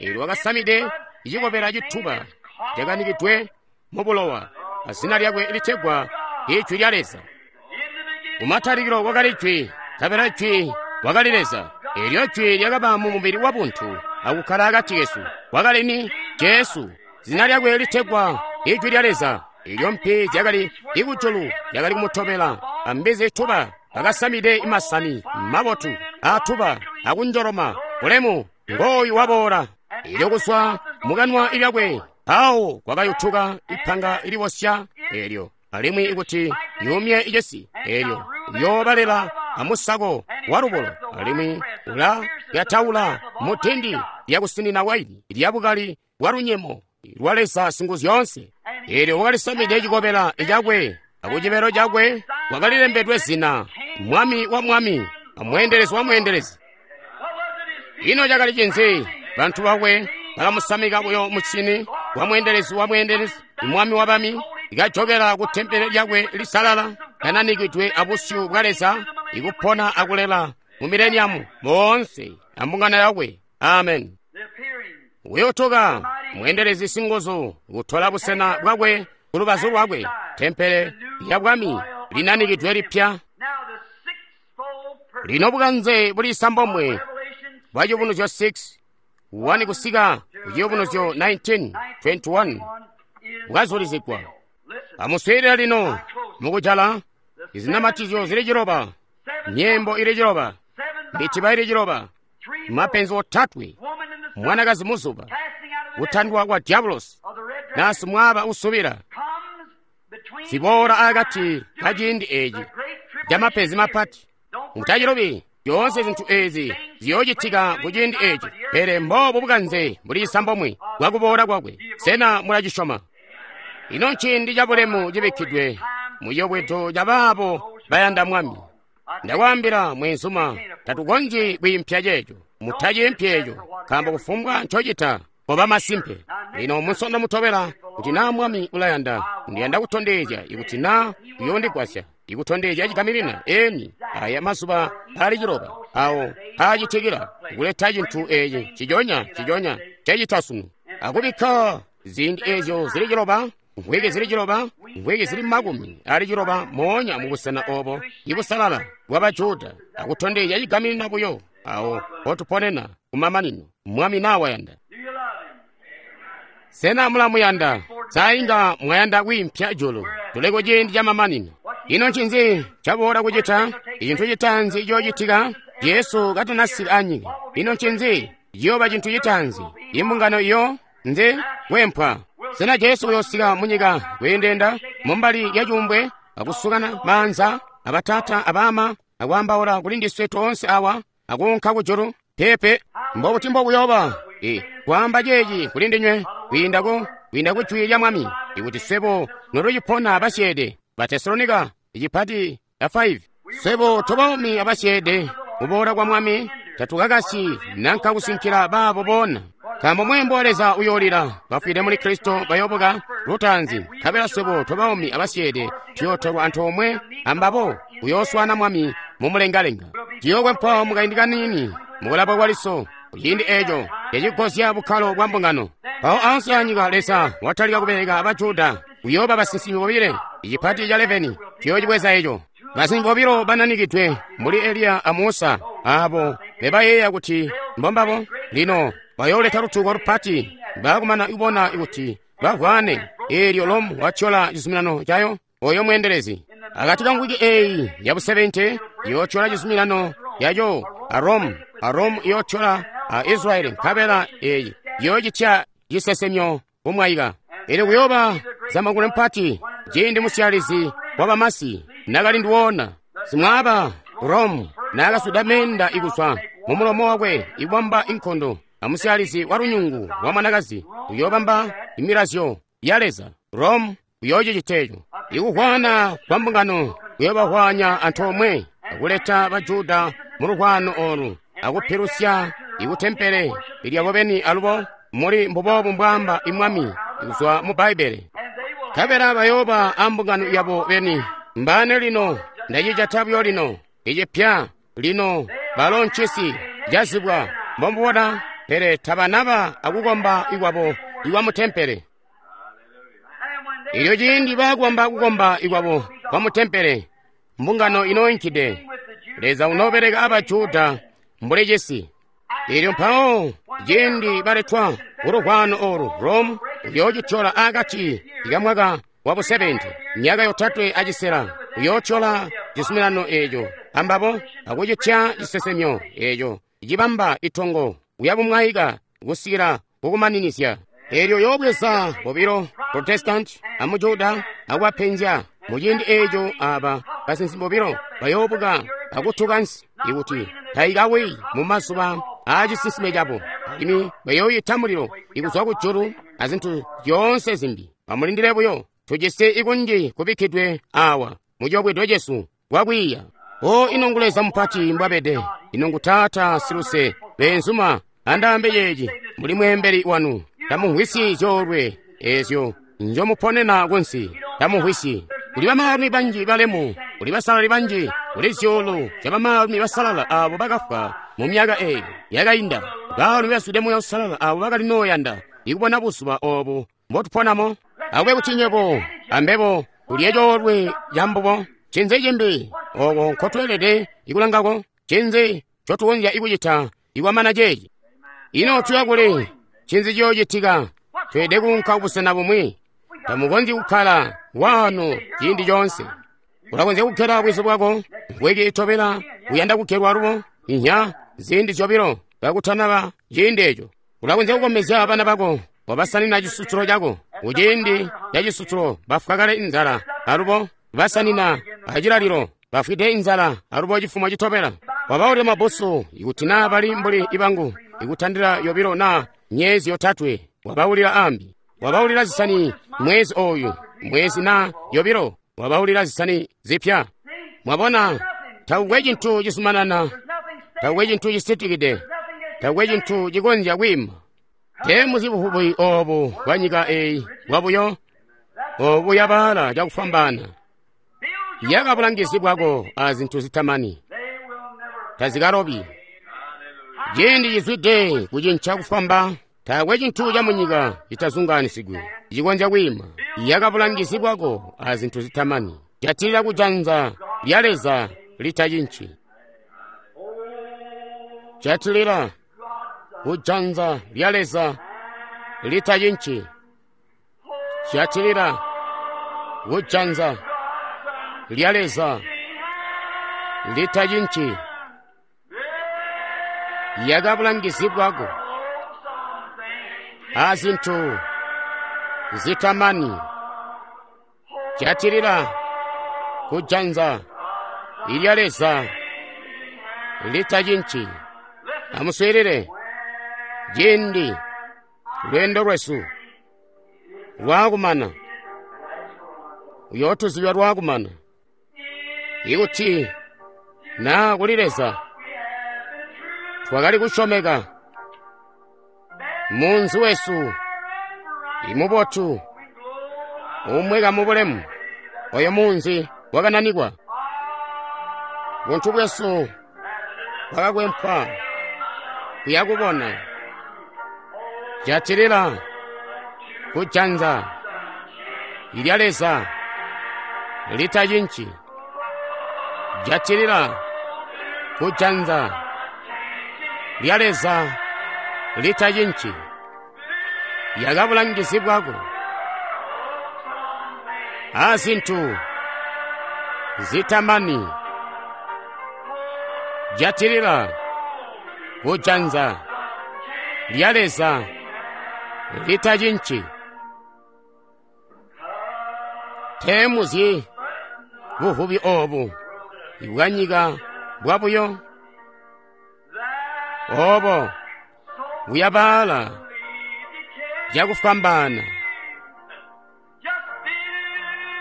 Eelyo wakasamide icikobela cituba cakanikidwe mubulowa, azina lyakwe litegwa Ijwi lya Leza. Kumatalikilo kwakali Jwi, nkabela Jwi wakali Leza. Eelyo Jwi lyakaba mu mubili wa buntu akukkala akati kesu. Wakali ni Jesu, zina lyakwe litegwa Ijwi lya Leza. Eelyo mpi zyakali ikujulu zyakali kumutobela, ambizi tuba bakasamide masani mabotu aatuba akunjoloma bulemu. Ngooyu waboola. Eelyo kuzwa mukanwa lyakwe mpawo kwakayutuka ipanga liwosya eelyo, alimwi ikuti yumye icesi. Eelyo uyoobalela amusako walubulo, alimwi ulalyataula mutindi lyakusinina waini lyabukali bwa lunyemo lwa Leza Singuzyoonse. Eelyo wakalisamide cikobela cakwe, akucibelo cakwe kwakalilembedwe zina, Mwami wa mwami, amweendelezi wa mweendelezi. Ino cakali cinzi? Bantu bakwe bakamusamika buyo musyini wa mweendelezi wa mweendelezi, mwami wa bami, ikajokela ku tempele lyakwe lisalala, kananikidwe abusyu bwa Leza, ikupona akulela mu mileniamu moonse ambungano yakwe. Amen. Uyotoka mweendelezi singuzu kutola busena bwakwe ku lubazu lwakwe, tempele lya bwami linanikidwe lipya. Lino bukanze buli sambomwe bwa Ciyubunuzyo 6 1 kusika ku Ciyubunuzyo 19:21 bwazulizigwa. Amuswiilile lino mukujala izinamatizyo zili ciloba, nyembo ili ciloba. Mitiba ili ciloba, mapenzi otatwe, mwanakazi muzuba, kutandwa kwa diabulosi, na simwaaba usubila, ziboola akati ka ciindi eci ca mapenzi mapati. Mutacilubi, zyoonse zintu ezi ziyoocitika ku ciindi eci, pele mboobu bukanze buli cisambomwe bwa kuboola kwakwe. Sena mulacisyoma? Ino nciindi cabulemu cibikkidwe muciyobwedo ca baabo bayanda Mwami. Ndakwaambila mweenzuma, tatukonzyi kwiimpya ceeco. Mutaciimpyi eco, nkaambo kufumbwa ncocita koba masimpe. Lino munsondo mutobela, kuti naa Mwami ulayanda, ndiyanda kutondezya ikuti naa uyoondigwasya ikutondezya cigaminina eni aya mazuba ali ciloba awo aacitikila kuleta cintu eci ciconya ciconya cecita sunu, akubikka ziindi ezyo zili ciloba, mvwiki zili ciloba, mvwiki zili makumi ali ciloba moonya mubusena obo ibusalala bwa Bajuda, akutondezya cigaminina buyo awo potuponena kumamanino. Mwami naa wayanda. Sena mulamuyanda? Sainga mwayanda kwiimpya julu. Tuli ku ciindi ca mamanino. Ino ncinzi caboola kucita? Icintu citaanzi ciyoocitika Jesu katanasika anyika. Ino ncinzi ciyooba cintu citaanzi? Imbungano iyo nzi kwempwa. Sena Jesu uyoosika munyika kweendenda mumbali ya cuumbwe akusukana maanza abatata abama akwaambaula kuli ndiswe toonse awa akuunka kujulu? Peepe. Mbobuti mbokuyooba? Kwaamba ceeci kuli ndinywe kwiinda ku jwi lya Mwami, ikuti swebo notucipona abasyeede. Batesalonika icipati ya 5. Swebo tobaumi abasyeede kuboola kwa Mwami tatukakasyi nanka kusinkila baabo boona, nkaambo mweembo wa Leza uyoolila, bafwide muli Kristo bayoobuka lutaanzi, nkabela swebo tobaumi abasyeede tuyootolwa antoomwe ambabo kuyooswaana Mwami mumulengalenga. Tuyokwempwa mukaindi kaniini mukulaba kwa liso, kuciindi eco cacigozya bukkalo bwa mbungano. Mpawo ansi anyika Leza watalika kubeleka Abajuda, kuyooba basinsimi bobile. Icipati ca 11 tuyoocibweza eco. Basinsimi bobilo bananikidwe mbuli Eliya a Musa, abo bebayeeya kuti mbombabo lino bayooleta lutuko lupati baakumana kubona kuti bavwane. Eelyo Lomu watyola cizuminano cayo, oyo mweendelezi akati ka mvwiki eyi ya bu70 iyootyola cizuminano yaco a Rome, a Rome iyootyola a Israeli, nkabela eyi iyoocitya cisesemyo kumwaika. Elyo kuyooba zamangule mpati ciindi musyalizi wa bamasi nakali ndiwona simwaaba Rome naakaswida menda ikuzwa mumulomo wakwe ikubamba inkondo amusyalizi wa lunyungu wa mwanakazi uyoobamba imilazyo ya Leza. Rome uyoocicita eco. Ikuhwana kwa mbungano kuyoobahwanya antoomwe akuleta Bajuda mu luhwano olu akupilusya ikutempele ilyabo beni alubo muli mbuboobu mbwaamba imwami kuzwa mu Bbaibbele. Nkabela bayooba ambungano yabo beni. Mbane lino ndacijata buyo lino icipya lino balo ncisi cazibwa mbomubona, pele tabanaba akukomba ikwabo ikwa mutempele. Ilyo ciindi baakukomba kukomba ikwabo kwa mutempele, mbungano inoinkide. Leza unoobeleka Abajuda mbuli cisi. Ilyo mpawo ciindi baletwa kuluhwano olu, Rome uyoocityola akati kamwaka wa bu70, myaka yotatwe acisela, uyootyola cizuminano eco ambabo akucitya cisesemyo eco cibamba itongo uyabumwaika kusikila kukumaninizya. Eelyo yoobweza bobilo Protestant amujuda akubapenzya. Muciindi eco aba basinsimi bobilo bayoobuka akutuka nsi ikuti taikawi mumazuba aacisinsime cabo, alimwi bayooyita mulilo ikuzwa kujulu azintu zyoonse zimbi. Amulindile buyo, tujisi ikunji kubikkidwe awa muciyobwedo cesu kwakwiiya. O ino ngu Leza mupati mbwabede, ino ngu Taata siluse. Beenzuma, andaambe ceeci, muli mweembeli wanu, tamumvwisyi zyoolwe ezyo njomuponena kunsi, tamumvwisyi. Kuli bamaalumi banji balemu, kuli basalali banji, kuli zyuulu zya bamaalumi basalala abo bakafwa mu myaka eyo yakainda, baalumi bazwide Muuya Uusalala abo bakali nooyanda ikubona buzuba obu mbotuponamo. Akube kuti nywebo ambebo tulye coolwe cambubo. Ncinzi cimbi oko nkotweelede ikulangako? Ncinzi ncotukonzya ikucita ikwamana ceeci? Ino tuya kuli? Ncinzi ciyoocitika? Tweelede kuunka kubusena bumwi. Tamukonzyi kukkala waano ciindi coonse. Ulakonzya kukkela bwizu bwako mvwiki itobela uyanda kukkelwa alubo. Inya, ziindi zyobilo kakutanaba ciindi eco. Ulakonzya kukomezya bana bako, wabasanina cisusulo cako. Kuciindi ca cisusulo bafwa kale inzala, alubo basanina acilalilo bafwide inzala, alubo cifumo citobela. Wabaulila mabbusu, ikuti naa bali mbuli ibangu, ikutandila yobilo naa myezi yotatwe, wabaulila ambi. Wabaulila zisani mwezi oyu, mwezi naa yobilo, wabaulila zisani zipya. Mwabona, takukwe cintu cizumanana, takukwe cintu cisitikide, takukwe cintu cikonzya kwiima. Teemuzi buvubi obu bwa nyika eyi bwabuyo, obu buyabaala cakufwambaana. Yaka bulangizi bwako a zintu zitamani, tazikalobi. Ciindi cizwide kucinca kufwamba, taakwe cintu ca munyika citazungaanisigwe cikonzya kwiima. Yaka bulangizi bwako a zintu zitamani, jatilila kujanza lya Leza litacinci. Jatilila kujanza lya Leza litacinci. Jatilila kujanza lya Leza litacinci. Yaka bulangizi bwako a zintu zitamani. Jatilila kujanza lya Leza litacinci. Amuswiilile, ciindi lweendo lwesu lwaakumana, uyootuzibya lwaakumana. Ikuti naa kuli Leza twakali kusyomeka, munzi wesu imubotu umweka mubulemu, oyo munzi wakananikwa. Buntu bwesu bwakakwempwa kuya kubona. Jatilila kujanza lya Leza litacinci. Jatilila kujanza lya Leza litacinci. Yaka bulangizi bwako a zintu zitamani. Jatilila kujanza lya Leza litacinci. Teemuzyi buvubi obu bwanyika bwabuyo, obo buyabaala cakufwambaana.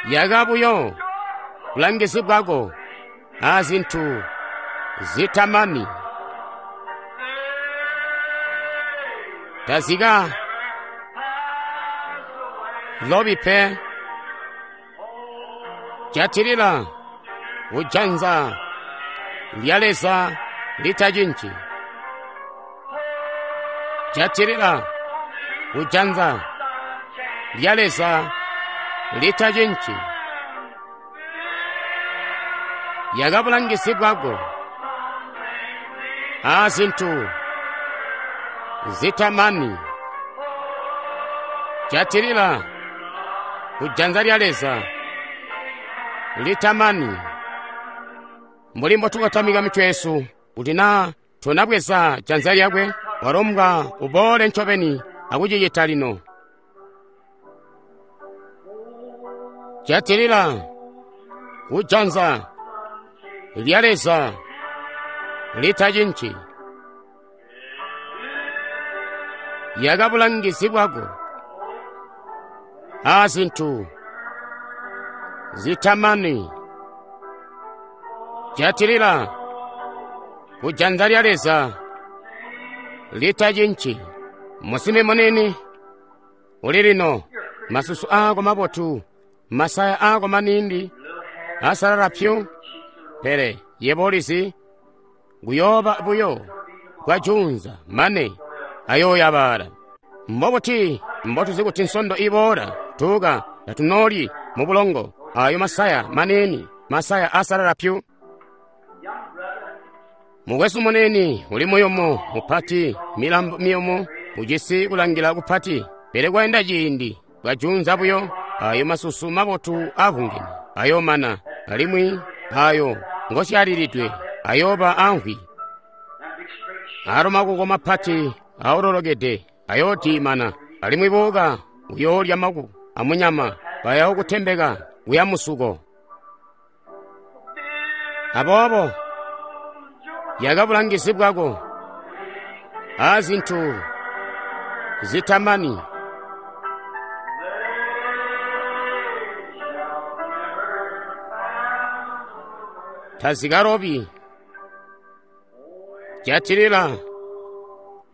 Yaka buyo bulangizi bwako a zintu zitamani. Tazika lobi pe. Jatilila kujanza lya Leza litacinci. Jatilila kujanza lya Leza litacinci. Yaka bulangizi bwako a zintu zitamani. Jatilila kujanza lya Leza litamani. Mbuli mbotukotamika mitwe yesu, kuti naa tonabweza janza lyakwe, walombwa uboole ncobeni akucicita lino. Jatilila kujanza lya Leza litacinci. Yaka bulangizi bwako a zintu zitamani. Jatilila kujanza lya Leza litacinci. Musimi munini uli lino, masusu ako mabotu, masaya ako manindi asalala pyu, pele yebo ulizi kuyooba buyo kwajunza mane ayooyabaala. Mbobuti mbotuzi kuti nsondo iboola tuka tatunoli mu bulongo ayo masaya manini, masaya asalala pyu. Mukwesu munini uli muyumu mupati, milambo miyumu, ujisi kulangila kupati, pele kwaenda ciindi kwajunza buyo ayo masusu mabotu avungene ayomana, alimwi ayo ngosyalilidwe ayoba amvwi. Aalo makuko mapati aololokede ayoodiimana, alimwi buuka buyoolya makuko amunyama, bayookutembeka kuya musuko. Aboobo yaka bulangizi bwako aazintu zitamani. Tazikalobi. Jatilila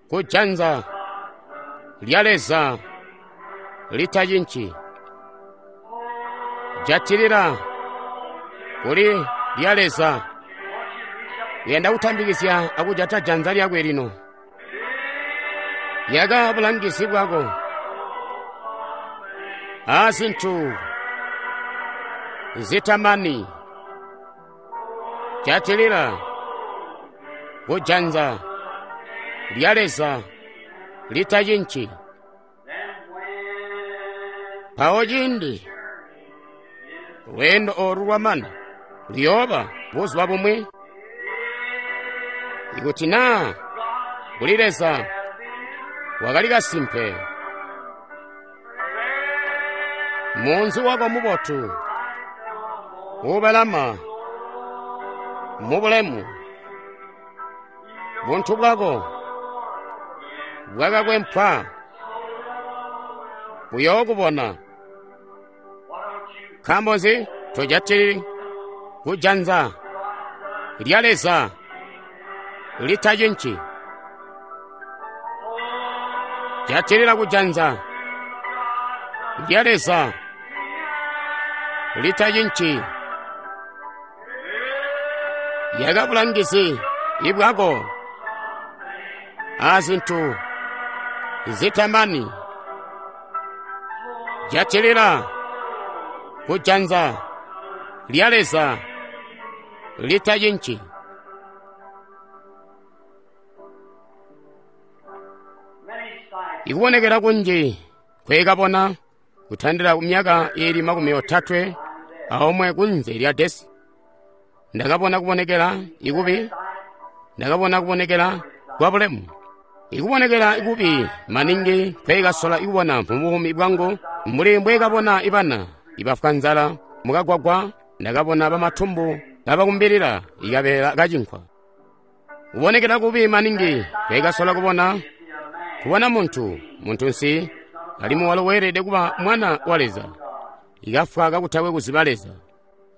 kujanza lya Leza litacinci. Jatilila kuli lya Leza. Uyanda kutambikizya akujata janza lyakwe lino. Yaka bulangizi bwako aazintu zitamani. Jatilila kujanza lya Leza litacinci. Mpawo ciindi lweendo olu lwamana, luyooba buzuba bumwi. Ikuti naa kuli Leza wakali kasimpe, munzi wako mubotu uubalama mubulemu, buntu bwako bwakakwempwa buyookubona. Nkaambo nzi tojatili kujanza lya Leza litacinci? Jatilila kujanza lya Leza litacinci. Yaka bulangizi ibwako aazintu zitamani. Jatilila kujanza lya Leza litacinci. Ikubonekera kunji kwekabona kutandila kumyaka ili 31 kunze lya desi. Ndakabona kubonekera ikubi, ndakabona kubonekera kwa bulemu. Ikubonekera ikubi maningi kwekasola ikubona mu buumi bwangu, mbuli mbwekabona ibana ibafwa nzala mukagwagwa. Ndakabona bamatumbu kabakumbilila ikabeela kacinkwa. Kubonekera kubi maningi kwekasola kubona kubona muntu muntunsi alimwi walo weelede kuba mwana wa Leza, ikafwa kakutakwe kuziba Leza.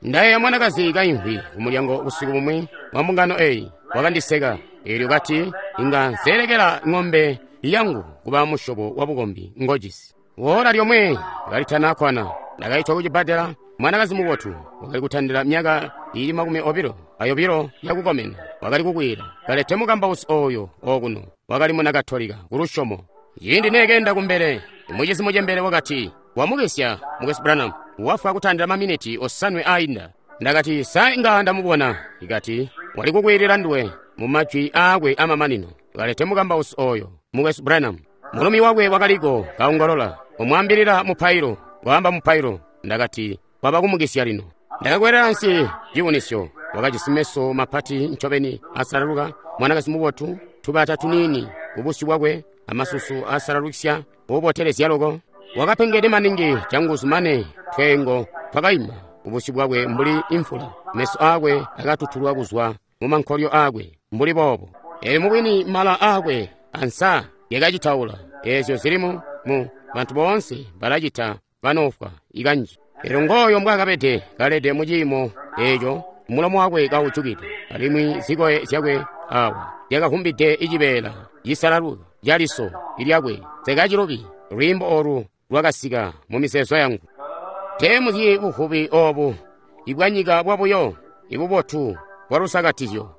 Ndayeeya mwanakazi kaimvwi kumulyango busiku bumwi wa mbungano eyi, wakandiseka eelyo kati, inga nseelekela ng'ombe yangu kuba musyobo wa bukombi ngojisi. Woola lyomwe kalitanakwana ndakaitwa kucibbadela. Mwanakazi mubotu wakali kutandila myaka ili 22 yakukomena, wakali kukwiila kalete mukambausi oyo okuno, wakali muna Katolika kulusyomo. Ciindi neekenda kumbele, mucizi mucembele wakati, wamukisya Mukwesu Branham, wafwa kutandila maminiti 7 ainda. Ndakati, sa inga ndamubona? Ikati, wali kukwiilila nduwe mu majwi aakwe amamanino, kalete mukambausi oyo Mukwesu Branham. Mulumi wakwe wakaliko kaongolola, umwambilila mupailo, kwaamba mupailo. Ndakati, kwaba kumukisya lino. Ndakakwelela nsi cibunisyo. Wakajisi meso mapati ncobeni asalaluka, mwanakazi mubotu, tubata tuniini kubusyu bwakwe, amasusu asalalukisya ubotelezya loko. Wakapengede maningi canguzu mane tweengo twakaima kubusyu bwakwe mbuli imfula. Meso aakwe akatutulwa kuzwa mu mankolyo aakwe mbuli boobo. Eelyo mubwini mala aakwe ansa yakacitaula. Eezyo zili mu bantu boonse balacita banoofwa ikanji. Eelyo ngooyo mbwaakabede kalede mu ciimo eeco, mulomo wakwe kaujukide, alimwi zikoye zyakwe awa zyakavumbide icibeela cisalaluka caliso lyakwe. Sekacilubi lwiimbo olu lwakasika mu mizeezo yangu. Teemuzyi buvubi oobu ibwanyika bwabuyo, ibubotu bwalusakatizyo.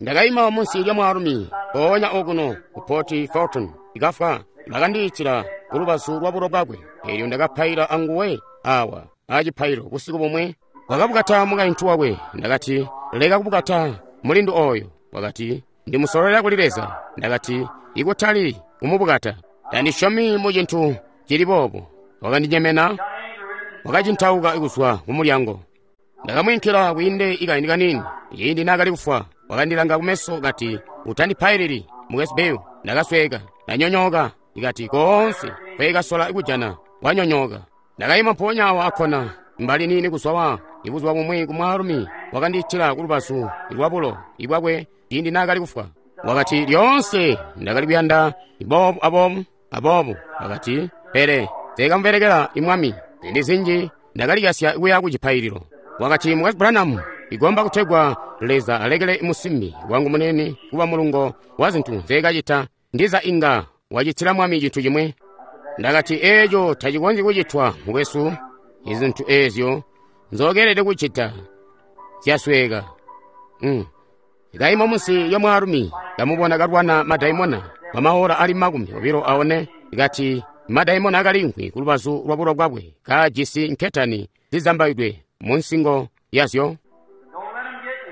Ndakaima munsi lya mwaalumi mpoonya okuno ku Port Fulton ikafwa. Bakandiitila kulubazu lwa bulo bwakwe, eelyo ndakapaila anguwe awa acipailo busiku bumwe. Wakabukata mukaintu wakwe. Ndakati, leka kubukata mulindu oyo. Wakati, ndimusololera kuli Leza. Ndakati, ikutali kumubukata, tandisyomi mu cintu cili boobo. Wakandinyemena, wakacintauka kuzwa kumulyango. Ndakamwiinkila kwiinde ikaindi kaniini. Ciindi naakali kufwa, wakandilanga kumeso kati, utandipailili. Mukwesu Bill, ndakasweeka, ndanyonyooka. Ikati koonse nkweekasola kujana wanyonyooka. Ndakaima mpoonya awo akkona mbali niini kuzwa wa ibuzuba bumwi ku mwaalumi wakandiitila ku lubazu lwabulo ibwakwe ciindi naakali kufwa. Wakati, lyoonse ndakali kuyanda boobu aboobu aboobu. Wakati, pele nseekamubelekela imwami. Ziindi zinji ndakalikasya kuya ku cipaililo. Wakati, Mukwesu Branham, igomba kutegwa Leza alekele musimbi wangu munene kuba mulungo wa zintu nzeekacita, ndiza inga wacitila Mwami cintu cimwi. Ndakati, eeco tacikonzyi kucitwa, mukwesu. Izintu eezyo nzookeelede kucita zyasweeka. Kaima munsi lya mwaalumi, kamubona kalwana madaimona kwa maora ali 24. Kati madaimona akaliimvwi ku lubazu lwa bulo bwakwe, kajisi nketani zizambaidwe mu nsingo yazyo.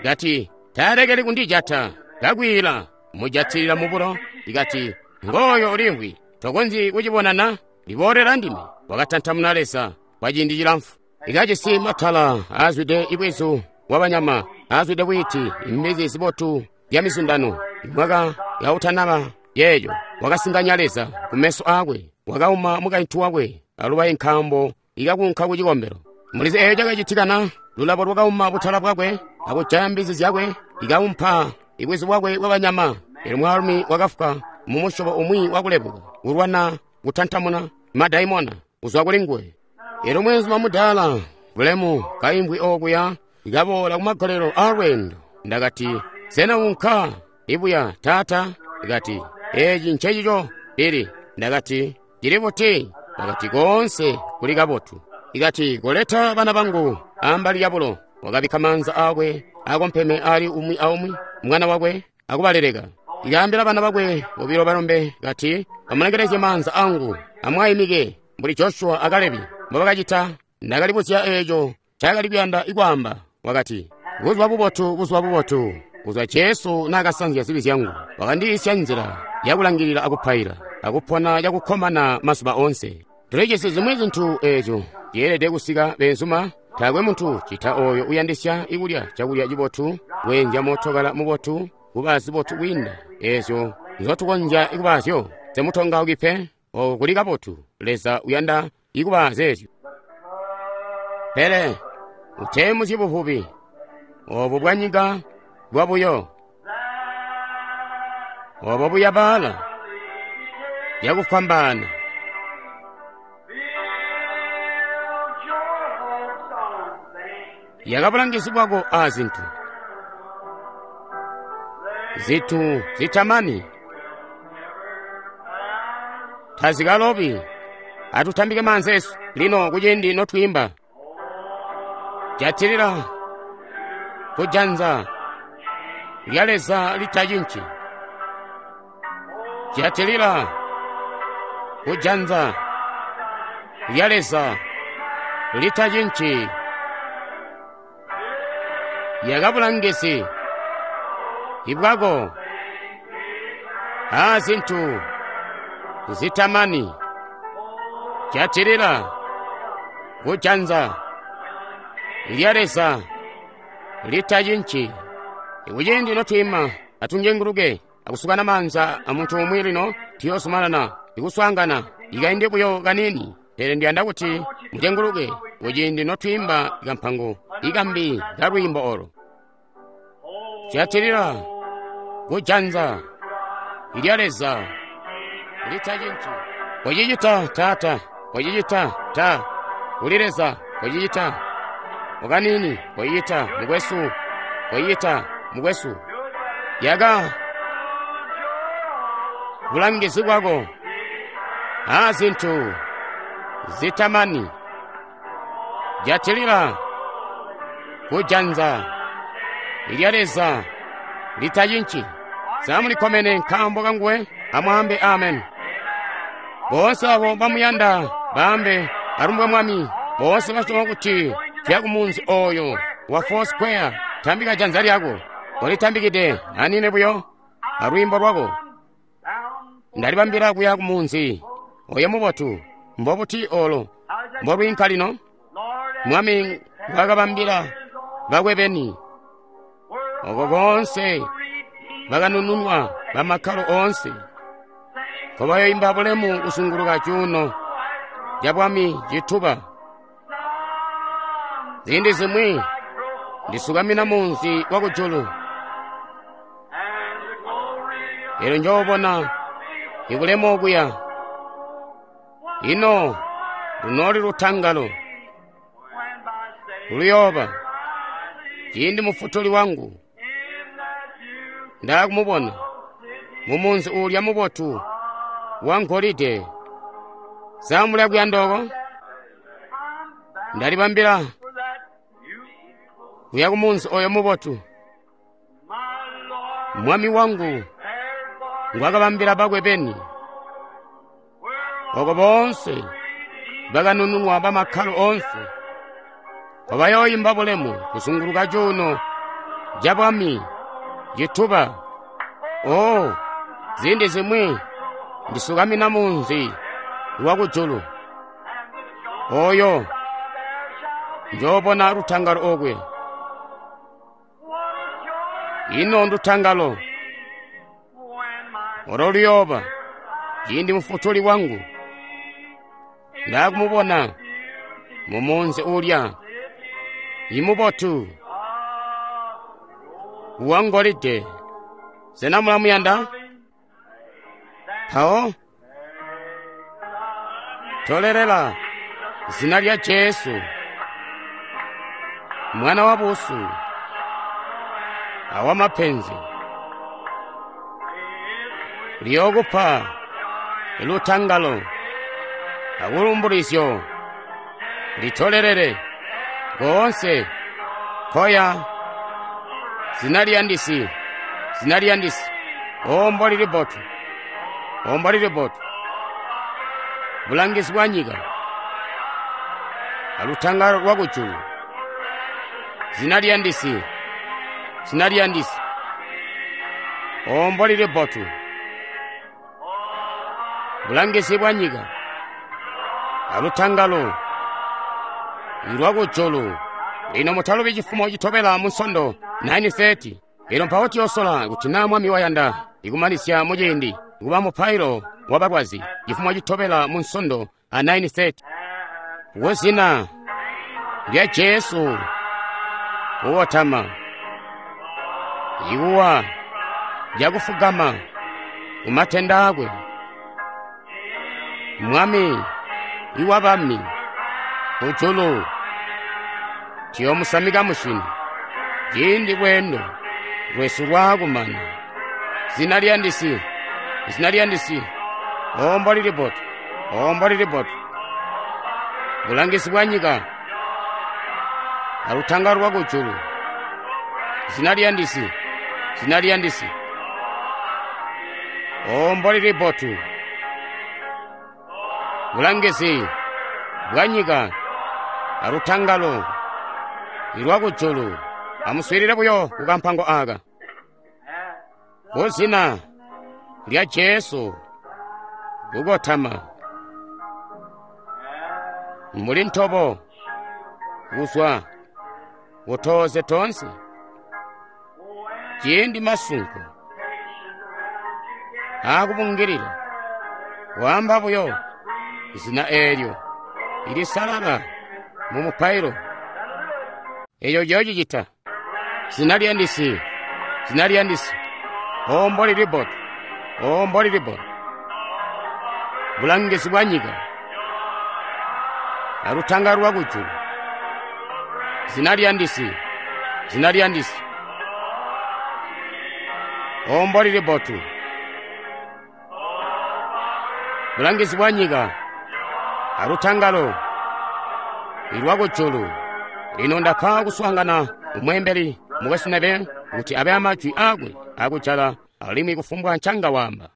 Kati, taalekeli kundijata, kakwiila, mujatilila mu bulo. Kati, ngooyo uliimvwi, tokonzyi kucibonana, liboolera ndime. Wakatantamuna Leza kwa ciindi cilamfu. Ikajisi matala aazwide ibwizu bwabanyama, aazwide bwiiti, imbizi zibotu zya mizundano. Imwaka yautanaba yeeyo, wakasinganya Leza kumeso aakwe, wakauma mukaintu wakwe alubayi nkaambo ikakunka ku cikombelo. Mulizi eeyo cakacitikana, lulabo lwakauma butala bwakwe akujaya mbizi zyakwe, ikaumpa ibwizu bwakwe bwabanyama. Elyo mwaalumi wakafwa mu musyobo umwi wakulebuka, kulwana kutantamuna madaimona kuzwa kuli nguwe. Elyo mweenzuma mudaala bulemu kaimbwi okuya ikaboola kumagolelo aalweendo. Ndakati, sena unka ibuya taata? Ndakati, eeci ncecico lili. Ndakati, cili buti? Ndakati, koonse kuli kabotu. Ikati, koleta bana bangu ambali yabulo. Wakabikka maanza aakwe akompeme ali umwi aumwi mwana wakwe akubaleleka. Ikaambila bana bakwe bobilo balombe kati, amulengelezye maanza angu, amwaimike mbuli Joshua a Kalebi mbobakacita. Ndakalibuzya eeco ncaakali kuyanda kwaamba. Wakati, buzuba bubotu, buzuba bubotu, kuzwa Jesu naakasanzya zibi zyangu, wakandiisya nzila yakulangilila akupaila, akupona cakukkomana mazuba oonse. Tulijisi zimwi zintu eezyo zyeelede kusika beenzuma. Taakwe muntu cita oyo uyandisya ikulya cakulya cibotu, kweenzya mootokala mubotu, kuba zibotu kwiinda eezyo nzotukonzya kubaazyo. Semutongauki pe, oko kuli kabotu. Leza uyanda ikuba zeezyo. Pele uteemuzyi buvubi obo bwanyika bwabuyo, obo buyabaala yakufwambaana. Yakabulangizi bwako a zintu zitu zitamani tazikalobi. Atutambike maanza esu lino kuciindi notwiimba. Jatilila kujanza lya Leza litacinci. Jatilila kujanza lya Leza litacinci. Yakabulangizi ibwako a zintu zitamani. Jatilila kujanza lya Leza litacinci. Kuciindi notwiima, atunjenguluke akusukana maanza amuntu umwi lino tuyoozumanana ikuswaangana ikaindi buyo kaniini. Pele ndiyanda kuti mujenguluke kuciindi notwiimba kampango ikambi kalwiimbo olo. Jatilila kujanza lya Leza litacinci. Kocicita taata, kocicita ta kuli Leza, kocicita okanini, kocicita mukwesu, kocicita mukwesu. Yaka bulangizi bwako a zintu zitamani. Jatilila kujanza lya Leza litacinci. Samulikkomene nkaambo kanguwe, amwaambe amen. Boonse abo bamuyanda baambe alumbwa Mwami. Boonse basyoma kuti tuya kumunzi oyo wa Four Square, tambika janza lyako. Ulitambikide anine buyo alwiimbo lwako. Ndalibambila kuya kumunzi oyo mubotu. Mbobuti olo mbolwiinka lino? Mwami ngwakabambila bakwe beni oko konse bakanununwa bamakkalo oonse nkobayoimba bulemu kuzunguluka cuuno cabwami cituba. Ziindi zimwi ndisukamina munzi wa kujulu, elyo njoobona ibulemu okuya. Ino lunooli lutangalo luyooba ciindi mufutuli wangu ndaakumubona mumunzi uulya mubotu wa ngolide. Sa muli akuyanda oko? Ndalibambila kuya kumunzi oyo mubotu Mwami wangu ngwakabambila bakwe beni, oko boonse bakanununwa bamakkalo oonse nkobayooimba bulemu kuzunguluka cuuno cabwami cituba. Oh, ziindi zimwi ndisukamina munzi wa kujulu oyo njoobona lutangalo okwe. Ino ndutangalo olo luyooba ciindi mufutuli wangu ndaakumubona mumunzi uulya imubotu wa ngolide. Sena mulamuyanda? Mpawo tolelela zina lya Jesu, mwana wa busu awamapenzi, liyookupa lutangalo akulumbulizyo. Litolelele koonse koya zina liyandisi, zina liyandisi. O mboli libotu, o mboli libotu, bulangizi bwa nyika alutangalo lwa kujulu. Zina liyandisi, zina liyandisi. O mboli libotu, bulangizi bwa nyika alutangalo lwa kujulu. Lino mutalubi cifumo citobela mu Nsondo 9:30. Elyo mpawo tuyoosola kuti naa Mwami wayanda ikumanisya muciindi kuba mupailo wa balwazi cifumo citobela mu Nsondo a 9:30. Kuzina lya Jesu kuwotama ikuwa lyakufugama kumatenda akwe, Mwami iwabami kujulu tuyoomusamika musyini ciindi lweendo lwesu lwaakumana. Zina liyandisi, zina liyandisi. O mboli libotu, o mboli libotu, bulangizi bwa nyika alutangalo lwa kujulu. Zina liyandisi, zina liyandisi. O mboli libotu, bulangizi bwa nyika alutangalo lwa kujulu. Amuswiilile buyo kukampango aka. Kuzina lya Jesu kukotama mbuli ntobo kuzwa kutoze tonse ciindi masunko aakubungilila, waamba buyo zina eelyo ilisalala mu mupailo. Eyo ciyoocicita. Zina liyandisi, zina liyandisi. O mboli libotu, o mboli libotu, bulangizi bwa nyika alutangalo lwa kujulu. Zina liyandisi, zina liyandisi. O mboli libotu, bulangizi bwa nyika alutangalo lwa kujulu. Lino ndapa kuswaangana umweembeli mukwesu Neville kuti abe amajwi akwe akujala alimwi kufumbwa ncanga waamba.